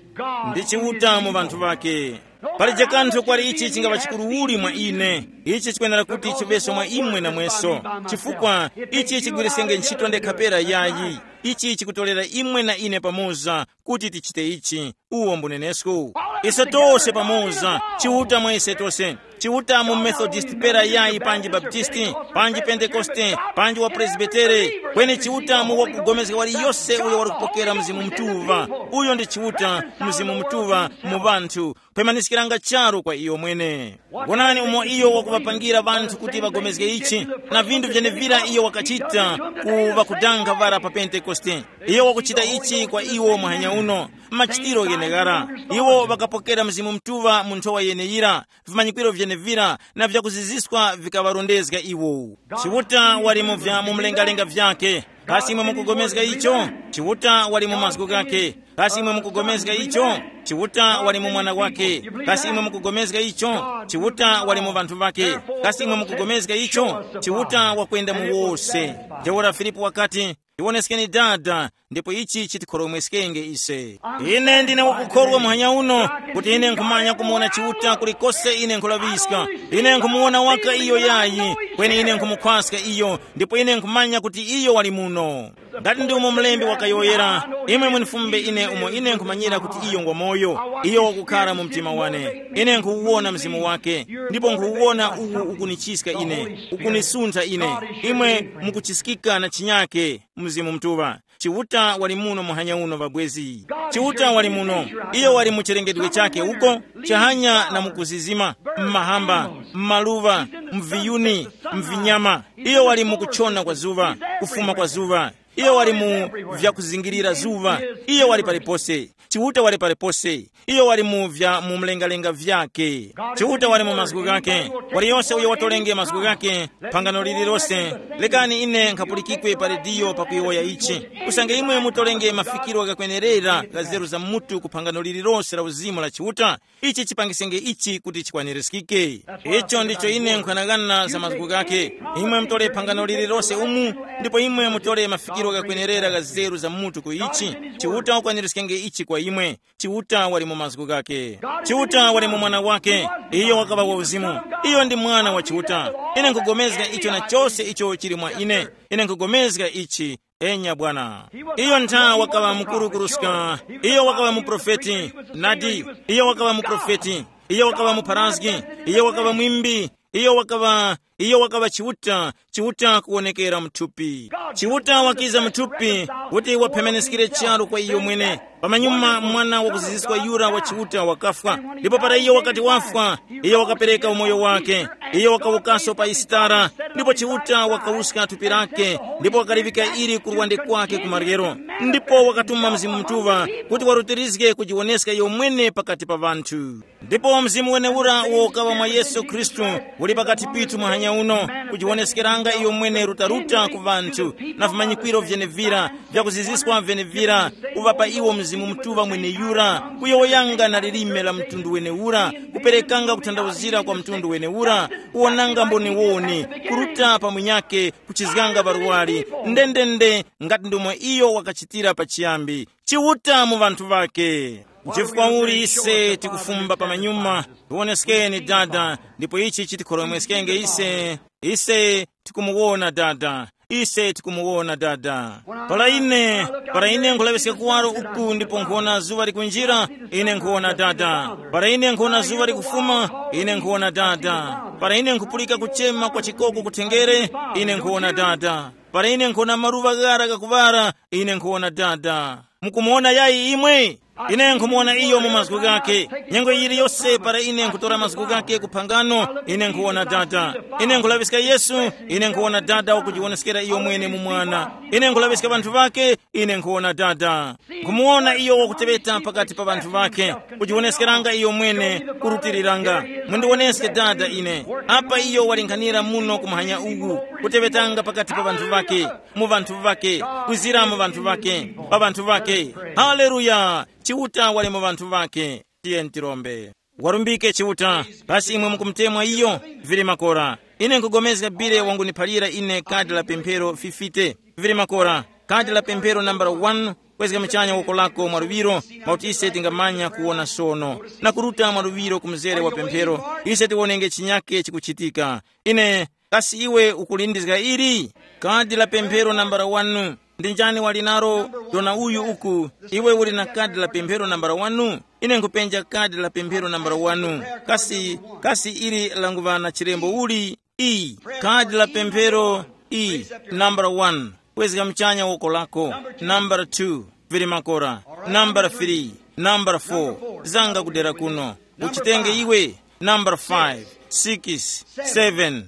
ndi Chiuta mu vanthu vake. Palije kanthu kwali ichi chingaŵa chikuru uli mwa ine. Ichi chikwenera kuti chiveso mwa imwe na mweso, chifukwa ichi chigwirisenge ntchito ndekha pera yayi. Ichi chikutolera imwe na ine pamoza kuti tichite ichi. Uwo mbunenesku. Ise tose pamoza, Chiuta mwa ise tose. Chiuta mu Methodist pera yayi panji Baptisti, panji Pentekoste, panji wa Presbitere. Kweni Chiuta mu wakugomezga wali yose uyo wali kupokera Mzimu Mutuŵa. Uyo ndi Chiuta, Mzimu Mutuŵa mu vanthu. Pemaniskiranga charu kwa iyo mwene. Wonani umo iyo wakuŵapangira ŵanthu kuti ŵagomezge ichi, na vinthu vyenevira iyo wakachita ku ŵakudanga ŵara pa Pentekoste. Iyo wakuchita ichi kwa iwo muhanya uno, machitiro gheneghara. Iwo ŵakapokera Mzimu Mutuŵa mu nthowa yeneyira, vimanyikwiro vyenevira na vyakuziziswa vikaŵarondezga iwo. Chiuta wali mu vya mu mlengalenga vyake. Kasi imwe mukugomezga icho? Chiuta wali mu mazgu ghake. Kasi imwe mukugomezga icho? Chiuta wali mu mwana wake. Kasi imwe mukugomezga icho? Chiuta wali mu vanthu vake. Kasi imwe mukugomezga icho? Chiuta wakwenda mu wose. Ntheura Filipu wakati, tiwoneskeni Dada, ndipo ichi chitikhoromweskenge ise. Ine ndine wakukhorwa muhanya uno, kuti ine nkhumanya kumuwona Chiuta kulikose ine nkhulaŵiska. Ine nkhumuwona waka iyo yayi, kweni ine nkhumukhwaska iyo, ndipo ine nkhumanya kuti iyo wali muno. Ngati ndi umo mlembi wakayowoyera, imwe munifumbe ine umo ine nkhumanyira kuti iyo ngwa moyo, iyo wakukhala mu mtima wane. Ine nkhuwuwona mzimu wake, ndipo nkhuwuwona uwu ukunichiska ine, ukunisuntha ine. Imwe mukuchiskika na chinyake, Mzimu Mutuŵa. Chiuta wali muno muhanya uno ŵabwezi. Chiuta wali muno. Iyo wali mu chilengedwe chake uko, chahanya na mukuzizima, m'mahamba, m'maluŵa, mviyuni, mvinyama. Iyo wali mukuchona kwa zuŵa, kufuma kwa zuŵa. Iyo wali mu vyakuzingirira zuŵa. Iyo wali palipose. Chiuta wali palipose. Iyo wali mu vya mu mlengalenga vyake. Chiuta wali mu mazgu ghake. Waliyose uyo watolenge mazgu ghake, phangano lililose. Lekani ine nkhapulikikwe pa rediyo pakuyowoya ichi. Usange imwe mutolenge mafikiro ghakwenerera gha zeru za mutu ku phangano lililose la uzimu la Chiuta, ichi chipangisenge ichi kuti chikwanirizgike. Icho ndicho ine nkhanagana za mazgu ghake. Imwe mutole phangano lililose umu, ndipo imwe mutole mafikiro ghakwenerera gha zeru za mutu ku ichi. Chiuta ukwanirizgenge ichi kwa imwe. Chiuta wali mu mazgu ghake. Chiuta wali mu mwana wake. Iyo wakaŵa wa uzimu. Iyo ndi mwana wa Chiuta. Ine nkugomezga icho na chose icho chili mwa ine. Ine nkugomezga ichi. Enya bwana. Iyo ntha wakaŵa mukuru kuruska. Iyo wakaŵa muprofeti. Nadi. Iyo wakaŵa muprofeti. Iyo wakaŵa mupharazgi. Iyo wakaŵa mwimbi. Iyo wakaŵa iyo wakaŵa Chiuta, Chiuta kuwonekera muthupi. Chiuta wakiza muthupi kuti waphemeneskire charu kwa iyo mwene. Pamanyuma mwana wakuziziswa yura wa Chiuta wakafwa, ndipo para iyo wakati wafwa, iyo wakapereka umoyo wake. Iyo wakawukaso pa Isitara, ndipo Chiuta wakawuska thupi lake, ndipo wakaliŵika ili ku luwande kwake ku maryero. Ndipo wakatuma Mzimu Mutuŵa kuti warutirizge kujiwoneska iyo mwene pakati pa ŵanthu. Ndipo Mzimu wenewura uwo ukaŵa mwa Yesu Khristu uli pakati pithu muhanya uno, kujiwoneskeranga iyo mwene rutaruta ku ŵanthu, na vimanyikwiro vyenevira, vyakuziziswa vyenevira, kuŵapa iwo Mzimu Mutuŵa mweneyura, kuyowoyanga na lilime la mtundu wenewura, kuperekanga kuthandauzira kwa mtundu wenewura, kuwonanga mboniwoni, kuruta pa munyakhe, kuchizganga ŵarwari, ndendende ngati ndomwe iyo wakachitira pachiyambi. Chiuta mu ŵanthu ŵake. Nchifukwa uli ise tikufumba pamanyuma, tiwoneskeni Dada, ndipo ichi chitikhoromweskenge ise, ise tikumuwona Dada, ise tikumuwona Dada. Para ine, para ine nkulaŵiska kuwaro uku ndipo nkhuwona zuŵa likunjira, ine nkhuwona Dada. Para ine nkhuwona zuŵa likufuma, ine nkhuwona Dada. Para ine nkhupulika kuchema kwa chikoko kuthengere, ine nkhuwona Dada. Para ine nkhuwona maluŵa ghara ghakuŵara, ine nkhuwona Dada. Mukumuwona yayi imwe? Ine nkhumuwona iyo mu mazgu ghake. Nyengo yiliyose para ine nkhutora mazgu ghake ku phangano, ine nkhuwona Dada. Ine nkhulaŵiska Yesu, ine nkhuwona Dada wakujiwoneskera iyo mwene mu Mwana. Ine nkhulaŵiska ŵanthu ŵake, ine nkhuwona Dada. Nkhumuwona iyo wakuteŵeta pakati pa ŵanthu ŵake, kujiwoneskeranga iyo mwene, kurutiriranga. Mundiwoneske Dada ine. Apa iyo walinghanira muno kumahanya uku, kuteŵetanga pakati pa ŵanthu ŵake, mu ŵanthu ŵake, kwizira mu ŵanthu ŵake, pa ŵanthu ŵake. Haleluya! Chiuta wali mu ŵanthu ŵake. Tiye ntirombe. Warumbike Chiuta, kasi imwe mukumutemwa iyo? Vili makora. Ine nkugomezga bile wanguniphalira ine kadi la pemphero fifite. Vili makora. Kadi la pemphero nambala wani, kwezga muchanya woko lako mwaluŵiro, mwakuti ise tingamanya kuwona sono, na kuruta mwaluŵiro ku mzere wa pemphero, ise tiwonenge chinyake chikuchitika. Ine, kasi iwe ukulindizga ili? Kadi la pemphero nambala wani. Ndi njani wali nalo? Dona uyu uku, iwe uli na kadi la pemphero nambala wani? Ine nkhupenja kadi la pemphero nambala wani. Kasi, kasi ili languŵa na chilembo uli? E, kadi la pemphero, E, nambala wani. Kwezga muchanya woko lako. Nambala two, vili makora. Nambala three, nambala four, zanga kudera kuno. Uchitenge iwe. Nambala five, six, seven.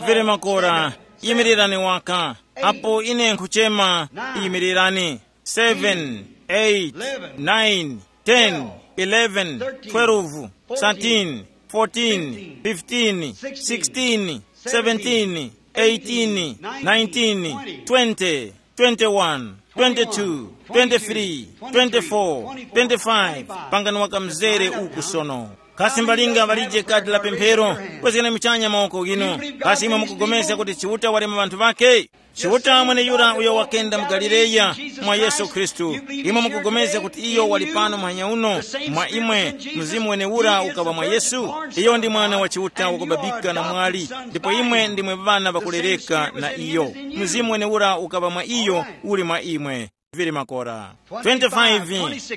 Vili makora. Yimirirani waka. Apo ine nkhuchema, yimirirani. Seven, eight, nine, ten, eleven, twelve, thirteen, fourteen, fifteen, sixteen, seventeen, eighteen, nineteen, twenty, twenty-one, twenty-two, twenty-three, twenty-four, twenty-five. Pangani waka mzere uku sono. Kasi mbalinga ŵalije kadi la pemphero? Kwezgani muchanya mawoko ghinu. Kasi imwe mukugomezga kuti Chiuta wali mu ŵanthu ŵakhe? Chiuta mweneyura uyo wakenda mu Galileya mwa Yesu Khristu. Imwe mukugomezga kuti iyo wali pano muhanya uno mwa imwe, Mzimu wenewura ukaŵa mwa Yesu? Iyo ndi Mwana wa Chiuta wakubabika na mwali, ndipo imwe ndimwe ŵana ŵakulereka na iyo. Mzimu wenewura ukaŵa mwa iyo, uli mwa imwe. Vili makora. Twenty-five,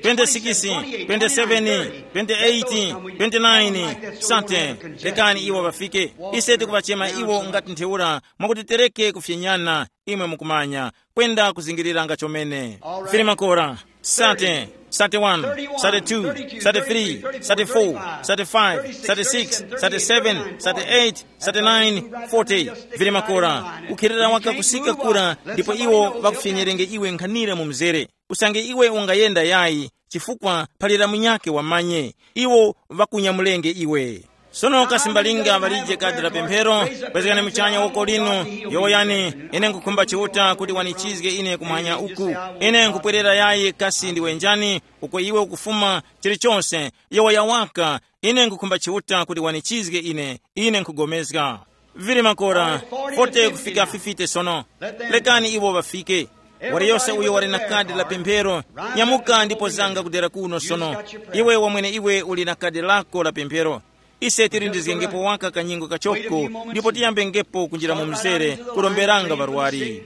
twenty-six, twenty-seven, twenty-eight, twenty-nine, sate. Lekani iwo ŵafike. Ise tikuŵachema iwo ngati ntheura, mwakuti tereke kufyenyana, imwe mukumanya, kwenda kuzingiriranga chomene. Filimakora, sate, sate one, sate two, sate three, sate four, sate five, sate six, sate seven, sate eight, sate nine, forty. Filimakora, ukhirira waka kusika kura, ndipo iwo ŵakufyenyerenge iwe nkhanira mu mzere. Usange iwe ungayenda yayi, chifukwa phalira munyakhe wamanye, iwo ŵakunyamulenge iwe. Sono kasi mbalinga ŵalije kadi la pemphero? Kwezekani muchanya woko linu, yowoyani, ine nkukhumba Chiuta kuti wanichizge ine kumwanya uku. Ine nkupwerera yayi kasi ndiwe njani, uko iwe ukufuma, chilichonse, yowoya waka, ine nkukhumba Chiuta kuti wanichizge ine, ine nkugomezga. Vili makora, forty kufika fifty sono. Lekani iwo ŵafike. Waliyose uyo wali na kadi la pemphero, nyamuka ndipo zanga kudera kuno sono. Iwe wamwene iwe uli na kadi lako la pemphero. Ise tilindizgengepo waka kanyingo kachoko, ndipo tiyambengepo kunjira mu mzere, kuromberanga ŵarwari.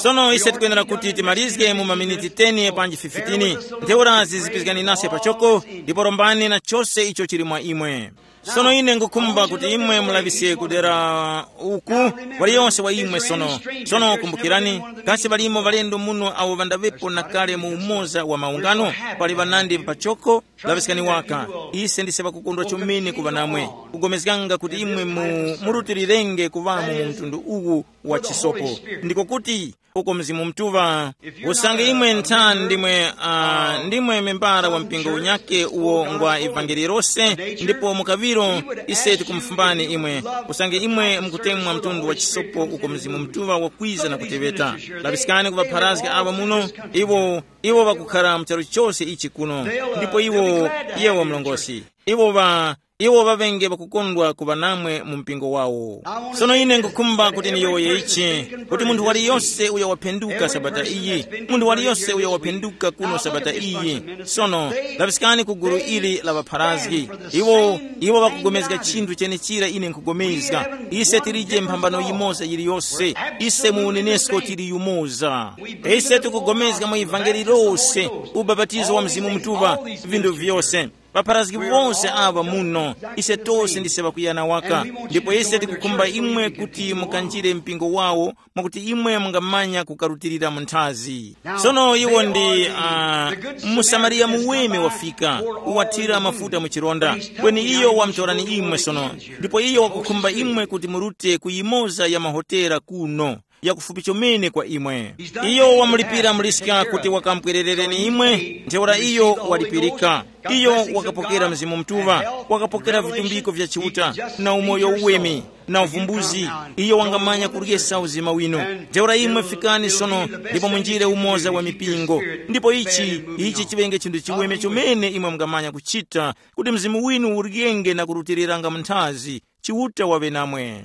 Sono ise tikwenera kuti timalizge mu maminiti ten panji fifteen. Ntheura zizipizgani nase pachoko, ndipo rombani na chose icho chili mwa imwe. Sono ine ngukhumba kuti imwe mulaŵiske kudera uku, waliyonse wa imwe sono. Sono kumbukirani, kasi ŵalimo ŵalendo muno awo ŵandaŵepo na kale mu umoza wa maungano? Pali ŵanandi pachoko, laŵiskani waka. Ise ndise ŵakukondwa chomene kuŵa namwe. Kugomezganga kuti imwe mu, murutilirenge kuŵamo mu mtundu uwu wa chisopo. Ndiko kuti, uko Mzimu Mutuŵa. Usange imwe nthani ndimwe, uh, ndimwe membara wa mpingo unyakhe uwo ngwa ivangeli lose, ndipo mukaŵiro ise tikumufumbani imwe, usange imwe mukutemwa mtundu wa chisopo uko Mzimu Mutuŵa wakwiza na kuteŵeta. Laŵiskani ku ŵapharazgi awo muno, iwo, iwo ŵakukhara mu charu chose ichi kuno, ndipo iwo, yewo mlongosi, iwo ŵa iwo ŵaŵenge ŵakukondwa kuŵa namwe mu mpingo wawo. Sono ine ngukhumba kuti niyowoye ichi, kuti munthu waliyose uyo waphenduka sabata iyi, munthu waliyose uyo waphenduka kuno sabata iyi. Sono, laŵiskani ku gulu ili la ŵapharazgi. Iwo, iwo ŵakugomezga chinthu chenechira ine nkugomezga. Ise tilije mphambano yimoza yiliyose. Ise mu unenesko tili yumoza. Ise tikugomezga mu ivangeli lose, ubapatizo wa Mzimu Mutuŵa, vinthu vyose. Ŵapharazgi wose aŵa muno, ise tose ndise ŵakuyana waka, ndipo ise tikukhumba imwe kuti mukanjire mpingo wawo, mwakuti imwe mungamanya kukarutilira mu nthazi. Sono iwo ndi uh, msamariya muweme wafika, uwathira mafuta mu chironda, kweni iyo wamtorani imwe sono, ndipo iyo wakukhumba imwe kuti murute ku yimoza ya mahotera kuno, yakufupi chomene kwa imwe. Iyo wamulipira muliska kuti wakamupwererereni imwe, ntheura iyo walipirika. Iyo wakapokera Mzimu Mutuŵa, wakapokera vitumbiko vya Chiuta, na umoyo uweme, na uvumbuzi. Iyo wangamanya kuryesa uzima winu. Ntheura imwe fikani sono, ndipo munjire umoza wa mipingo. Ndipo ichi ichi chiŵenge chinthu chiweme chomene imwe mungamanya kuchita, kuti mzimu winu uryenge na kurutiliranga mu nthazi. Chiuta waŵe namwe.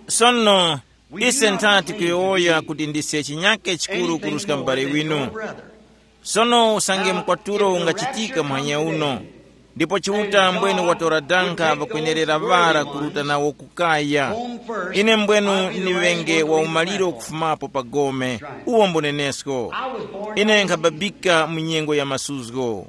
Sono, ise nthati kuyowoya kuti ndise chinyake chikuru kuruska m'bale winu. Sono usange mkwatulo ungachitika muhanya uno, ndipo Chiuta mbwenu watora danga pakwenerera ŵara kuruta nawo ku kaya. Ine mbwenu ni ŵenge wa umaliro kufumapo pa gome, uwo mbunenesko. Ine nkhababika mu nyengo ya masuzgo.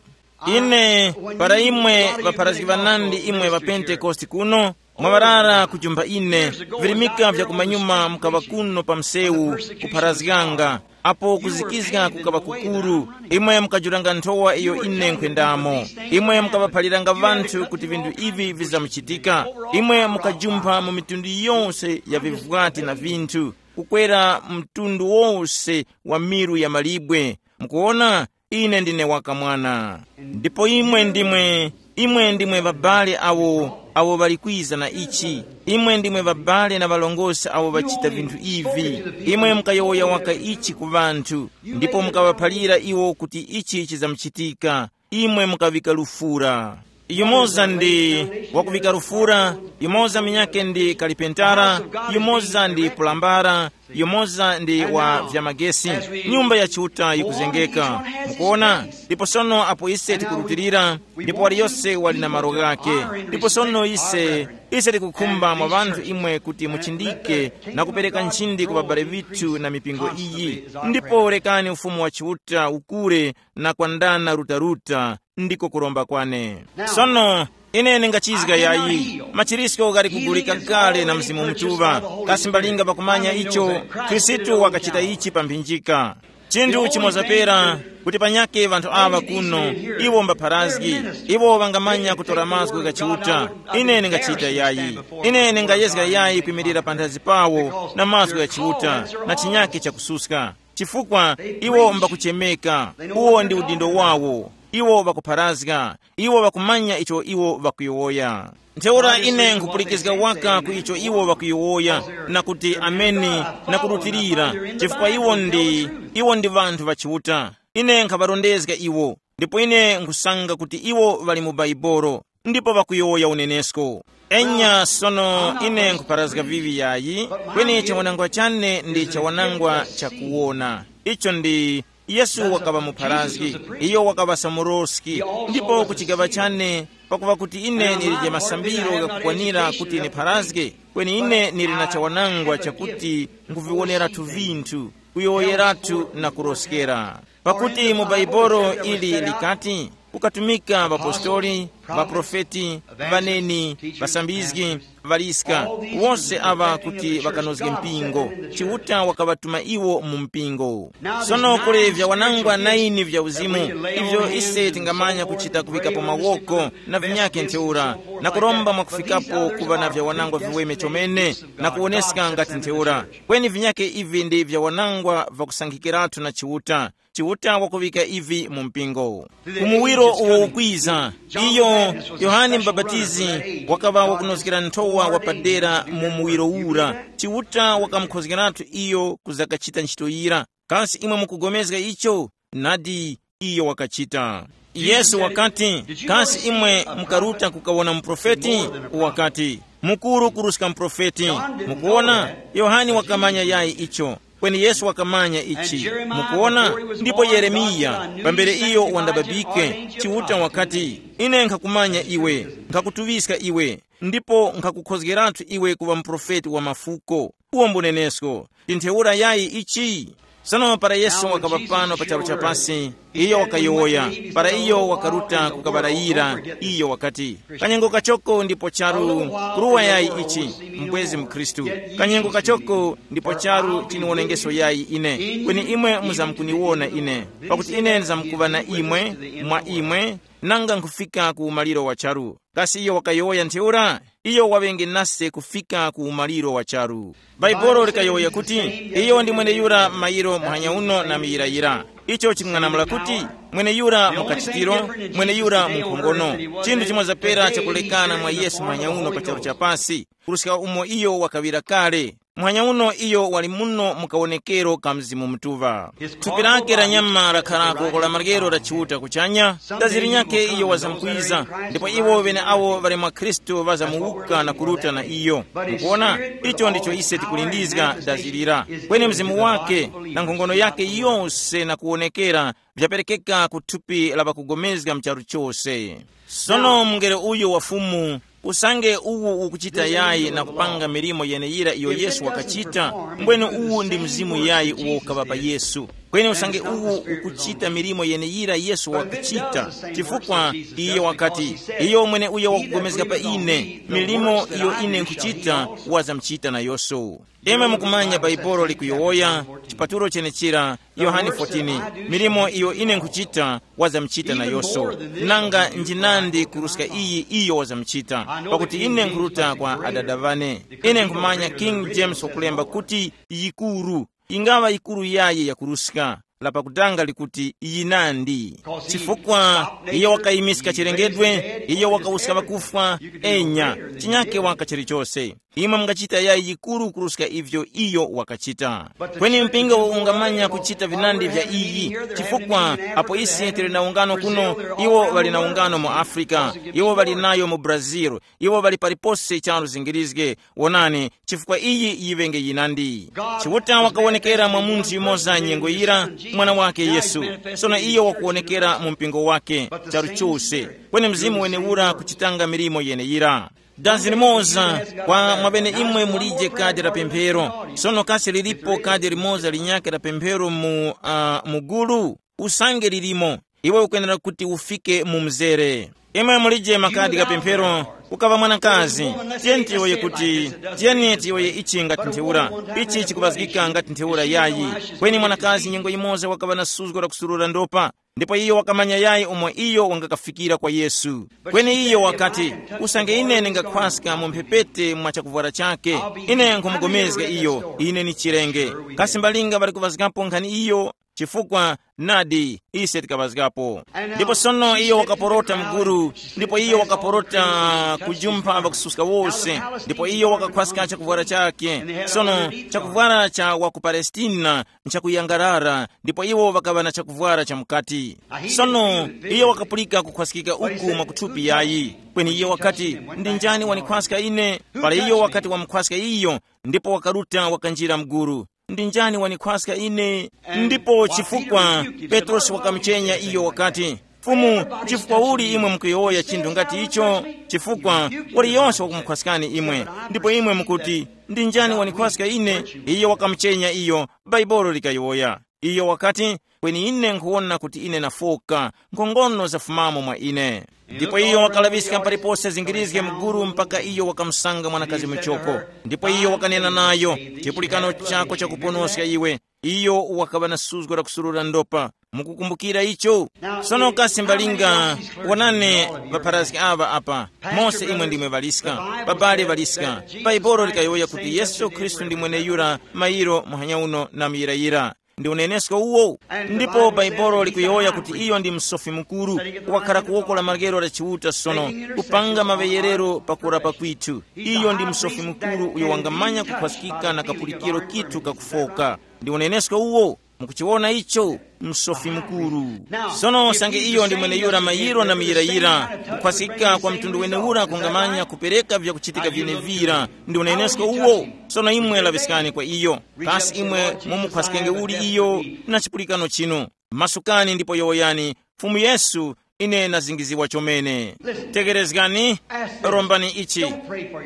Ine, para imwe ŵapharazgi ŵanandi imwe ŵa Pentekoste kuno, mwaŵarara kujumpha ine, virimika vya kumanyuma mukaŵa kuno pa msewu, kupharazganga, apo kuzikizga kukaŵa kukuru, imwe mukajuranga nthowa iyo ine nkhwendamo. Imwe mukaŵaphaliranga ŵanthu kuti vinthu ivi vizamuchitika. Imwe mukajumpha mu mitundu yose ya vivwati na vinthu, kukwera mtundu wose wa miru ya malibwe. Mukuwona, ine ndine wakamwana. Ndipo imwe ndimwe, imwe ndimwe ŵabale awo, awo ŵali kwiza na ichi. Imwe ndimwe ŵabale na ŵalongosi awo ŵachita vinthu ivi. Imwe mukayowoya waka ichi ku ŵanthu, ndipo mukaŵaphalira iwo kuti ichi chizamuchitika. Imwe mukaŵika lufura. Yumoza ndi wakuŵika lufura, yumoza munyakhe ndi kalipentara, yumoza ndi pulambara, yumoza ndi wa vyamagesi. Nyumba ya Chiuta yikuzengeka. Mukuona? Ndipo sono apo ise tikurutilira, ndipo waliyose wali na malo ghakhe. Ndipo sono ise, ise tikukhumba mwa ŵanthu imwe kuti muchindike na kupereka nchindi ku ŵabale ŵithu na mipingo iyi. Ndipo rekani ufumu wa Chiuta ukure na kwandana rutaruta, ndiko kuromba kwane. Sono, ine ningachizga yayi, machirisko ghali kugulika kale na Mzimu Mutuŵa, kasi mbalinga pakumanya icho, Khristu wakachita ichi pa mphinjika. Chinthu chimoza pera, kuti panyakhe ŵanthu aŵa kuno, iwo mbapharazgi, iwo ŵangamanya kutora mazgu gha Chiuta. Ine ningachita yayi. Ine ningayezga yayi kwimirira panthazi pawo na mazgu gha Chiuta, na chinyakhe chakususka. Chifukwa iwo mbakuchemeka, uwo ndi udindo wawo, iwo ŵakupharazga, iwo ŵakumanya icho iwo ŵakuyowoya. Ntheura ine nkhupulikizga waka ku icho iwo ŵakuyowoya, na kuti ameni, na kurutilira, chifukwa iwo ndi, iwo ndi ŵanthu ŵa Chiuta. Ine nkhaŵarondezga iwo, ndipo ine nkhusanga kuti iwo ŵali mu Baibolo, ndipo ŵakuyowoya unenesko. Enya sono ine nkhupharazga vivi yayi, kweni chawanangwa chane ndi chawanangwa chakuwona. Icho ndi, Yesu wakaŵa mupharazgi, iyo wakaŵa samuroski, ndipo ku chigaŵa chane, pakuŵa kuti ine ndilije masambiro ghakukwanira kuti nipharazge, kweni ine ndili na chawanangwa chakuti nkhuviwoneratu vinthu, kuyowoyeratu na kuroskera. Pakuti mu Baibolo ili likati, kukatumika ŵapostoli, ŵaprofeti, ŵaneni, ŵasambizgi, ŵaliska, wose aŵa kuti ŵakanozge mpingo. Chiuta wakaŵatuma iwo mu mpingo. Sono kuli vyawanangwa naini vya uzimu, ivyo ise tingamanya kuchita kuŵikapo mawoko na vinyakhe ntheura, na kuromba mwakufikapo kuŵa na vyawanangwa viweme chomene, na kuwoneska ngati ntheura. Kweni vinyakhe ivi ndi vyawanangwa vakusankhikiratu na Chiuta. Chiuta wakuŵika ivi mu mpingo. Ku muwiro uwo ukwiza, iyo, Yohane Mubapatizi, wakaŵa wakunozgera nthowa wapadera mu muwiro ura. Chiuta wakamukhozgeratu iyo kuzakachita ntchito yira. Kasi imwe mukugomezga icho? Nadi, iyo wakachita. Yesu wakati, kasi imwe mukaruta kukawona muprofeti? Wakati, mukuru kuruska muprofeti. Mukuwona, Yohane wakamanya yayi icho. Kweni Yesu wakamanya ichi. Mukuwona? Ndipo Yeremiya, pambere iyo wandababike, Chiuta wakati, ine nkhakumanya iwe, nkhakutuŵiska iwe, ndipo nkhakukhozgeratu iwe kuŵa muprofeti wa mafuko. Uwo mbunenesko. Ndi ntheura yayi ichi? Sono para Yesu wakapa pano pa charu cha pasi, iyo wakayowoya, para iyo wakaruta kukaŵarayira, iyo wakati, kanyengo kachoko ndipo charu, kuruwa yayi ichi, mbwezi mkhristu, kanyengo kachoko ndipo charu chiniwonengeso yayi ine, kweni imwe muzamkuniwona ine, pakuti ine ndizamkuŵa na imwe, mwa imwe, nanga nkhufika ku umaliro wa charu. Kasi iyo wakayowoya ntheura? Iyo waŵenge nase kufika ku umaliro wa charu. Bhaibuli likayowoya kuti, iyo ndi mweneyura mayiro muhanya uno na miyirayira. Icho chikung'anamula kuti, mweneyura mu kachitiro, mweneyura mu nkhongono. Chinthu chimoza pera chakulekana mwa Yesu muhanya uno pa charu cha pasi, kuruska umo iyo wakaŵira kale. Muhanya uno iyo wali muno mu kawonekero ka Mzimu Mutuŵa. Thupi lake la nyama lakharako la maryero la Chiuta kuchanya, dazi linyakhe iyo wazamkwiza, ndipo iwo ŵeneawo ŵali mwa Khristu ŵazamuwuka na kuruta na iyo. Mukuona, icho ndicho ise tikulindizga, dazi lira. Kweni mzimu wake na nkhongono yake yose na kuwonekera vyaperekeka ku thupi la ŵakugomezga mu charu chose. Sono mungelo uyu wa Fumu, usange uwu ukuchita yayi na kupanga milimo yeneyira iyo Yesu wakachita, mbwene uwu ndi mzimu yayi uwo ukaŵa pa Yesu. Kweni usange uwu ukuchita milimo yeneyira Yesu wakachita, chifukwa iye wakati, iyo mwene uyo wakugomezga pa ine, milimo iyo ine nkhuchita, wazamchita nayonso. Imwe mukumanya Baibolo likuyowoya, chipatulo chenechira, Yohane fourteen, milimo iyo ine nkhuchita, wazamchita nayonso. Nanga njinandi kuruska iyi iyo wazamchita, pakuti ine nkhuruta kwa Adada ŵane. Ine nkhumanya King James wakulemba kuti yikuru, ingaŵa yikuru yayi yakuruska, lapakutanga likuti yinandi. Chifukwa iyo wakayimiska chilengedwe, iyo wakawuska ŵakufwa, enya, chinyake waka chilichose. Imwe mungachita yayi yikuru kuruska ivyo iyo wakachita. Kweni mpingo ungamanya kuchita vinandi vya iyi, chifukwa apo ise tili na ungano kuno, iwo ŵali na ungano mu Afrika, iwo ŵali nayo mu Brazil, iwo ŵali palipose charu zingirizge. Wonani, chifukwa iyi yiŵenge yinandi. Chiuta wakawonekera mwa munthu yumoza nyengo yira, mwana wake Yesu. Sono iyo wakuwonekera mu mpingo wake charu chose, kweni mzimu wenewura kuchitanga milimo yeneyira. Dazi limoza, kwa mwabene imwe mulije kadi la pemphero. Sono kasi lilipo kadi limoza linyakhe la pemphero mu, uh, mugulu? Usange lilimo, iwe ukwenera kuti ufike mu mzere. Imwe mulije makadi gha pemphero, ukaŵa mwanakazi. Tiyeni tiyowoye kuti, tiyeni tiyowoye ichi ngati ntheura. Ichi chikuŵazgika ngati ntheura yayi. Kweni mwanakazi nyengo yimoza wakaŵa na suzgo la kusurura ndopa, ndipo iyo wakamanya yayi umo iyo wangakafikira kwa Yesu. Kweni iyo wakati, usange ine ndingakhwaska mu mphepete mwa chakuvwara chake, ine nkhumugomezga iyo, ine ni chirenge. Kasi mbalinga ŵali kuŵazgapo nkhani iyo? Chifukwa nadi, ise tikaŵazgapo. Ndipo sono iyo wakaporota mguru, ndipo iyo wakaporota kujumpha ŵakususka wose, ndipo iyo wakakhwaska chakuvwara chake. Sono chakuvwara cha wa ku Palestina nchakuyangarara, ndipo iwo ŵakaŵa na chakuvwara cha mukati. Sono iyo wakapulika kukhwaskika uku mwakuthupi yayi. Kweni iyo wakati, ndi njani wanikhwaska ine? Para iyo wakati wamukhwaska iyo, ndipo wakaruta wakanjira mguru. Ndi njani wanikhwaska ine? Ndipo chifukwa Petrosi wakamuchenya iyo wakati, Fumu, chifukwa uli imwe mukuyowoya chinthu ngati icho? Chifukwa waliyonse wakumukhwaskani imwe. Ndipo imwe mukuti, ndi njani wanikhwaska ine? Iyo wakamuchenya iyo, Baibolo likayowoya. Iyo wakati, kweni ine nkhuwona kuti ine nafoka, nkhongono zafumamo mwa ine. Ndipo iyo wakalaŵiska palipose zingirizge muguru mpaka iyo wakamusanga mwanakazi muchoko. Ndipo iyo wakanena nayo, chipulikano chako chakuponoska iwe. Iyo wakaŵa na suzgo la kusurura ndopa. Mukukumbukira icho? Sono kasi mbalinga, wonani, ŵapharazgi aŵa apa, mose imwe ndimwe ŵaliska, babale ŵaliska. Baibolo likayowoya kuti Yesu Khristu ndi mweneyura mayiro muhanya uno na muyirayira. Ndi unenesko uwo. Ndipo Baibolo likuyowoya kuti iyo ndi msofi mukuru, wakhara ku woko la maryero la Chiuta sono, kupanga maŵeyerero pa kurapa kwithu. Iyo ndi msofi mukuru uyo wangamanya kukhwaskika na kapulikiro kithu kakufoka. Ndi unenesko uwo. Mukuchiwona icho? Msofi mukuru. Sono usange iyo ndi mweneyura mayiro na muyirayira, kukhwaskika kwa mtundu wenewura kungamanya kupereka vyakuchitika vyenevira. Ndi unenesko uwo. Sono imwe laŵiskani kwa iyo. Kasi imwe mumukhwaskenge uli iyo? Na chipulikano chinu, masukani ndipo yowoyani, Fumu Yesu, ine nazingiziwa chomene. Tegerezgani, rombani ichi.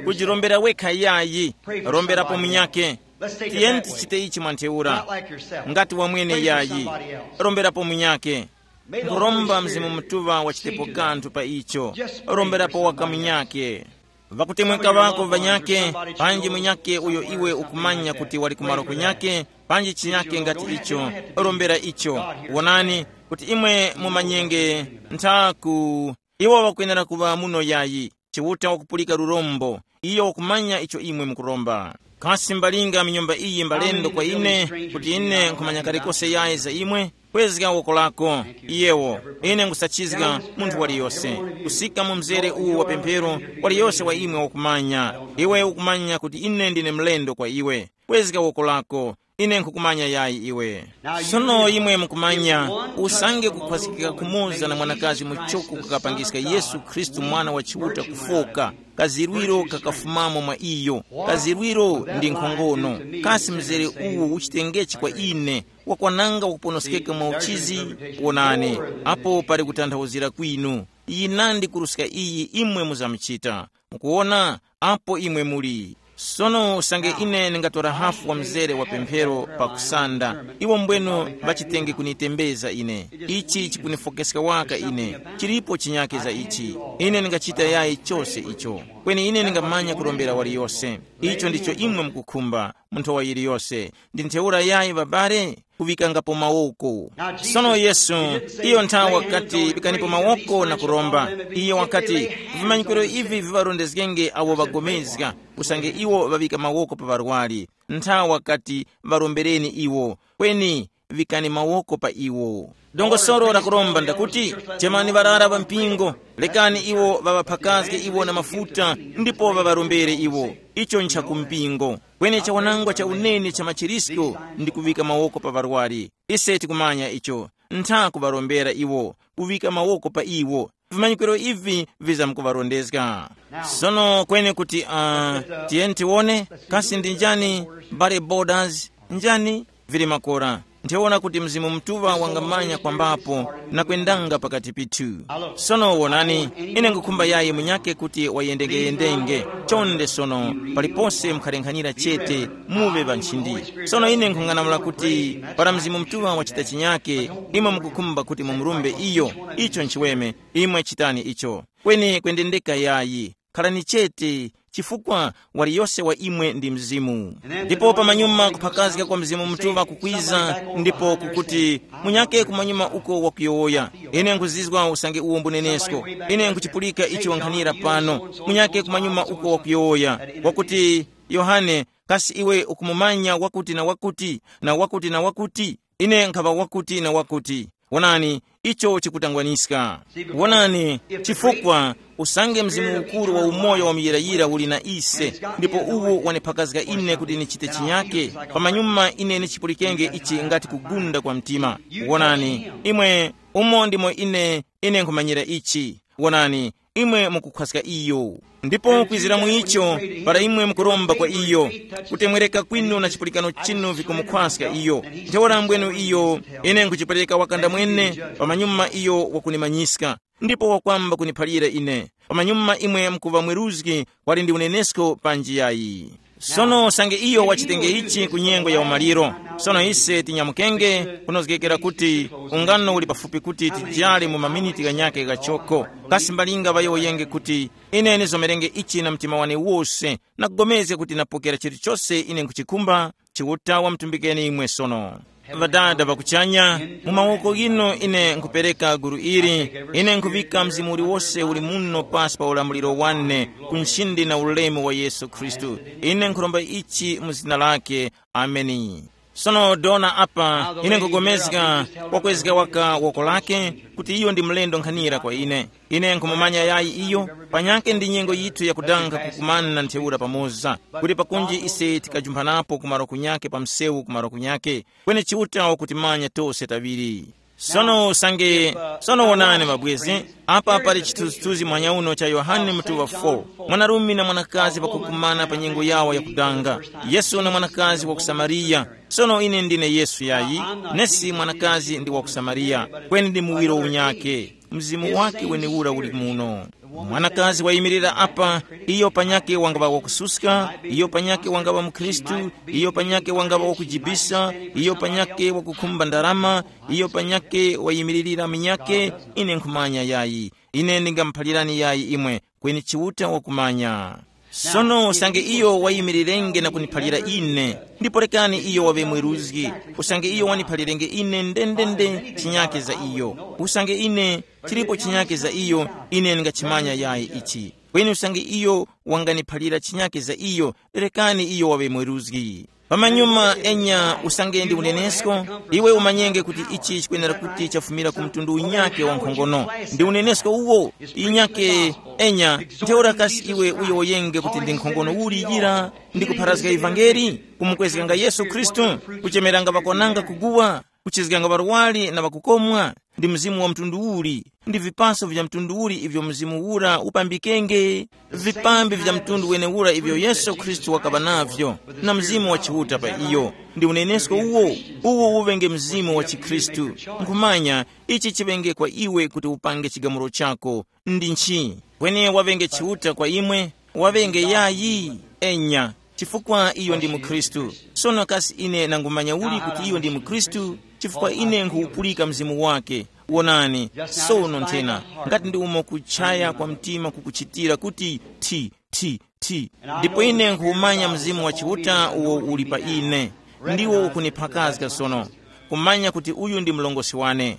Kujirombera wekha yayi, romberapo munyake. Tiyeni tichite ichi mwa ntheura. Ngati wamwene yayi, romberapo munyake. Nkhuromba Mzimu Mutuŵa wachitepo kanthu pa icho. Romberapo waka munyake. Ŵakutemweka ŵako ŵanyake, panji munyake uyo iwe ukumanya kuti wali kumaro kunyake, panji chinyake ngati icho, rombera icho. Wonani, kuti imwe mumanyenge nthaku. Iwo ŵakwenera kuŵa muno yayi. Chiuta wakupulika lurombo. Iyo wakumanya icho imwe mukuromba. Kasi mbalinga minyumba iyi mbalendo kwa ine, kuti ine nkhumanya kalikose yayi za imwe? Kwezga woko lako. Iyewo, ine nkhusachizga munthu waliyose kusika mu mzere uwu wa pemphero. Waliyose wa imwe wakumanya. Iwe ukumanya kuti ine ndine mlendo kwa iwe. Kwezga woko lako. Ine nkhukumanya yayi iwe. Sono imwe mukumanya, usange kukhwasikika kumoza na mwanakazi muchoko kukapangiska Yesu Khristu, Mwana wa Chiuta, kufoka, kazirwiro kakafumamo mwa iyo. Kazirwiro ndi nkhongono. Kasi mzere uwu uchitengechi kwa ine, wakwananga wakuponoskeka mwa uchizi? Wonani, apo pali kutanthauzira kwinu. Yinandi kuruska iyi imwe muzamuchita. Mukuwona, apo imwe muli. Sono usange ine ndingatora hafu wa mzere wa pemphero pa kusanda, iwo mbwenu ŵachitenge kunitembeza ine. Ichi chikunifokeska waka ine. Chilipo chinyake za ichi. Ine ndingachita yayi chose icho. Kweni ine ndingamanya kurombera waliyose. Icho ndicho imwe mukukhumba, munthu wa yiliyose. Ndi ntheura yayi, babale, kuŵikangapo mawoko. Sono Yesu, iyo nthawi wakati, "Pikanipo mawoko na kuromba." Iyo wakati, "Vimanyikiro ivi viŵarondezgenge awo ŵagomezga, usange iwo ŵaŵika mawoko pa ŵarwari." Nthawi wakati, "Ŵarombereni iwo, kweni ŵikani mawoko pa iwo." Dongosolo la kuromba ndakuti, chemani ŵarara ŵa mpingo, lekani iwo ŵaŵaphakazge iwo na mafuta, ndipo ŵaŵarombere iwo. Icho nchakumpingo. Kweni chawanangwa cha unene cha machirisko ndi kuŵika mawoko pa ŵarwari. Ise tikumanya icho. Ntha kuŵarombera iwo, kuŵika mawoko pa iwo. Vimanyikiro ivi vizamkuŵarondezga. Sono kweni kuti, uh, tiyeni tiwone, kasi ndi njani, bare borders, njani? Vili makora. Ntheura kuti Mzimu Mutuŵa wangamanya kwambapo na kwendanga pakati pithu. Sono wonani, ine nkhukhumba yayi munyake kuti wayendengeyendenge. Chonde sono, palipose mukharenkhanira chete, muŵe ŵa nchindi. Sono ine nkhung'anamula kuti para Mzimu Mutuŵa wachita chinyake, imwe mukukhumba kuti mumurumbe iyo, icho nchiweme, imwe chitani icho. Kweni kwendendeka yayi. Khalani chete, chifukwa waliyose wa imwe ndi Mzimu. Ndipo pamanyuma kuphakazga kwa Mzimu Mutuŵa kukwiza, ndipo kukuti, munyake kumanyuma uko wakuyowoya. Ine nkhuzizwa usange uwo mbunenesko. Ine nkhuchipulika icho wankhanira pano. Munyake kumanyuma uko wakuyowoya, wakuti, Yohane, kasi iwe ukumumanya wakuti na wakuti, na wakuti na wakuti? Ine nkhaŵa wakuti na wakuti. Wonani, icho chikutangwaniska. Wonani, chifukwa usange Mzimu ukuru wa umoyo wa muyirayira uli na ise, ndipo uwo waniphakazga ine kuti nichite chinyake, pamanyuma ine nichipulikenge ichi ngati kugunda kwa mtima. Wonani, imwe, umo ndimo ine, ine nkhumanyira ichi. Wonani, imwe mukukhwaska iyo. Ndipo kwizira mu icho, para imwe mukuromba kwa iyo, kutemwereka kwinu na chipulikano chinu vikumukhwaska iyo. Ntheura mbwenu iyo, ine nkhuchipereka wakanda mwene, pamanyuma iyo wakunimanyiska, ndipo wakwamba kuniphalira ine. Pamanyuma imwe mukuŵa mweruzgi, wali ndi unenesko panji yayi. Sono usange iyo wachitenge ichi ku nyengo ya umaliro. Sono ise tinyamukenge, kunozgekera kuti ungano uli pafupi kuti tijale mu maminiti ghanyakhe ghachoko. Kasi mbalinga ŵayowoyenge kuti, ine nizomerenge ichi na mtima wane wose, na kugomezga kuti napokera chilichose ine nkhuchikhumba. Chiuta wamtumbikeni imwe sono. Ŵadada ŵa kuchanya, mu mawoko ghinu ine nkhupereka gulu ili. Ine nkhuŵika mzimu uliwose uli muno pasi pa ulamuliro wane, ku nchindi na ulemu wa Yesu Khristu. Ine nkhuromba ichi mu zina lake. Ameni. Sono dona apa, ine nkugomezga, wakwezga waka woko lake, kuti iyo ndi mlendo nkhanira kwa ine. Ine nkhumumanya yayi iyo, panyakhe ndi nyengo yithu yakudanga kukumana na ntheura pamoza, kuti pakunji ise tikajumphanapo kumaro kunyakhe pa msewu kumaro kunyakhe. Kweni Chiuta wakutimanya tose taŵiri. Sono usange, sono wonani mabwezi, apa pali chithunzithunzi mwanyauno cha Yohane mutuŵa four. Mwanarume na mwanakazi ŵakukumana pa nyengo yawo yakudanga. Yesu na mwanakazi wa ku Samariya. Sono ine ndine Yesu yayi, nesi mwanakazi ndi wa ku Samariya, kweni ndi muwiro unyakhe. Mzimu wake weniura uli muno. Mwanakazi wayimirira apa, iyo panyake wangaŵa wakususka, iyo panyake wangaŵa mukhristu, iyo panyake wangaŵa wakujibisa, iyo panyake wakukhumba ndarama, iyo panyake wayimiririra munyake. Ine nkhumanya yayi. Ine ndingamuphalirani yayi imwe, kweni Chiuta wakumanya. Sono usange iyo wayimirirenge na kuniphalira ine, ndipo rekani iyo waŵe mweruzgi. Usange iyo waniphalirenge ine ndendende chinyake za iyo, usange ine chilipo chinyake za iyo, ine ndingachimanya yayi ichi. Kweni usange iyo wanganiphalira chinyake za iyo, rekani iyo waŵe mweruzgi. Pamanyuma enya usange ndi unenesko, iwe umanyenge kuti ichi chikwenera kuti chafumira ku mtundu unyake wa nkhongono. Ndi unenesko uwo, inyake enya. Ntheura kasi iwe uyowoyenge kuti ndi nkhongono uli yira, ndi kupharazga ivangeli, kumukwezganga Yesu Khristu, kuchemeranga ŵakwananga kuguwa, kuchizganga ŵarwari na ŵakukomwa? Ndi mzimu wa mtundu uli, ndi vipaso vya mtundu uli ivyo mzimu ura upambikenge? Vipambi vya mtundu wenewura ivyo Yesu Khristu wakaŵa navyo, na mzimu wa Chiuta pa iyo. Ndi unenesko uwo, uwo uŵenge mzimu wa chikhristu. Nkhumanya, ichi chiŵenge kwa iwe kuti upange chigamulo chako. Ndi nchi? Kweni waŵenge Chiuta kwa imwe? Waŵenge yayi? Enya, chifukwa iyo ndi mukhristu. Sono kasi ine nangumanya uli kuti iyo ndi mukhristu? Chifukwa ine nkhuwupulika mzimu wake. Wonani, sono nthena, ngati ndi umo kuchaya kwa mtima kukuchitira kuti, thi, thi, thi. Ndipo ine nkhuwumanya mzimu wa Chiuta uwo uli pa ine, ndiwo ukuniphakazga sono, kumanya kuti uyu ndi mlongosi wane.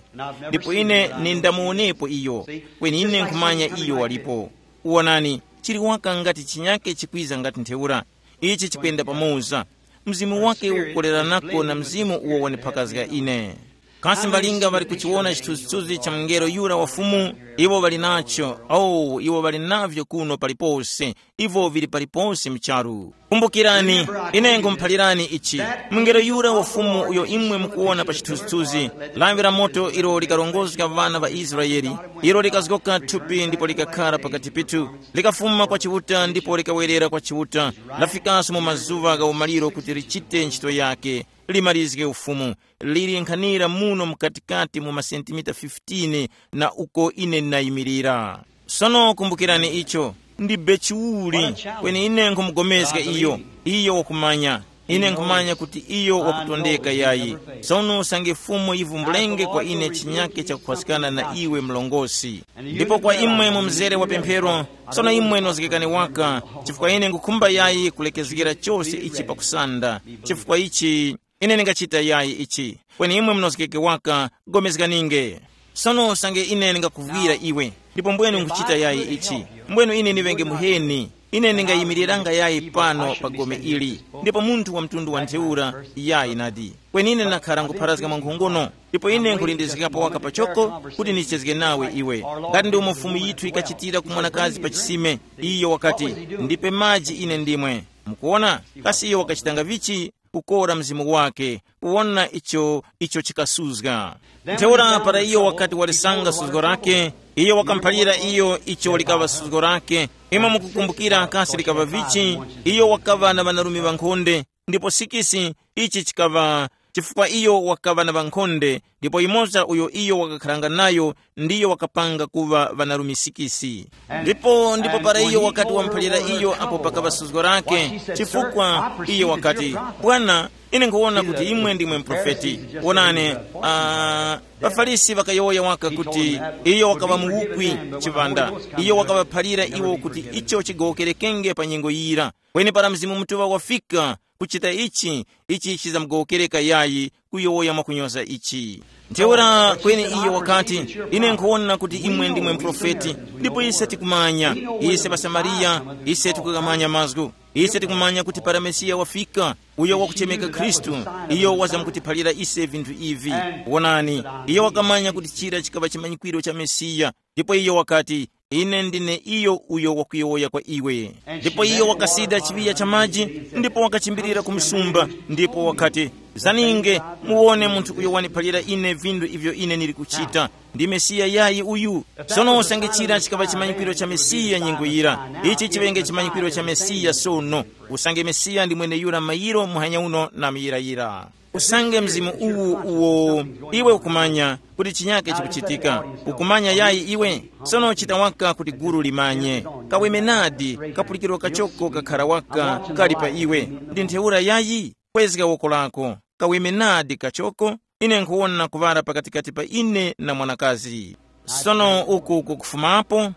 Ndipo ine nindamuwonepo iyo, kweni ine nkhumanya iyo walipo. Wonani, chili waka ngati chinyake chikwiza ngati ntheura. Ichi chikwenda pamoza. Mzimu wake ukukoleranako na mzimu uwo wandiphakazga ine. Kasi mbalinga ŵali kuchiwona chithunzithunzi cha mungelo yura wa Fumu? Iwo ŵali nacho. Oh, iwo ŵali navyo kuno palipose. Ivo vili palipose mu charu. Kumbukirani, ine nkhumuphalirani ichi. Mungelo yura wa Fumu uyo imwe mukuwona pa chithunzithunzi, lawi la moto ilo likarongozga ŵana ŵa Israele, ilo likazgoka thupi ndipo likakhara pakati pithu, likafuma kwa Chiuta ndipo likawerera kwa Chiuta, lafikaso mu mazuŵa gha umaliro kuti lichite ntchito yake, limarizge ufumu, lili nkhanira muno mukatikati mu masentimita fifteen na uko ine ndinayimirira. Sono kumbukirani icho, ndi bechiuli, kweni ine nkhumugomezga iyo, iyo wakumanya. Ine nkhumanya kuti iyo wakutondeka yayi. Sono usange Fumu yivumbulenge kwa ine chinyake chakukhwaskana na iwe mlongosi. Ndipo kwa imwe mu mzere wa pemphero, sono imwe nozgekani waka, chifukwa ine nkhukhumba yayi kulekezgera chose ichi pakusanda, chifukwa ichi ine ndingachita yayi ichi, kweni imwe munozgeke waka, gomezganinge. Sono usange ine ndingakuvwira iwe, ndipo mbwenu nkhuchita yayi ichi, mbwenu ine ndiŵenge muheni, ine ndingayimiriranga yayi pano pa gome ili, ndipo munthu wa mtundu wa ntheura yayi nadi. Kweni ine ndakhara nkupharazga mwankhongono, ndipo ine nkhulindizikapo waka pachoko kuti ndichezge nawe iwe. Ngati ndi umo Fumu yithu yikachitira ku mwanakazi pa chisime, iyo wakati, ndipe maji ine ndimwe. Mukuona? Kasi iyo wakachitanga vichi? Kukora mzimu wake, kuwona icho, icho chikasuzga. Ntheura para iyo wakati walisanga suzgo lake, iyo wakamuphalira iyo icho likaŵa suzgo lake. Imwe mukukumbukira kasi likaŵa vichi? Iyo wakaŵa na ŵanarume ŵankhonde, ndipo sikisi, ichi chikaŵa, chifukwa iyo wakaŵa na ŵankhonde, ndipo yumoza uyo iyo wakakharanga nayo ndiyo wakapanga kuŵa ŵanarume sikisi. Ndipo ndipo para iyo wakati wamuphalira iyo apo pakaŵa suzgo lake, chifukwa iyo wakati, bwana, ine nkhuwona kuti imwe ndimwe muprofeti. Wonani, uh, ŵafarisi ŵakayowoya waka kuti iyo wakaŵa muwukwi, chiŵanda, iyo wakaŵaphalira iwo kuti icho chigowokerekenge pa nyengo yira. Kweni para Mzimu Mutuŵa wafika, kuchita ichi, ichi chizamugowokereka yayi, kuyowoya mwakunyoza ichi. Ntheura kweni iyo wakati, ine nkhuwona kuti imwe ndimwe muprofeti, ndipo ise tikumanya, ise ŵasamariya, ise tikukamanya mazgu. Ise tikumanya kuti para Mesiya wafika, uyo wakuchemeka Khristu, iyo wazamkutiphalira ise vinthu ivi. Wonani, iyo wakamanya kuti chira chikaŵa chimanyikwiro cha Mesiya, ndipo iyo wakati, ine ndine iyo uyo wakuyowoya kwa iwe. Ndipo iyo wakasida chiŵiya cha maji, ndipo wakachimbirira ku msumba, ndipo wakati, zaninge, muwone munthu uyo waniphalira ine vinthu ivyo ine ndili kuchita. Ndi Mesiya yayi uyu? Sono usange chira chikaŵa chimanyikwiro cha Mesiya nyengo yira, ichi chiŵenge chimanyikwiro cha Mesiya sono. Usange Mesiya ndi mweneyura mayiro muhanya uno na muyirayira. Usange mzimu uwu uwo iwe ukumanya kuti chinyake chikuchitika, ukumanya yayi iwe? Sono chita waka kuti gulu limanye. Kaweme nadi, kapulikiro kachoko kakhara waka kali pa iwe. Ndi ntheura yayi? Kwezga woko lako. Kaweme nadi kachoko. Ine nkhuwona kuŵala pakatikati pa ine na mwanakazi. Sono uku kukufumapo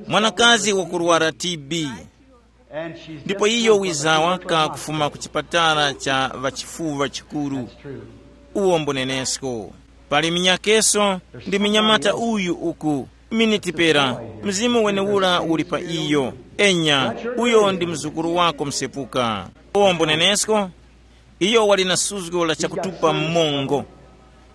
mwanakazi wakurwara T B, ndipo iyo wiza waka kufuma ku chipatala cha ŵachifuwa chikuru. Uwo mbunenesko. Pali minyakeso ndi minyamata uyu uku, miniti pera, mzimu wenewura uli pa iyo. Enya, uyo ndi mzukuru wako msepuka. Uwo mbunenesko. Iyo wali na suzgo la chakutupa mmongo.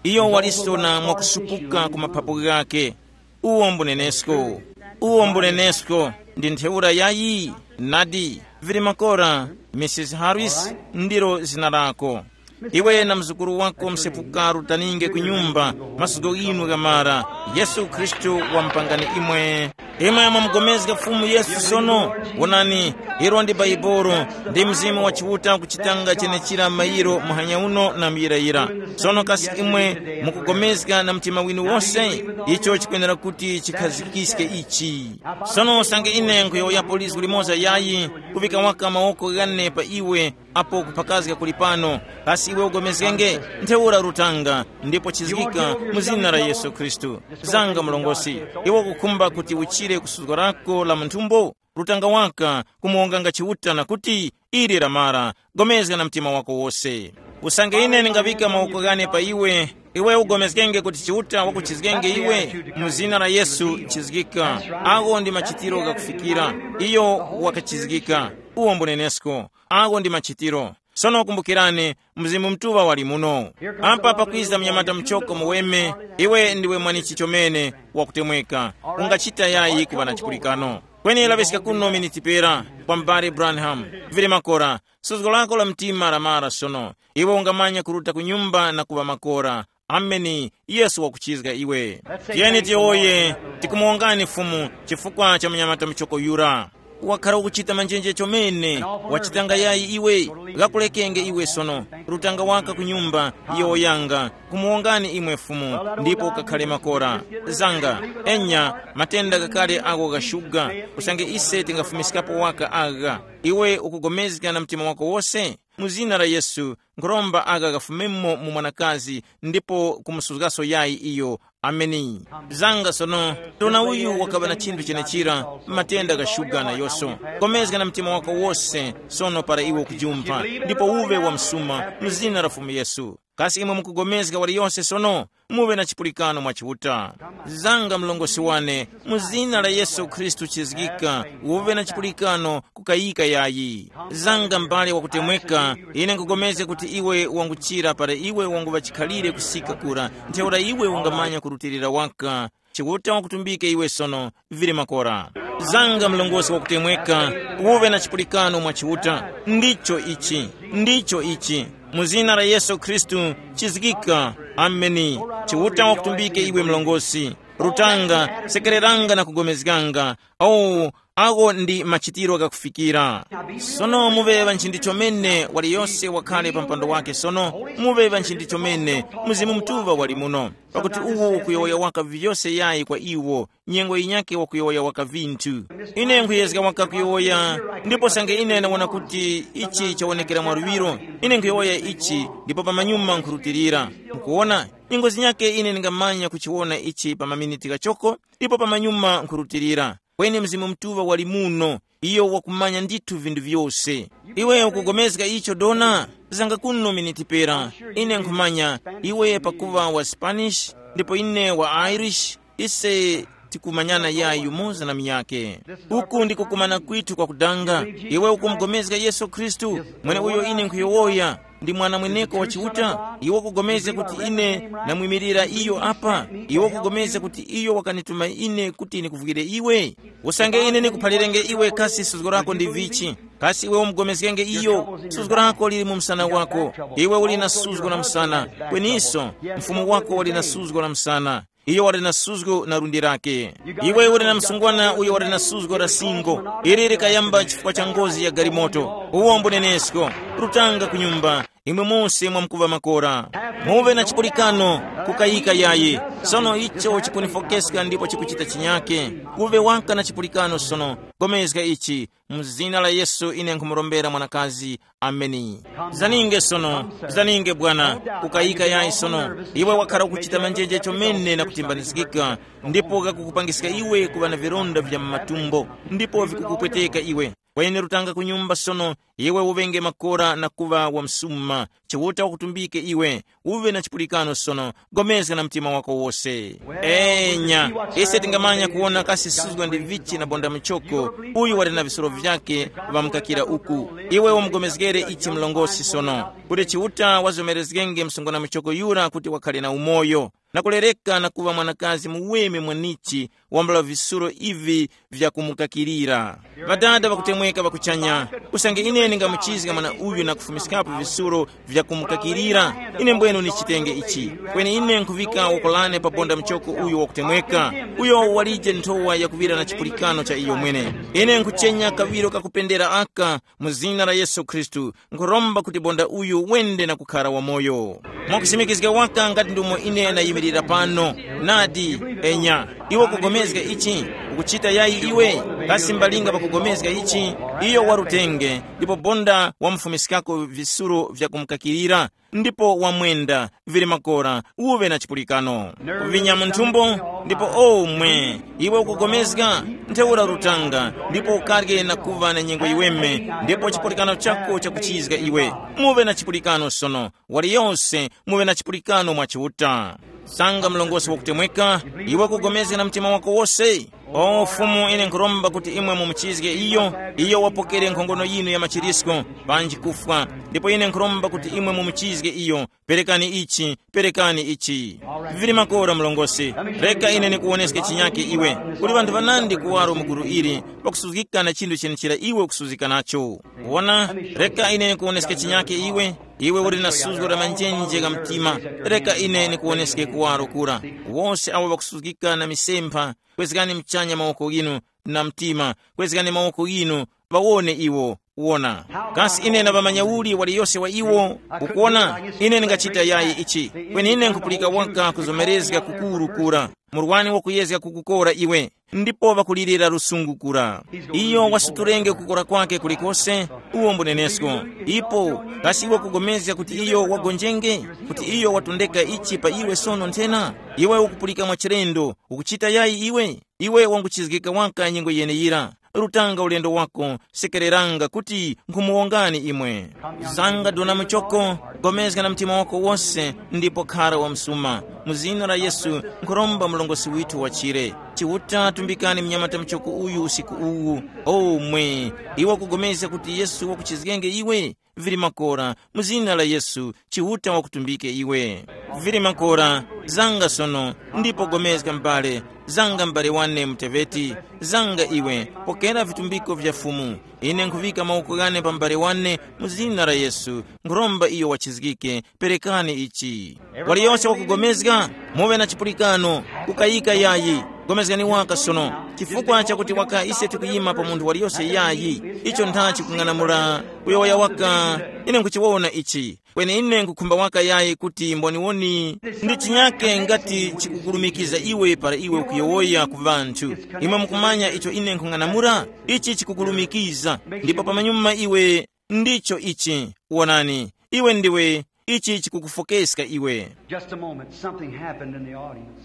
Iyo walisona mwakusupuka ku maphapo ghake. Uwo mbunenesko. Uwo mbunenesko. Ndi ntheura yayi? Nadi, vili makora. Misisi Harris, ndilo zina lako. Iwe na mzukuru wako msepuka rutaninge ku nyumba, masuko ghinu ghamara. Yesu Khristu wamupangani imwe. Imwe mwamugomezga Fumu Yesu sono. Wonani, ilo ndi Baibolo, ndi Mzimu wa Chiuta kuchitanga chenechira mayiro muhanya uno na muyirayira. Sono kasi imwe mukugomezga na mtima winu wose? Icho chikwenera kuti chikhazikiske ichi. Sono usange ine nkhuyowoyapo lizgu limoza yayi, kuvika waka mawoko ghane pa iwe, apo kuphakazga kuli pano. Kasi iwe ugomezgenge? Ntheura rutanga, ndipo chizgika mu zina la Yesu Khristu. Zanga mlongosi, iwe ukukhumba kuti uchire kusuzgo lako la munthumbo? Rutanga waka, kumuwonganga Chiuta na kuti, ili lamara, gomezga na mtima wako wose. Usange ine ndingaŵika mawoko ghane pa iwe, iwe ugomezgenge kuti Chiuta wakuchizgenge iwe? Mu zina la Yesu chizgika. Agho ndi machitiro ghakufikira. Iyo wakachizgika. Uwo mbunenesko. Agho ndi machitiro. Sono kumbukirani, Mzimu Mutuŵa wali muno. Apa pakwiza mnyamata muchoko muweme, iwe ndiwe mwanichi chomene, wakutemweka. Ungachita yayi kuŵa na chipulikano? Kweni laŵiska kuno miniti pera, kwa m'bale Branham. Vili makora, suzgo lako la mtima lamara sono. Iwe ungamanya kuruta ku nyumba na kuŵa makora. Ameni. Yesu wakuchizga iwe. Tiyeni tiyowoye, tikumuwongani Fumu chifukwa cha munyamata muchoko yura. Wakhala ukuchita manjenje chomene, wachitanga yayi iwe? Ghakulekenge iwe sono, rutanga waka ku nyumba, yowoyanga, kumuwongani imwe Fumu, ndipo ukakhale makora. Zanga, enya, matenda ghakale agho gha shuga, usange ise tingafumiskapo waka agha. Iwe ukugomezga na mtima wako wose? Mu zina la Yesu, nkhuromba agha ghafumemo mu mwanakazi ndipo kumusuzgaso yayi iyo. Ameni. Zanga sono, dona uyu wakaŵa na chinthu chenechira, matenda gha shuga na yoso. Komezga na mtima wako wose sono para iwe ukujumpha, ndipo uve wa msuma mu zina la Fumu Yesu. Kasi imwe mukugomezga waliyose sono? Muve na chipulikano mwa Chiuta. Zanga mlongosi wane, mu zina la Yesu Khristu chizgika, uve na chipulikano, kukayika yayi. Zanga m'bale wakutemweka, ine nkupulikana kuti iwe wanguchira para iwe wanguŵa chikhalire kusika kura, ntheura iwe ungamanya kurutilira waka. Chiuta wakutumbike iwe sono, vili makora. Zanga mlongosi wakutemweka, uve na chipulikano mwa Chiuta. Ndicho ichi, ndicho ichi. Mu zina la Yesu Khristu, chizgika. Ameni. Chiuta wakutumbike iwe mlongosi. Rutanga, sekereranga na kugomezganga. Awo, ago ndi machitiro ghakufikira. Sono muŵe ŵanchindi chomene waliyose wakhale pa mpando wake sono, muŵe ŵanchindi chomene, Mzimu Mutuŵa wali muno. Pakuti uwo ukuyowoya waka vyose yayi kwa iwo, nyengo yinyakhe wakuyowoya waka vinthu. Ine nkhuyezga waka kuyowoya, ndipo sange ine ndawona kuti ichi chawonekera mwaluŵiro, ine nkuyowoya ichi, ndipo pamanyuma nkhurutilira. Mukuwona, nyengo zinyakhe ine ndingamanya kuchiwona ichi pa maminiti ghachoko, ndipo pamanyuma nkhurutilira. Kweni Mzimu Mutuŵa wali muno, iyo wakumanya ndithu vinthu vyose. Iwe ukugomezga icho dona? Zanga kuno miniti pera. Ine nkhumanya, iwe pakuŵa wa Spanish, ndipo ine wa Irish, ise tikumanyana yayi yumoza na munyakhe. Uku ndiko kumana kwithu kwakudanga. Iwe ukumugomezga Yesu Khristu, mweneuyo ine nkhuyowoya, ndi Mwana mweneko wa Chiuta? Iwe ukupulikana kuti ine ndamwimirira iyo apa? Iwe ukupulikana kuti iyo wakanituma ine kuti ndikuvwire iwe? Usange ine ndikuphalirenge iwe kasi suzgo lako ndi vichi, kasi iwe umupulikana iyo? Suzgo lako lili mu msana wako. Iwe uli na suzgo la msana, kweniso mfumu wako wali na suzgo la msana. Iyo wali na suzgo na lundi lake. Iwe uli na msungwana uyo wali na suzgo la singo. Ili likayamba chifukwa cha ngozi ya galimoto. Uwo mbunenesko. Rutanga ku nyumba. Imwe mose mwamkuŵa makora. Muve na chipulikano, kukayika yayi. Sono icho chikunifokeska ndipo chikuchita chinyake. Uve waka na chipulikano sono. Gomezga ichi. Mu zina la Yesu ine nkhumurombera mwanakazi. Ameni. Zaninge sono. Zaninge bwana. Kukayika yayi sono. Iwe wakhala ukuchita manjenje chomene na kutimbanizgika. Ndipo kakukupangiska iwe kuŵa na vilonda vya mu matumbo. Ndipo vikukupweteka iwe. Kweni rutanga ku nyumba sono, iwe uŵenge makora na kuŵa wamsuma. Chiuta wakutumbike iwe, uŵe na chipulikano sono, gomezga na mtima wako wose. Enya, ise tingamanya kuwona kasi suzgwa ndi vichi na bonda muchoko, uyu wali na visoro vyake, ŵamukakira uku. Iwe umugomezgere ichi mlongosi sono, kuti Chiuta wazomerezgenge msungwana muchoko yura kuti wakhale na umoyo, na kulereka na kuŵa mwanakazi muweme mwanichi, wambula visuro ivi vyakumukakirira. Ŵadada ŵakutemweka ŵakuchanya, usange ine ndingamuchizga mwana uyu na kufumiskapo visuro vyakumukakirira, ine mbwenu nichitenge ichi. Kweni ine nkhuŵika woko lane pa bonda muchoko uyu wakutemweka, uyo walije nthowa yakuŵira na chipulikano cha iyo mwene. Ine nkhuchenya kaŵiro kakupendera aka, mu zina la Yesu Khristu, nkhuromba kuti bonda uyu wende na kukhara wamoyo. Mwakusimikizga waka ngati ndumo ine nayimirira pano. Nadi, enya, iwe ukugomezga ichi? Ukuchita yayi iwe? Kasi mbalinga pakugomezga ichi? Iyo warutenge, ndipo bonda wamufumiskako visuro vyakumukakirira, ndipo wamwenda, vili makora, uve na chipulikano. Kuvinya mu nthumbo, ndipo omwe, iwe ukugomezga, ntheura rutanga, ndipo ukarye na kuva na nyengo yiweme, ndipo chipulikano chako chakuchizga iwe. Muve na chipulikano sono, waliyose muve na chipulikano mwa Chiuta. Sanga mlongosi wakutemweka, iwe kugomezga na mtima wako wose. O Fumu, ine nkhuromba kuti imwe mumuchizge iyo, iyo wapokere nkhongono yinu ya machirisko, panji kufwa, ndipo ine nkhuromba kuti imwe mumuchizge iyo. Perekani ichi, perekani ichi. Vili makora mlongosi. Reka ine nikuwoneske chinyake iwe. Kuli ŵanthu ŵanandi kuwaro mu gulu ili, pakusuzgika na chinthu chenechera iwe ukusuzgika nacho. Wona, reka ine nikuwoneske chinyake iwe. Iwe uli na suzgo la manjenje gha mtima. Reka ine nikuwoneske kuwaro kura. Wose awo ŵakusuzgika na misempha, kwezgani mchanya mawoko ghinu, na mtima, kwezgani mawoko ghinu, ŵawone iwo. Wona, kasi ine ndaŵamanya uli waliyose wa iwo? Ukuwona, ine ndingachita yayi ichi. Kweni ine nkhupulika waka kuzomerezga kukuru kura. Murwani wakuyezga kukukora iwe, ndipo ŵakulirira lusungu kura. Iyo wasuturenge kukora kwake kulikose. Uwo mbunenesko. Ipo, kasi iwe kugomezga kuti iyo wagonjenge, kuti iyo watondeka ichi pa iwe sono nthena? Iwe ukupulika mwa chilendo, ukuchita yayi iwe? Iwe wanguchizgika waka nyengo yeneyira. Rutanga ulendo wako, sekereranga kuti nkhumuwongani imwe. Zanga dona muchoko, gomezga na mtima wako wose, ndipo khara wa msuma. Mu zina la Yesu, nkhuromba mlongosi withu wachire. Chiuta tumbikani mnyamata muchoko uyu usiku uwu. O mwe, iwe kugomezga kuti Yesu wakuchizgenge iwe? Vili makora, mu zina la Yesu, Chiuta wakutumbike iwe. Vili makora, zanga sono, ndipo gomezga m'bale, zanga m'bale wane muteveti, zanga iwe, pokera vitumbiko vya Fumu. Ine nkhuŵika mawoko ghane pa m'bale wane mu zina la Yesu, nkhuromba iyo wachizgike, perekani ichi. Waliyose wakugomezga, muŵe na chipulikano, kukayika yayi, gomezgani waka sono, chifukwa chakuti waka ise tikuyima pa munthu waliyose yayi, icho ntha chikung'anamula kuyowoya waka, ine nkhuchiwona ichi. Kweni ine nkhukhumba waka yayi kuti mboniwoni ndi chinyake ngati chikukulumikiza iwe para iwe ukuyowoya ku ŵanthu. Imwe mukumanya icho ine nkhung'anamula? Ichi chikukulumikiza, ndipo pamanyuma iwe ndicho ichi. Wonani, iwe ndiwe, ichi chikukufokeska iwe. Just a moment, something happened in the audience.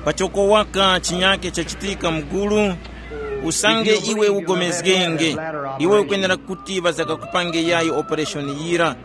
Pachoko waka chinyake chachitika mugulu, usange iwe ugomezgenge, iwe ukwenera kuti ŵazakakupange yayi opereshoni yira.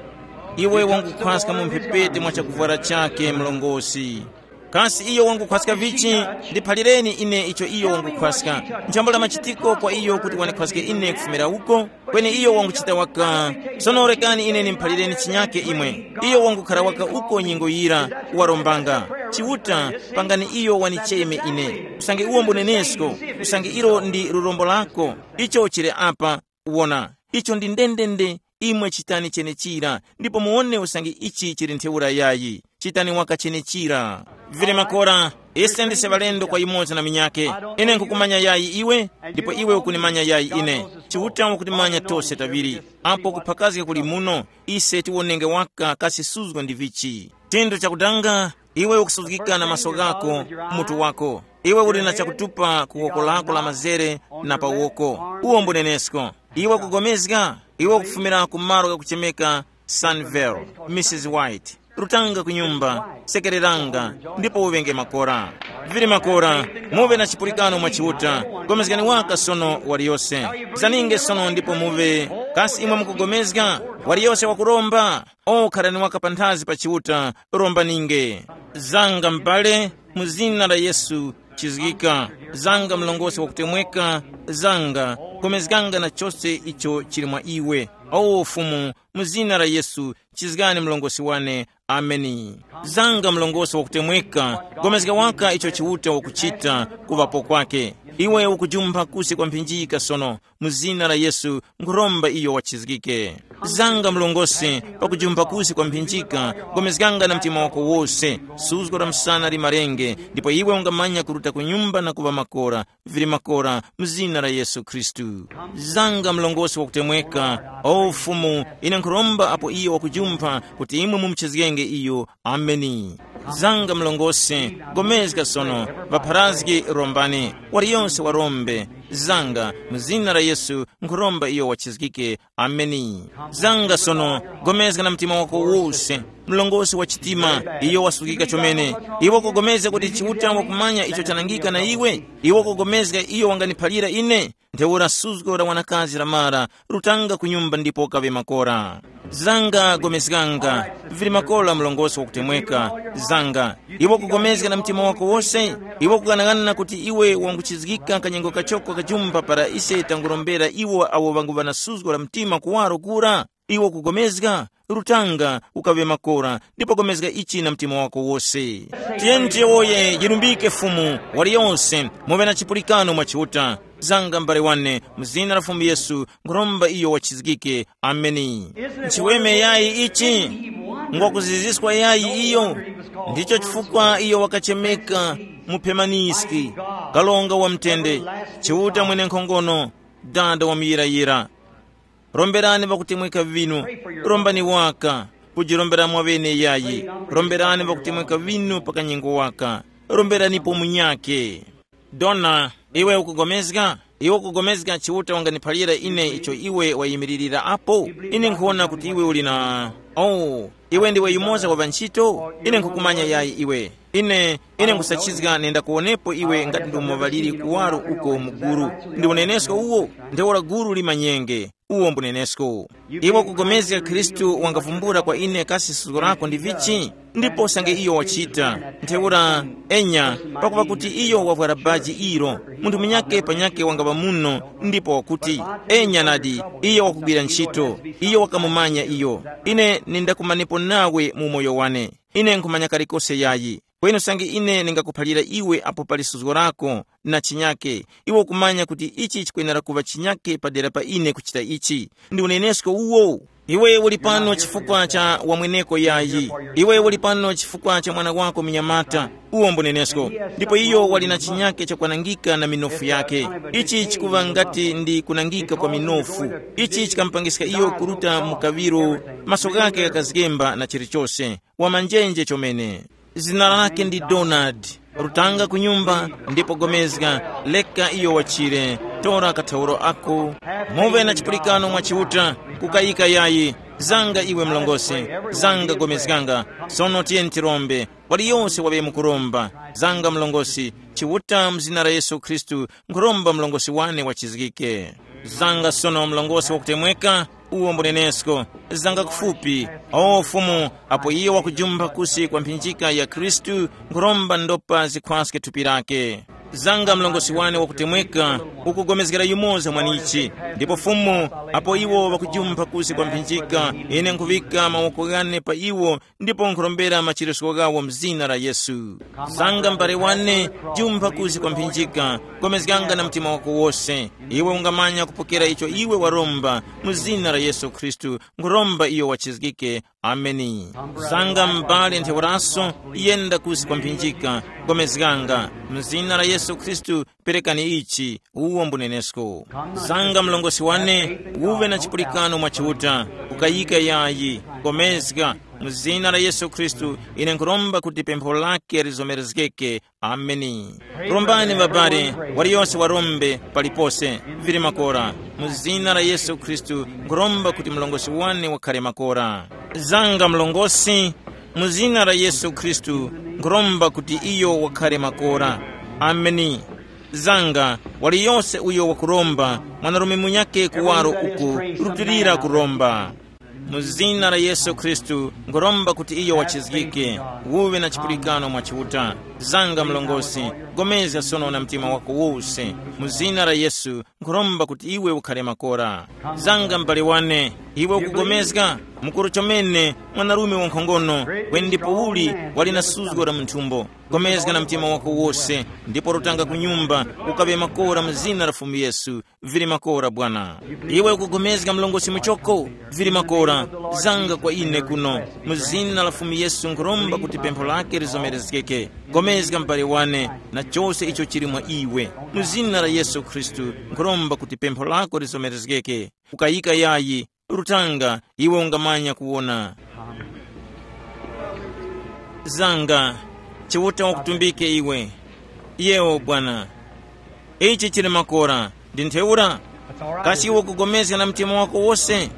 Iwe wangukhwaska mu mphepete mwa chakuvwara chake mlongosi. Kasi iyo wangukhwaska vichi? Ndiphalireni ine icho iyo wangukhwaska. Nthambo la machitiko kwa iyo kuti wandikhwaske ine kufumira uko, kweni iyo wanguchita waka. Sono rekani ine nimuphalireni chinyake imwe. Iyo wangukhara waka uko nyengo yira, warombanga, Chiuta, pangani iyo wanicheme ine. Usange uwo mbunenesko, usange ilo ndi lurombo lako, icho chili apa. Wona, icho ndi ndendende. Imwe chitani chenechira, ndipo muwone usange ichi chili ntheura yayi. Chitani waka chenechira. Vile makora, Ise ndise ŵalendo kwa yumoza na minyake. Ine nkhukumanya yayi iwe, ndipo iwe ukunimanya yayi ine. Chiuta wakutimanya tose taŵiri. Apo kuphakazga kuli muno, ise tiwonenge waka kasi suzgo ndi vichi. Chinthu chakutanga, iwe ukusuzgika na maso ghako, mutu wako. Iwe uli na chakutupa ku woko lako la mazere na pa woko. Uwo mbunenesko. Iwe ukugomezga, iwe ukufumira ku malo ghakuchemeka Sunville, Mrs White. Rutanga ku nyumba, sekereranga, ndipo uŵenge makora. Vili makora, muve na chipulikano mwa Chiuta. Gomezgani waka sono waliyose. Zaninge sono ndipo muve. Kasi imwe mukugomezga? Waliyose wakuromba. O kharani waka panthazi pa Chiuta, rombaninge. Zanga m'bale, mu zina la Yesu, chizgika. Zanga mlongosi wakutemweka, zanga, gomezganga na chose icho chili mwa iwe. O Fumu, mu zina la Yesu, chizgani mlongosi wane. Ameni. Zanga mlongosi wakutemweka, gomezga waka icho Chiuta wakuchita kuŵapo kwake. Iwe ukujumpha kusi kwa mphinjika sono, mu zina la Yesu, nkhuromba iyo wachizgike. Zanga mlongosi, pakujumpha kusi kwa mphinjika, gomezganga na mtima wako wose. Suzgo la msana limarenge, ndipo iwe ungamanya kuruta ku nyumba na kuŵa makora, vili makora, mu zina la Yesu Khristu. Zanga mlongosi wakutemweka, o Fumu, ine nkhuromba apo iyo wakujumpha kuti imwe mumuchizgenge iyo. Ameni. Zanga mlongosi, gomezga sono, ŵapharazgi rombani, waliyonse warombe. Zanga, mu zina la Yesu, nkhuromba iyo wachizgike. Ameni. Zanga sono, gomezga na mtima wako wose. Mlongosi wa chitima, iyo wasukika chomene. Iwe kugomezga kuti Chiuta wakumanya icho chanangika na iwe? Iwe kugomezga iyo wanganiphalira ine? Ntheura suzgo la wanakazi la mara, rutanga ku nyumba ndipo kaŵe makora. Zanga gomezganga, vili makora mlongosi wakutemweka. Zanga, iwe kugomezga na mtima wako wose? Iwe kughanaghanana kuti iwe wanguchizgika kanyengo kachoko kajumba para ise tangurombera iwo awo ŵanguŵa na suzgo la mtima kuwaro kura? Iwe kugomezga, rutanga, ukaŵe makora, ndipo gomezga ichi na mtima wako wose. Tiyeni tiyowoye, yilumbike Fumu, waliyonse, muŵe na chipulikano mwa Chiuta. Zanga m'bale wane, mu zina la Fumu Yesu, nkhuromba iyo wachizgike. Ameni. Nchiweme yayi ichi? Ngwakuziziswa yayi iyo? Ndicho chifukwa iyo wakachemeka muphemaniski, kalonga wa mtende, Chiuta mwene nkhongono, dada wa muyirayira. Romberani ŵakutemweka vinu, rombani waka, kujirombera mwaŵene yayi, romberani ŵakutemweka vinu pa kanyengo waka, romberanipo munyakhe. Dona, iwe ukugomezga? Iwe ukugomezga Chiuta wanganiphalira ine icho iwe wayimiririra apo? Ine nkhuwona kuti iwe uli na, oh, iwe ndiwe yumoza wa ŵantchito? Ine nkhukumanya yayi iwe. Ine, ine nkhusachizga nenda kuwonepo iwe ngati ndi umo ŵaliri kuwaro uko mu guru. Ndi unenesko uwo? Ntheura guru limanyenge. Uwo mbunenesko. Iwe ukugomezga Khristu wangavumbula kwa ine kasi suzgo lako ndi vichi? Ndipo usange iyo wachita, ntheura, enya, pakuva kuti iyo wavwara baji ilo, munthu munyakhe panyakhe wangaŵa muno, ndipo wakuti, enya nadi, iyo wakugwira ntchito, iyo wakamumanya iyo. Ine nindakumanepo nawe mu umoyo wane. Ine nkhumanya kalikose yayi. Kweni usange ine ningakuphalira iwe apo pali suzgo lako na chinyake, iwe ukumanya kuti ichi chikwenera kuŵa chinyake padera pa ine kuchita ichi. Ndi unenesko uwo. Iwe uli pano chifukwa cha wamweneko yayi. Iwe uli pano chifukwa cha mwana wako mnyamata. Uwo mbunenesko. Ndipo iyo wali na chinyake chakwanangika na minofu yake. Ichi chikuŵa ngati ndi kunangika kwa minofu. Ichi chikamupangiska iyo kuruta mu kaŵiro, maso ghake ghakazgemba na chilichose. Wamanjenje chomene. Zina lake ndi Donald. Rutanga ku nyumba, ndipo gomezga, leka iyo wachire. Tora kathauro ako. Muve na chipulikano mwa Chiuta, kukayika yayi. Zanga iwe mlongosi, zanga gomezganga. Sono tiyeni tirombe. Waliyonse waŵe mukuromba. Zanga mlongosi, Chiuta mu zina la Yesu Khristu, nkhuromba mlongosi wane wachizgike. Zanga sono mlongosi wakutemweka, uwo mbunenesko. Zanga kufupi, o Fumu, apo iyo wakujumpha kusi kwa mphinjika ya Khristu, nkhuromba ndopa zikhwaske thupi lake. Zanga mlongosi wane wakutemweka, ukugomezgera yumoza mwanichi. Ndipo Fumu, apo iwo ŵakujumpha kusi kwa mphinjika, ine nkhuŵika mawoko ghane pa iwo, ndipo nkhurombera machiritso ghawo mzina la Yesu. Zanga m'bale wane, jumpha kusi kwa mphinjika, gomezganga na mtima wako wose. Iwe ungamanya kupokera icho iwe waromba, mu zina la Yesu Khristu, nkhuromba iyo wachizgike. Ameni. Zanga m'bale ntheuraso, yenda kusi kwa mphinjika, gomezganga, mu zina la Yesu Khristu, perekani ichi, uwo mbunenesko. Zanga mlongosi wane, uve na chipulikano mwa Chiuta, ukayika yayi, gomezga, mu zina la Yesu Khristu, ine nkhuromba kuti pempho lake lizomerezgeke. Ameni. Rombani mabare, waliyose warombe palipose, vili makora. Mu zina la Yesu Khristu, nkhuromba kuti mlongosi wane wakhale makora. Zanga mlongosi, mu zina la Yesu Khristu, nkhuromba kuti iyo wakhale makora. Ameni. Zanga, waliyose uyo wakuromba, mwanarume munyake kuwaro uku, rutilira kuromba. Mu zina la Yesu Khristu, nkhuromba kuti iyo wachizgike, uwe na chipulikano mwa Chiuta. Zanga mlongosi, gomezga sono na mtima wako wose. Mu zina la Yesu, nkhuromba kuti iwe ukhale makora. Zanga m'bale wane, iwe ukugomezga, mukuru chomene, mwanarume wankhongono, kweni ndipo uli wali na suzgo la munthumbo. Gomezga na mtima wako wose, ndipo rutanga ku nyumba, ukaŵe makora mu zina la Fumu Yesu. Vili makora bwana. Iwe ukugomezga mlongosi muchoko? Vili makora. Zanga kwa ine kuno. Mu zina la Fumu Yesu nkhuromba kuti pempho lake lizomerezgeke. Gomezga m'bale wane, na chose icho chili mwa iwe. Mu zina la Yesu Khristu nkhuromba kuti pempho lako lizomerezgeke. Ukayika yayi, rutanga, iwe ungamanya kuwona. Zanga, Chiuta wakutumbike iwe. Yewo bwana. Ichi chili makora, ndi ntheura? Kasi iwe ukugomezga na mtima wako wose?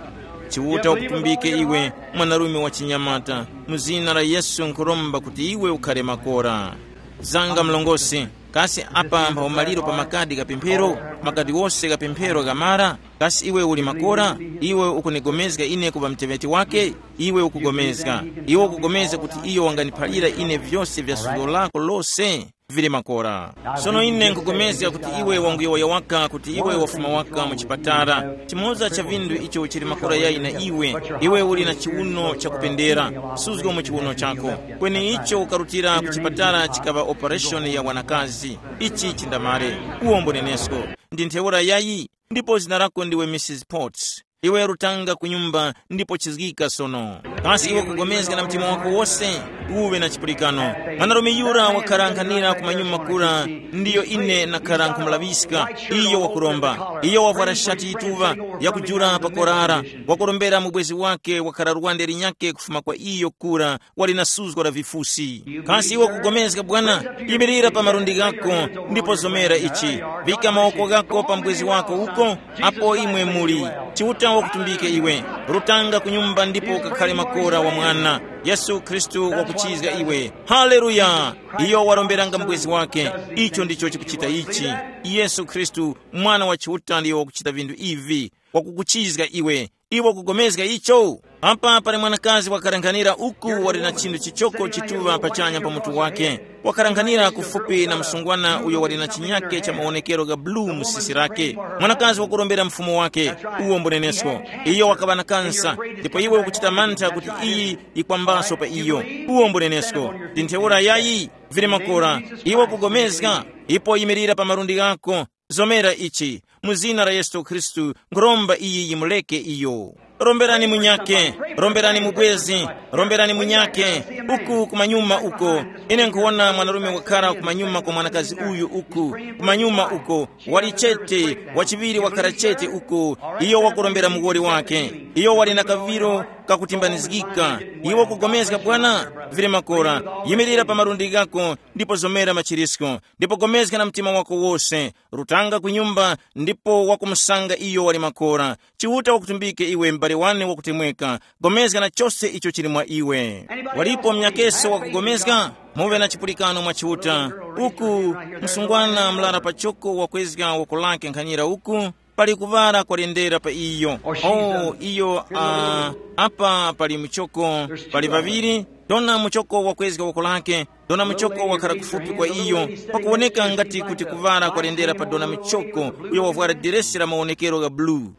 Chiuta wakutumbike iwe, mwanarume wa chinyamata, mu zina la Yesu nkhuromba kuti iwe ukhale makora. Zanga mlongosi, kasi apa mpha umaliro pa makadi gha pemphero, makadi wose gha pemphero ghamara? Kasi iwe uli makora? Iwe ukunigomezga ine kuŵa muteŵeti wake? Iwe ukugomezga. Iwe ukugomezga kuti iyo wanganiphalira ine vyose vya suzgo lako lose? Vili makora. Sono ine nkupulikana kuti iwe wanguyowoya waka kuti iwe wafuma waka mu chipatala. Chimoza cha vindu icho chili makora yayi na iwe, iwe uli na chiwuno chakupendera, suzgo mu chiwuno chako. Kweni icho ukarutira ku chipatala chikaŵa operation ya wanakazi. Ichi chindamale. Uwombo nenesko. Ndi ntheura yayi, ndipo zina lako ndiwe Mrs Potts. Iwe rutanga ku nyumba ndipo chizgika sono. Kasi iwe kugomezga na mtima wako wose? Uwe na chipulikano. Mwanarume yura wakhala nkhanira ku manyuma kura, ndiyo ine nakhara nkhumulaŵiska. Iyo wakuromba. Iyo wavwara shati yituŵa yakujula pa korara. Wakurombera mubwezi wake wakhala lwande linyake kufuma kwa iyo kura, wali na suzgo la vifusi. Kasi iwe kugomezga bwana? Yimirira pa malundi ghako, ndipo zomera ichi. Vika mawoko ghako pa mubwezi wako uko, apo imwe muli. Chiuta wakutumbike iwe. Rutanga ku nyumba ndipo ukakhale makora wa mwana. Yesu Khristu wakuchizga iwe. Haleluya. Iyo waromberanga mubwezi wake. Icho ndicho chikuchita ichi. Yesu Khristu, mwana wa Chiuta ndiyo wakuchita vindu ivi. Wakukuchizga iwe. Iwe ukugomezga icho? Apa pali mwanakazi wakarankhanira uku wali na chinthu chichoko chituŵa pachanya pa mutu wake. Wakarankhanira kufupi na msungwana uyo wali na chinyake cha mawonekero ga bulu mu sisi lake. Mwanakazi wakurombera mfumu wake. Uwo mbunenesko. Iyo wakaŵa na kansa, ndipo iwe ukuchita mantha kuti iyi yikwambaso pa iyo. Uwo mbunenesko. Ndi ntheura yayi? Vili makora. Iwe ukugomezga? Ipo yimirira pa malundi ghako. Zomera ichi, mu zina la Yesu Khristu, nkhuromba iyi yimuleke iyo. Romberani munyake, romberani mubwezi, romberani munyake. Uku kumanyuma uko, ine nkhuwona mwanarume wakhara kumanyuma kwa mwanakazi uyu uku. Kumanyuma uko, wali chete, wachiŵiri wakhara chete uko. Iyo wakurombera muwoli wake. Iyo wali na kaŵiro kakutimbanizgika. Iwe ukugomezga bwana? Vili makora. Yimirira pa malundi ghako, ndipo zomera machirisko, ndipo gomezga na mtima wako wose. Rutanga ku nyumba, ndipo wakumusanga iyo wali makora. Chiuta wakutumbike iwe, m'bale wane wakutemweka. Gomezga na chose icho chili mwa iwe. Walipo mnyakeso wakugomezga? Muŵe na chipulikano mwa Chiuta. Uku, msungwana mlara pachoko wakwezga woko lake nkhanyira uku, pali kuŵala kwalendera pa iyo. Oh, iyo, uh, apa pali muchoko, pali ŵaŵiri. Dona muchoko wakwezga woko lake. Dona muchoko wakhala kufupi kwa iyo, pakuwoneka ngati kuti kuŵala kwalendera pa dona muchoko, uyo wavwara diresi la mawonekero gha bulu.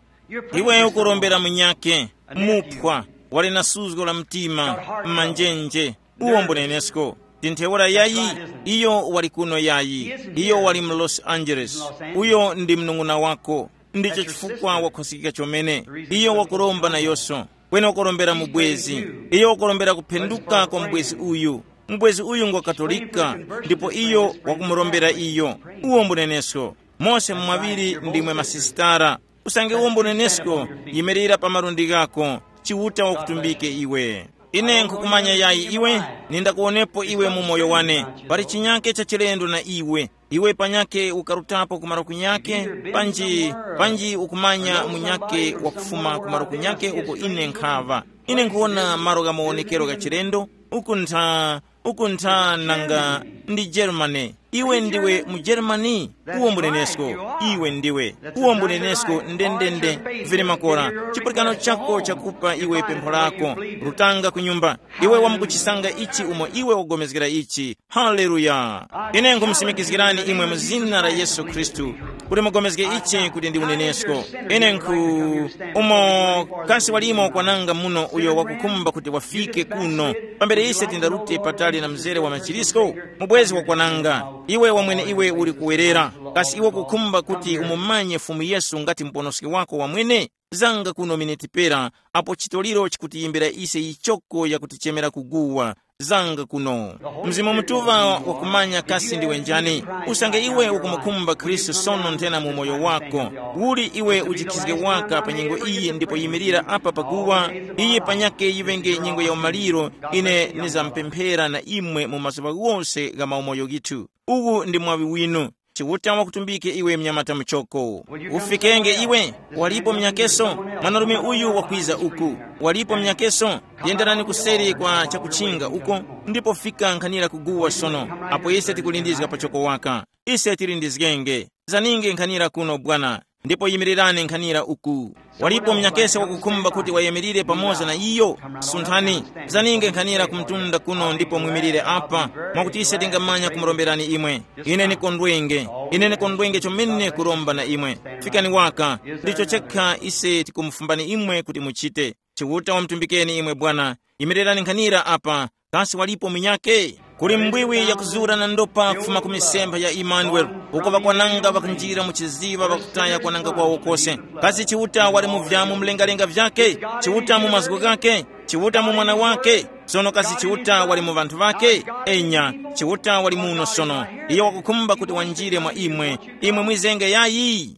Iwe ukurombera munyake, muphwa, wali na suzgo la mtima, mmanjenje. Uwo mbunenesko. Ndi ntheura yayi? Iyo wali kuno yayi. Iyo wali mu Los Angeles. Uyo ndi mnung'una wako. Ndicho chifukwa wakhusikika chomene. Iyo wakuromba na yoso. Kweni wakurombera mubwezi. Iyo wakurombera kuphenduka kwa mubwezi uyu. Mubwezi uyu ngwa Katolika, ndipo iyo wakumurombera iyo. Uwo mbunenesko. Mose mwaŵiri ndimwe masisitara. Usange uwo mbunenesko, yimirira pa malundi ghako. Chiuta wakutumbike iwe. Ine nkhukumanya yayi iwe, nindakuwonepo iwe mu moyo wane. Pali chinyake cha chilendo na iwe. Iwe panyake ukarutapo kumaro kunyake, panji, panji ukumanya munyake wakufuma kumaro kunyake uko ine nkhaŵa. Ine nkhuwona malo gha mawonekero gha chilendo, uku ntha, uku ntha nanga ndi Germany. Iwe ndiwe mu Germany? Uwo mbunenesko. Iwe ndiwe. Uwo mbunenesko ndendende. Vili makora. Chipulikano chako chakupa iwe pempho lako. Rutanga ku nyumba. Iwe wamukuchisanga ichi umo iwe wagomezgera ichi. Haleluya! Ine nkhumusimikizgirani imwe mu zina la Yesu Khristu kuti mugomezge ichi kuti ndi unenesko. Ine nkhu umo kasi walimo kwananga muno uyo wakukhumba kuti wafike kuno, pambere ise tindarute patali na mzere wa machirisko? Mubwezi wakwananga, iwe wamwene iwe uli kuwerera. Kasi iwe kukhumba kuti umumanye Fumu Yesu ngati muponoski wako wamwene? Zanga kuno miniti pera, apo chitoliro chikutiyimbira ise yichoko yakutichemera kuguwa. Zanga kuno. Mzimu Mutuŵa wakumanya kasi ndiwe njani. Usange iwe ukumukhumba Khristu sono nthena mu moyo wako, uli iwe ujikhizge waka pa nyengo iyi ndipo yimirira apa paguwa. Iyi panyake yiŵenge nyengo ya umaliro. Ine nizamupemphera na imwe mu mazuŵa ghose gha maumoyo ghithu. Uwu ndi mwaŵi winu. Chiuta wakutumbike iwe mnyamata muchoko. Ufikenge iwe. Walipo mnyakeso? Mwanarume uyu wakwiza uku. Walipo mnyakeso? Yenderani kuseri kwa chakuchinga uko, ndipo fika nkhanira kuguwa sono. Apo ise tikulindizga pachoko waka. Ise tilindizgenge. Zaninge nkhanira kuno bwana. Ndipo yimirirani nkhanira uku. Walipo mnyakese wakukhumba kuti wayemerire pamoza na iyo? Sunthani, zaninge nkhanira kumtunda kuno ndipo mwimirire apa, mwakuti ise tingamanya kumuromberani imwe. Ine nikondwenge, ine nikondwenge chomene kuromba na imwe. Fikani waka, ndicho chekha ise tikumufumbani imwe kuti muchite. Chiuta wamutumbikeni imwe bwana. Yimirirani nkhanira apa. Kasi walipo munyake? Kuli mbwiwi yakuzura na ndopa kufuma ku misempha ya Imanueli, uko ŵakwananga ŵakunjira mu chiziŵa ŵakutaya kwananga kwawo kose. Kasi Chiuta wali mu vyamu mlengalenga vyake? Chiuta mu mazgu ghake? Chiuta mu mwana wake? Sono kasi Chiuta wali mu ŵanthu ŵake? Enya, Chiuta wali muno sono. Iyo wakukhumba kuti wanjire mwa imwe. Imwe mwizenge yayi.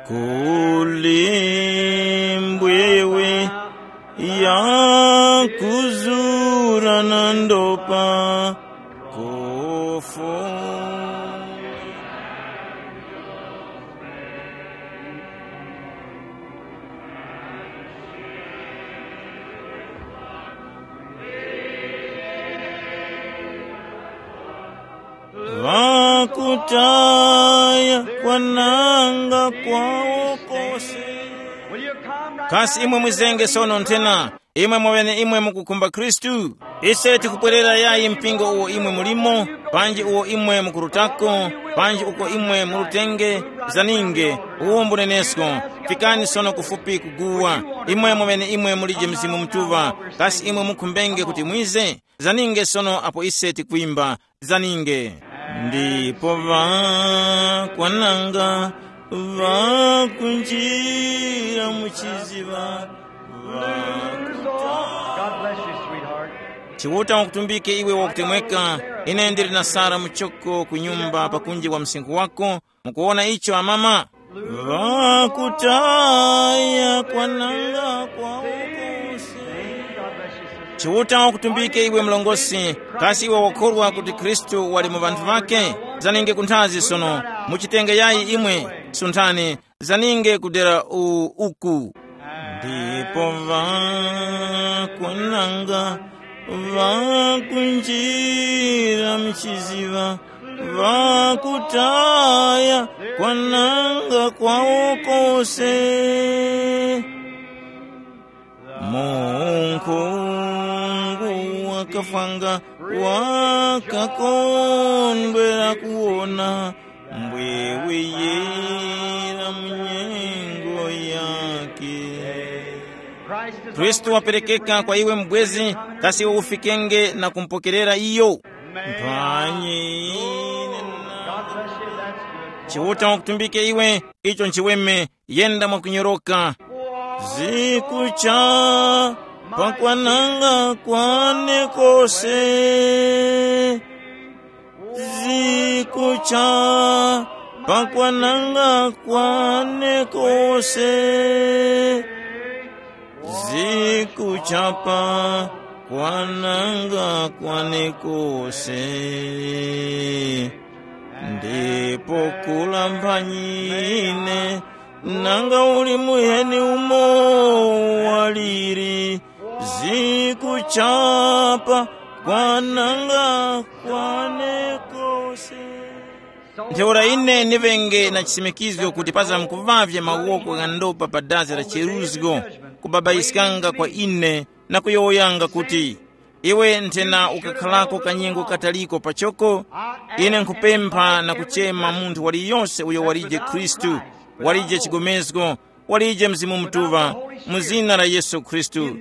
Kuli mbwiwi ya kuzura na ndopa kufu. Ŵakutaya kwananga kwawo kose. Kasi imwe mwizenge sono nthena, imwe mweneimwe mukukhumba Khristu? Ise tikupwerera yayi mpingo uwo imwe mulimo, panji uwo imwe mukurutako, panji uko imwe murutenge, zaninge, uwo mbunenesko. Fikani sono kufupi kuguwa. Imwe mweneimwe mulije Mzimu Mutuŵa. Kasi imwe mukhumbenge kuti mwize? Zaninge sono apo ise tikwimba, zaninge. Ndipo ŵakwananga ŵakunjira mu chiziŵa. God bless you, sweetheart. Chiuta wakutumbike iwe wakutemweka. Ine ndili na Sara muchoko ku nyumba pakunji wa msinkhu wako. Mukuwona icho amama? Ŵakutaya kwananga kwawo kose. Chiuta wakutumbike iwe mlongosi, kasi iwe wakhorwa kuti Khristu wali mu ŵanthu ŵake? Zaninge kunthazi sono, muchitenge yayi imwe, sunthani, zaninge kudera u uku. Ndipo ŵakwananga ŵakunjira mu chiziŵa, ŵakutaya kwananga kwawo kose. Munkhungu wakafwanga wakakondwera kuwona mbwiwi yira mu nyengo yake. Khristu waperekeka kwa iwe mubwezi, kasi iwe ufikenge na kumupokerera iyo? Mphanyi ine na- Chiuta wakutumbike iwe, icho nchiweme, yenda mwakunyoroka. Zikucha Pakwananga kwane kose, zikucha, pakwananga kwane kose, zikuchapa, kwananga kwane kose. Ndipo kulambanyine, nanga uli muheni umo waliri, zikuchapa, kwananga kwane kose. Ntheura ine ndiŵenge na chisimikizgo kuti pazamkuvavya mawoko gha ndopa pa dazi la cheruzgo, kubabayiskanga kwa ine na kuyowoyanga kuti, iwe nthena ukakharako kanyengo kataliko pachoko, ine nkhupempha na kuchema munthu waliyose uyo walije Khristu, walije chigomezgo, walije Mzimu Mutuŵa, mu zina la Yesu Khristu.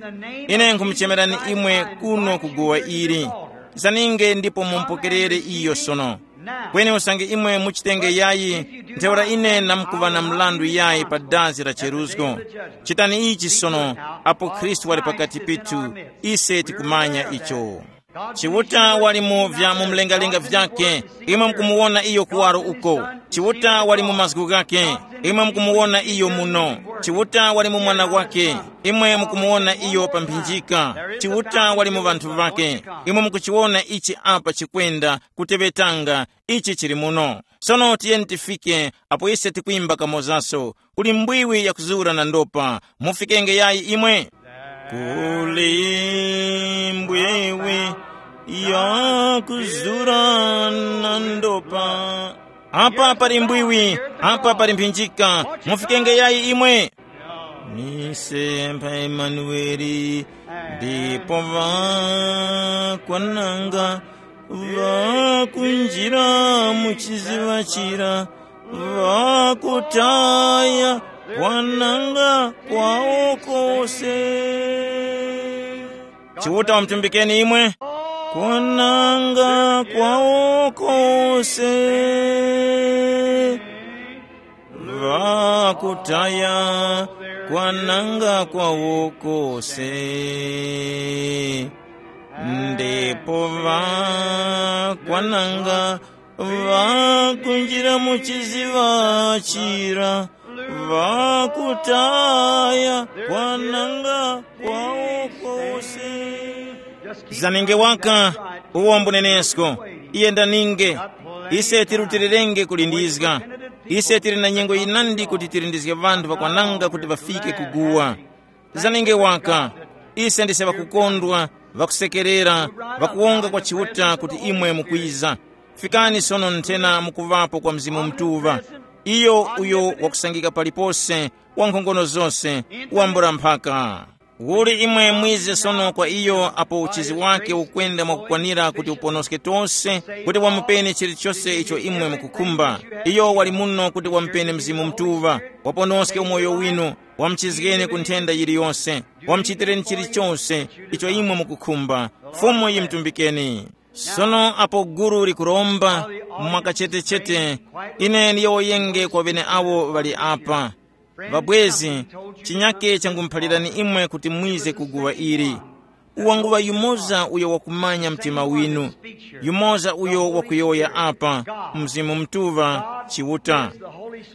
Ine nkhumuchemerani imwe kuno ku guwa ili. Zaninge ndipo mumupokerere iyo sono. Kweni usange imwe muchitenge yayi, ntheura ine namkuŵa na mrandu yayi pa dazi la cheruzgo. Chitani ichi sono, apo Khristu wali pakati pithu, ise tikumanya icho. Chiuta wali mu vya mu mlengalenga vyake, imwe mukumuwona iyo kuwaro uko. Chiuta wali mu mazgu ghake, imwe mukumuwona iyo muno. Chiuta wali mu mwana wake, imwe mukumuwona iyo pa mphinjika. Chiuta wali mu ŵanthu ŵake, imwe mukuchiwona ichi apa chikwenda kuteŵetanga, ichi chili muno. Sono tiyeni tifike apo ise tikwimba kamozaso, kuli mbwiwi yakuzura na ndopa. Mufikenge yayi imwe. Kuli mbwiwi yakuzura na ndopa. Apa pali mbwiwi, apa pali mphinjika. Mufikenge yayi imwe. Mise mpha Emanueli, ndipo ŵakwananga ŵakunjira mu chiziŵa chira, ŵakutaya kwananga kwawo kose. Chiuta wamutumbikeni imwe. Kwananga kwawo kose. Ŵakutaya kwananga kwawo kose. Ndipo ŵakwananga ŵakunjira mu chiziŵa chira, ŵakutaya kwananga kwawo kose. Zanenge waka, uwo mbunenesko. Iye ndaninge. Ise tirutilirenge kulindizga. Ise tili na nyengo yinandi kuti tilindizge ŵanthu ŵakwananga kuti ŵafike kuguwa. Zanenge waka, ise ndise ŵakukondwa, ŵakusekerera, ŵakuwonga kwa Chiuta kuti imwe mukwiza. Fikani sono nthena mukuŵapo kwa Mzimu Mutuŵa, iyo uyo wakusangika palipose, wa nkhongono zose, wambula mphaka. Uli imwe mwize sono kwa iyo apo uchizi wake ukwenda mwakukwanira kuti uponoske tose, kuti wamupeni chilichose icho imwe mukukhumba. Iyo wali muno kuti wamupeni Mzimu Mutuŵa, waponoske umoyo winu, wamuchizgeni ku nthenda yiliyose, wamuchitireni chilichose icho imwe mukukhumba. Fumu yimutumbikeni. Sono apo gulu likuromba mwakachetechete, ine ndiyowoyenge kwa ŵeneawo ŵali apa. Ŵabwezi, chinyake changumuphalirani imwe kuti mwize ku guwa ili. Wanguŵa yumoza uyo wakumanya mtima winu, yumoza uyo wakuyowoya apa, Mzimu Mutuŵa, Chiuta.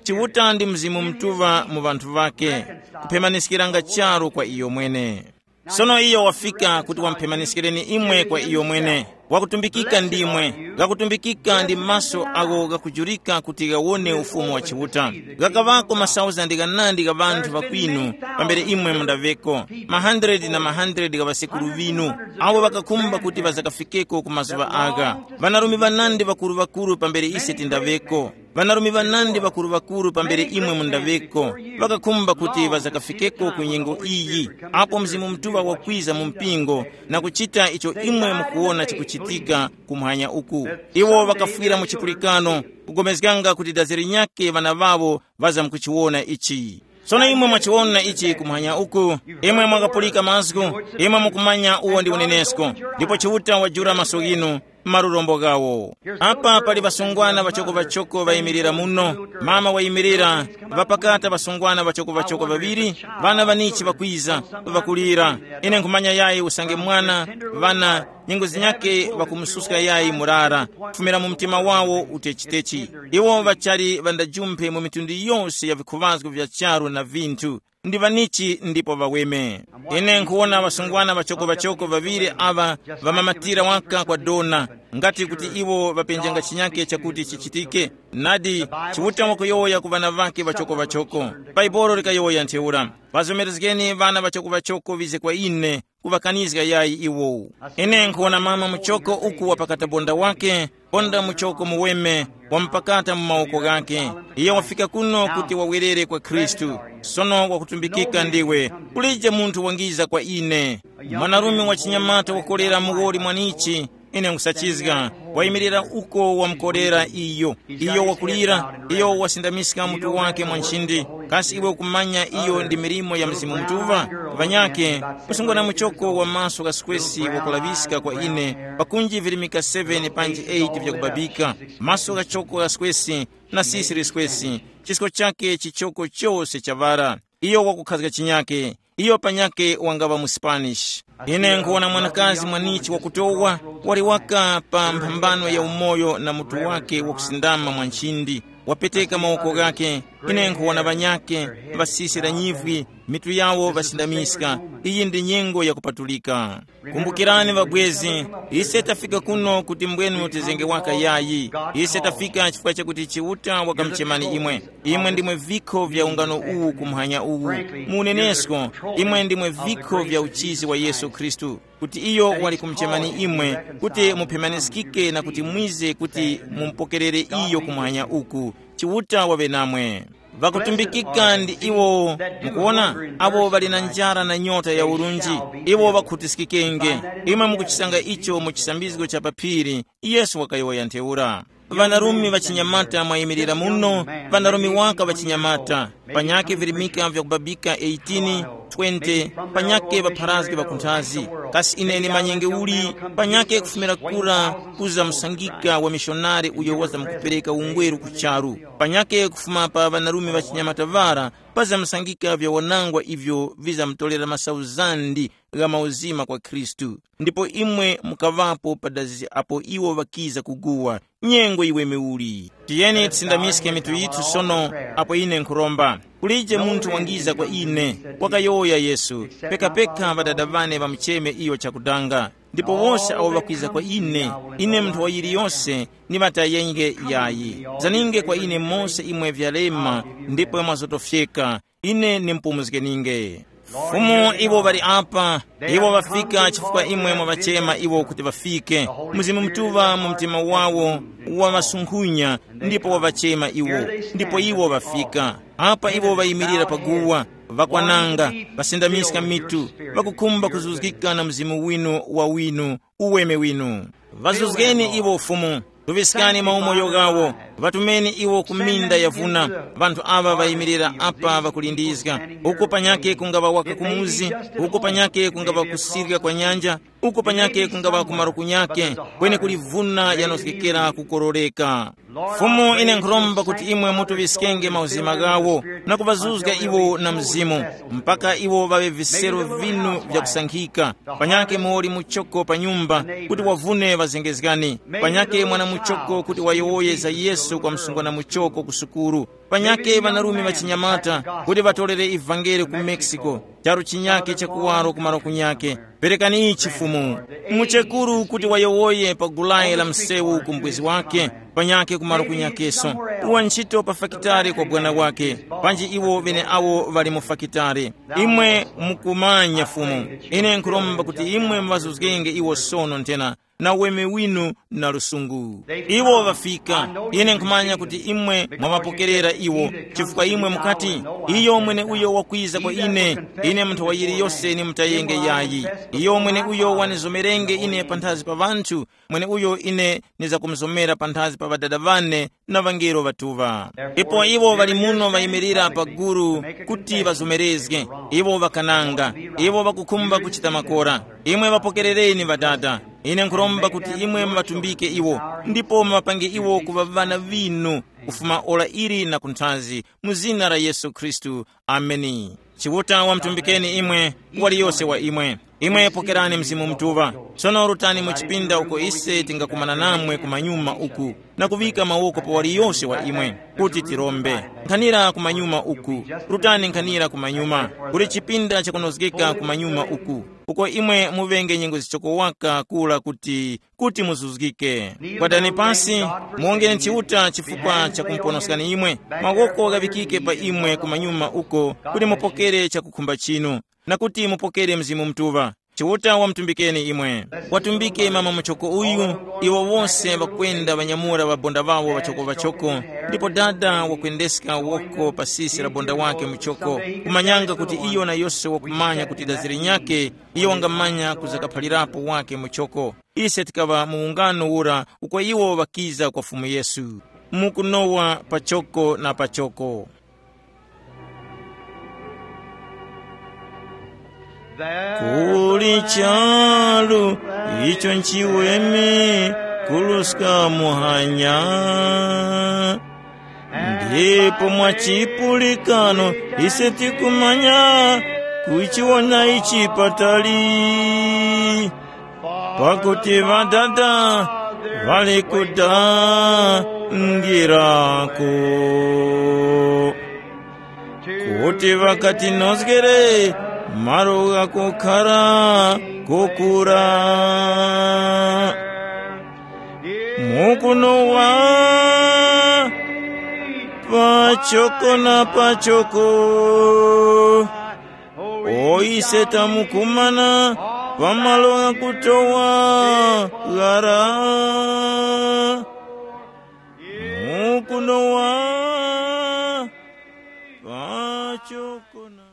Chiuta ndi Mzimu Mutuŵa mu ŵanthu ŵake, kuphemaniskiranga charu kwa iyo mwene. Sono iyo wafika kuti wamuphemaniskireni imwe kwa iyo mwene. Wakutumbikika ndimwe, ghakutumbikika ndi maso agho ghakujurika kuti ghawone Ufumu wa Chiuta. Ghakaŵako masauzandi ghanandi gha ŵanthu ŵakwinu pambere imwe mundaŵeko, mahandredi na mahandredi gha ŵasekuru ŵinu, awo ŵakakhumba kuti ŵazakafikeko ku mazuŵa agha. Ŵanarume ŵanandi ŵakuru-ŵakuru pambere ise tindaŵeko. Ŵanarume ŵanandi ŵakuru-ŵakuru pambere imwe mundaŵeko, ŵakakhumba kuti ŵazakafikeko ku nyengo iyi, apo Mzimu Mutuŵa wakwiza mu mpingo na kuchita icho imwe mukuwona chikuchitika kumwanya uku. Iwo ŵakafwira mu chipulikano, kugomezganga kuti dazi linyakhe ŵana ŵawo ŵazamkuchiwona ichi. Sono imwe mwachiwona ichi kumwanya uku, imwe mwakapulika mazgu, imwe mukumanya uwo ndi unenesko, ndipo Chiuta wajula maso ghinu, marurombo ghawo. Apa pali ŵasungwana ŵachoko-ŵachoko ŵayimirira muno, mama wayimirira, ŵapakata ŵasungwana ŵachoko-ŵachoko ŵaŵiri, ŵana ŵanichi ŵakwiza, ŵakulira. Ine nkhumanya yayi usange mwana, ŵana, nyengo zinyakhe ŵakumususka yayi murara, kufumira mu mtima wawo utechitechi. Iwo ŵachali ŵandajumphe mu mitundu yose ya vikhuŵazgo vya charu na vinthu. Ndi ŵanichi ndipo ŵaweme. Ine nkhuwona ŵasungwana ŵachoko-ŵachoko ŵaŵiri aŵa ŵamamatira waka kwa dona, ngati kuti iwo ŵapenjanga chinyake chakuti chichitike. Nadi, Chiuta wakuyowoya ku ŵana ŵakhe ŵachoko-ŵachoko. Baibolo likayowoya ntheura. Ŵazomerezgeni ŵana ŵachoko-ŵachoko ŵize kwa ine, kuŵakanizga yayi iwo. Ine nkhuwona mama muchoko uku wapakata bonda wake, bonda muchoko muweme, wamupakata mu mawoko ghake. Iye wafika kuno kuti wawerere kwa Khristu. Sono wakutumbikika ndiwe. Kulije munthu wangiza kwa ine. Mwanarume wa chinyamata wakolera muwoli mwanichi, ine nkusachizga, wayimirira uko wamkorera iyo. Iyo wakulira, iyo wasindamiska mutu wake mwa nchindi. Kasi iwe ukumanya iyo ndi milimo ya Mzimu Mutuŵa? Ŵanyakhe, msungwana muchoko wa maso gha skwesi wakulaŵiska kwa ine, pakunji virimika seven panji eight vyakubabika, maso ghachoko gha skwesi, na sisi liskwesi, chisko chake chichoko chose chaŵara. Iyo wakukhazga chinyake. Iyo panyakhe wangaŵa mu Spanish. Ine nkhuwona mwanakazi mwanichi wakutowa, wali waka pa mphambano ya umoyo na mutu wake wakusindama mwa nchindi, wapeteka mawoko ghake. Ine nkhuwona ŵanyakhe, ŵasisira nyivwi, mitu yawo ŵasindamiska. Iyi ndi nyengo yakupatulika. Kumbukirani ŵabwezi, ise tafika kuno kuti mbwenu tizenge waka yayi. Ise tafika chifukwa chakuti Chiuta wakamuchemani imwe. Imwe ndimwe vikho vya ungano uwu kumhanya uwu. Mu unenesko, imwe ndimwe vikho vya uchizi wa Yesu Khristu, kuti iyo wali kumuchemani imwe, kuti muphemaniskike na kuti mwize kuti mumupokerere iyo kumhanya uku. Chiuta waŵe namwe. Ŵakutumbikika ndi iwo, mukuwona, abo ŵali na njara na nyota ya urunji, iwo ŵakhutiskikenge. Imwe mukuchisanga icho mu chisambizgo cha pa phiri, Yesu wakayowoya ntheura. Ŵanarume ŵachinyamata mwayimirira muno, ŵanarume waka ŵachinyamata, panyakhe virimika vyakubabika eighteen, twenty, panyakhe ŵapharazgi ŵakunthazi. Kasi ine ndimanyenge uli? Panyakhe kufumira kura kuzamsangika wa mishonari uyo wazamkupereka ungweru ku charu. Panyakhe kufuma pa ŵanarume ŵachinyamata ŵara pazamsangika vya wanangwa ivyo vizamtolera masauzandi gha mauzima kwa Khristu. Ndipo imwe mukaŵapo padazi apo iwo ŵakiza kuguwa. Nyengo iwe miuli. Tiyeni tisindamiske mitu yithu sono, apo ine nkhuromba. Kulije munthu wangiza kwa ine, wakayowoya Yesu, pekapeka ŵadada ŵane ŵamucheme iyo chakudanga. Ndipo wose awo ŵakwiza kwa ine, ine munthu wa yiliyose, ndiŵatayenge yayi. Zaninge kwa ine mose imwe vyalema, ndipo mwazotofyeka, ine nimpumuzgeninge. Fumu iwo ŵali apa, iwo ŵafika chifukwa imwe mwaŵachema iwo kuti ŵafike. Mzimu Mutuŵa mu mtima wawo waŵasunkhunya, ndipo waŵachema iwo, ndipo iwo ŵafika. Apa iwo ŵayimirira paguwa, ŵakwananga, ŵasindamiska mitu, ŵakukhumba kuzuzgika na mzimu winu wa winu, uweme winu. Ŵazuzgeni iwo Fumu, tuŵiskani maumoyo ghawo, ŵatumeni iwo ku minda yavuna. Ŵanthu aŵa ŵayimirira apa ŵakulindizga. Uku panyakhe kungaŵa waka kumuzi, uku panyakhe kungaŵa kusirya kwa nyanja, uku panyakhe kungaŵa ku maluku nyakhe, kweni kuli vuna yanozgekera kukororeka. Fumu, ine nkhuromba kuti imwe mutuŵiskenge mauzima ghawo na kuŵazuzga iwo na Mzimu, mpaka iwo ŵaŵe visero vinu vyakusankhika. Panyakhe muwoli muchoko pa nyumba kuti wavune ŵazengezgani. Panyakhe mwana muchoko kuti wayowoye za Yesu kwa msungwana muchoko ku sukuru. Panyakhe ŵanarume ŵachinyamata kuti ŵatorere ivangeli ku Mexico, charu chinyakhe cha kuwaro ku malo kunyakhe. Perekani ichi Fumu. Muchekuru kuti wayowoye pa gulayi la msewu ku mbwezi wake, panyakhe ku malo kunyakeso. Uwa ntchito pa fakitare kwa bwana wake, panji iwo ŵeneawo ŵali mu fakitare. Imwe mukumanya Fumu. Ine nkhuromba kuti imwe muŵazuzgenge iwo sono nthena na uweme winu na lusungu. Iwo ŵafika. Ine nkhumanya kuti imwe mwaŵapokerera iwo, chifukwa imwe mukati, iyo mweneuyo wakwiza kwa ine, ine munthu wa yiliyose nimutayenge yayi. Iyo mweneuyo wanizomerenge ine panthazi pa ŵanthu, mweneuyo ine nizakumuzomerera panthazi pa ŵadada ŵane na ŵangelo ŵatuŵa. Ipo iwo ŵali muno ŵayimirira pa gulu kuti ŵazomerezge. Iwo ŵakananga. Iwo ŵakukhumba kuchita makora. Imwe ŵapokerereni Ŵadada. Ine nkhuromba kuti imwe muŵatumbike iwo, ndipo muŵapange iwo kuŵa ŵana ŵinu, kufuma ora ili na kunthazi, mu zina la Yesu Khristu. Ameni. Chiuta wamutumbikeni imwe, waliyose wa imwe. Imwe pokerani Mzimu Mutuŵa. Sono rutani mu chipinda uko ise tingakumana namwe kumanyuma uku, na kuŵika mawoko pa waliyose wa imwe, kuti tirombe. Nkhanira kumanyuma uku. Rutani nkhanira kumanyuma. Kuli chipinda chakunozgeka kumanyuma uku, uko imwe muŵenge nyengo zichoko waka kula kuti kuti muzuzgike. Kwadani pasi, muwongere Chiuta chifukwa cha kumuponoskani imwe. Mawoko ghaŵikike pa imwe kumanyuma uko, kuti mupokere chakukhumba chinu, na kuti mupokere Mzimu Mutuŵa. Chiuta wamutumbikeni imwe. Watumbike mama muchoko uyu. Iwo wose ŵakwenda ŵanyamula ŵabonda ŵawo ŵachoko-ŵachoko, ndipo dada wakwendeska woko pa sisi la bonda wake muchoko, kumanyanga kuti iyo na yose wakumanya kuti daziri nyakhe, iyo wangamanya kuzakaphalirapo wake muchoko. Ise tikaŵa mu ungano ura uko iwo ŵakiza kwa Fumu Yesu, mukunowa pachoko na pachoko. Kuli charu icho nchiweme kuluska muhanya, ndipo mwa chipulikano ise tikumanya kuchiwona ichi patali. Pakuti ŵadada ŵali kudangirako, kuti ŵakatinozgere malo ghakukhara kokura. Mukunowa pachoko na pachoko. O ise tamukumana pa malo ghakutowa ghara. Mukunowa pachoko na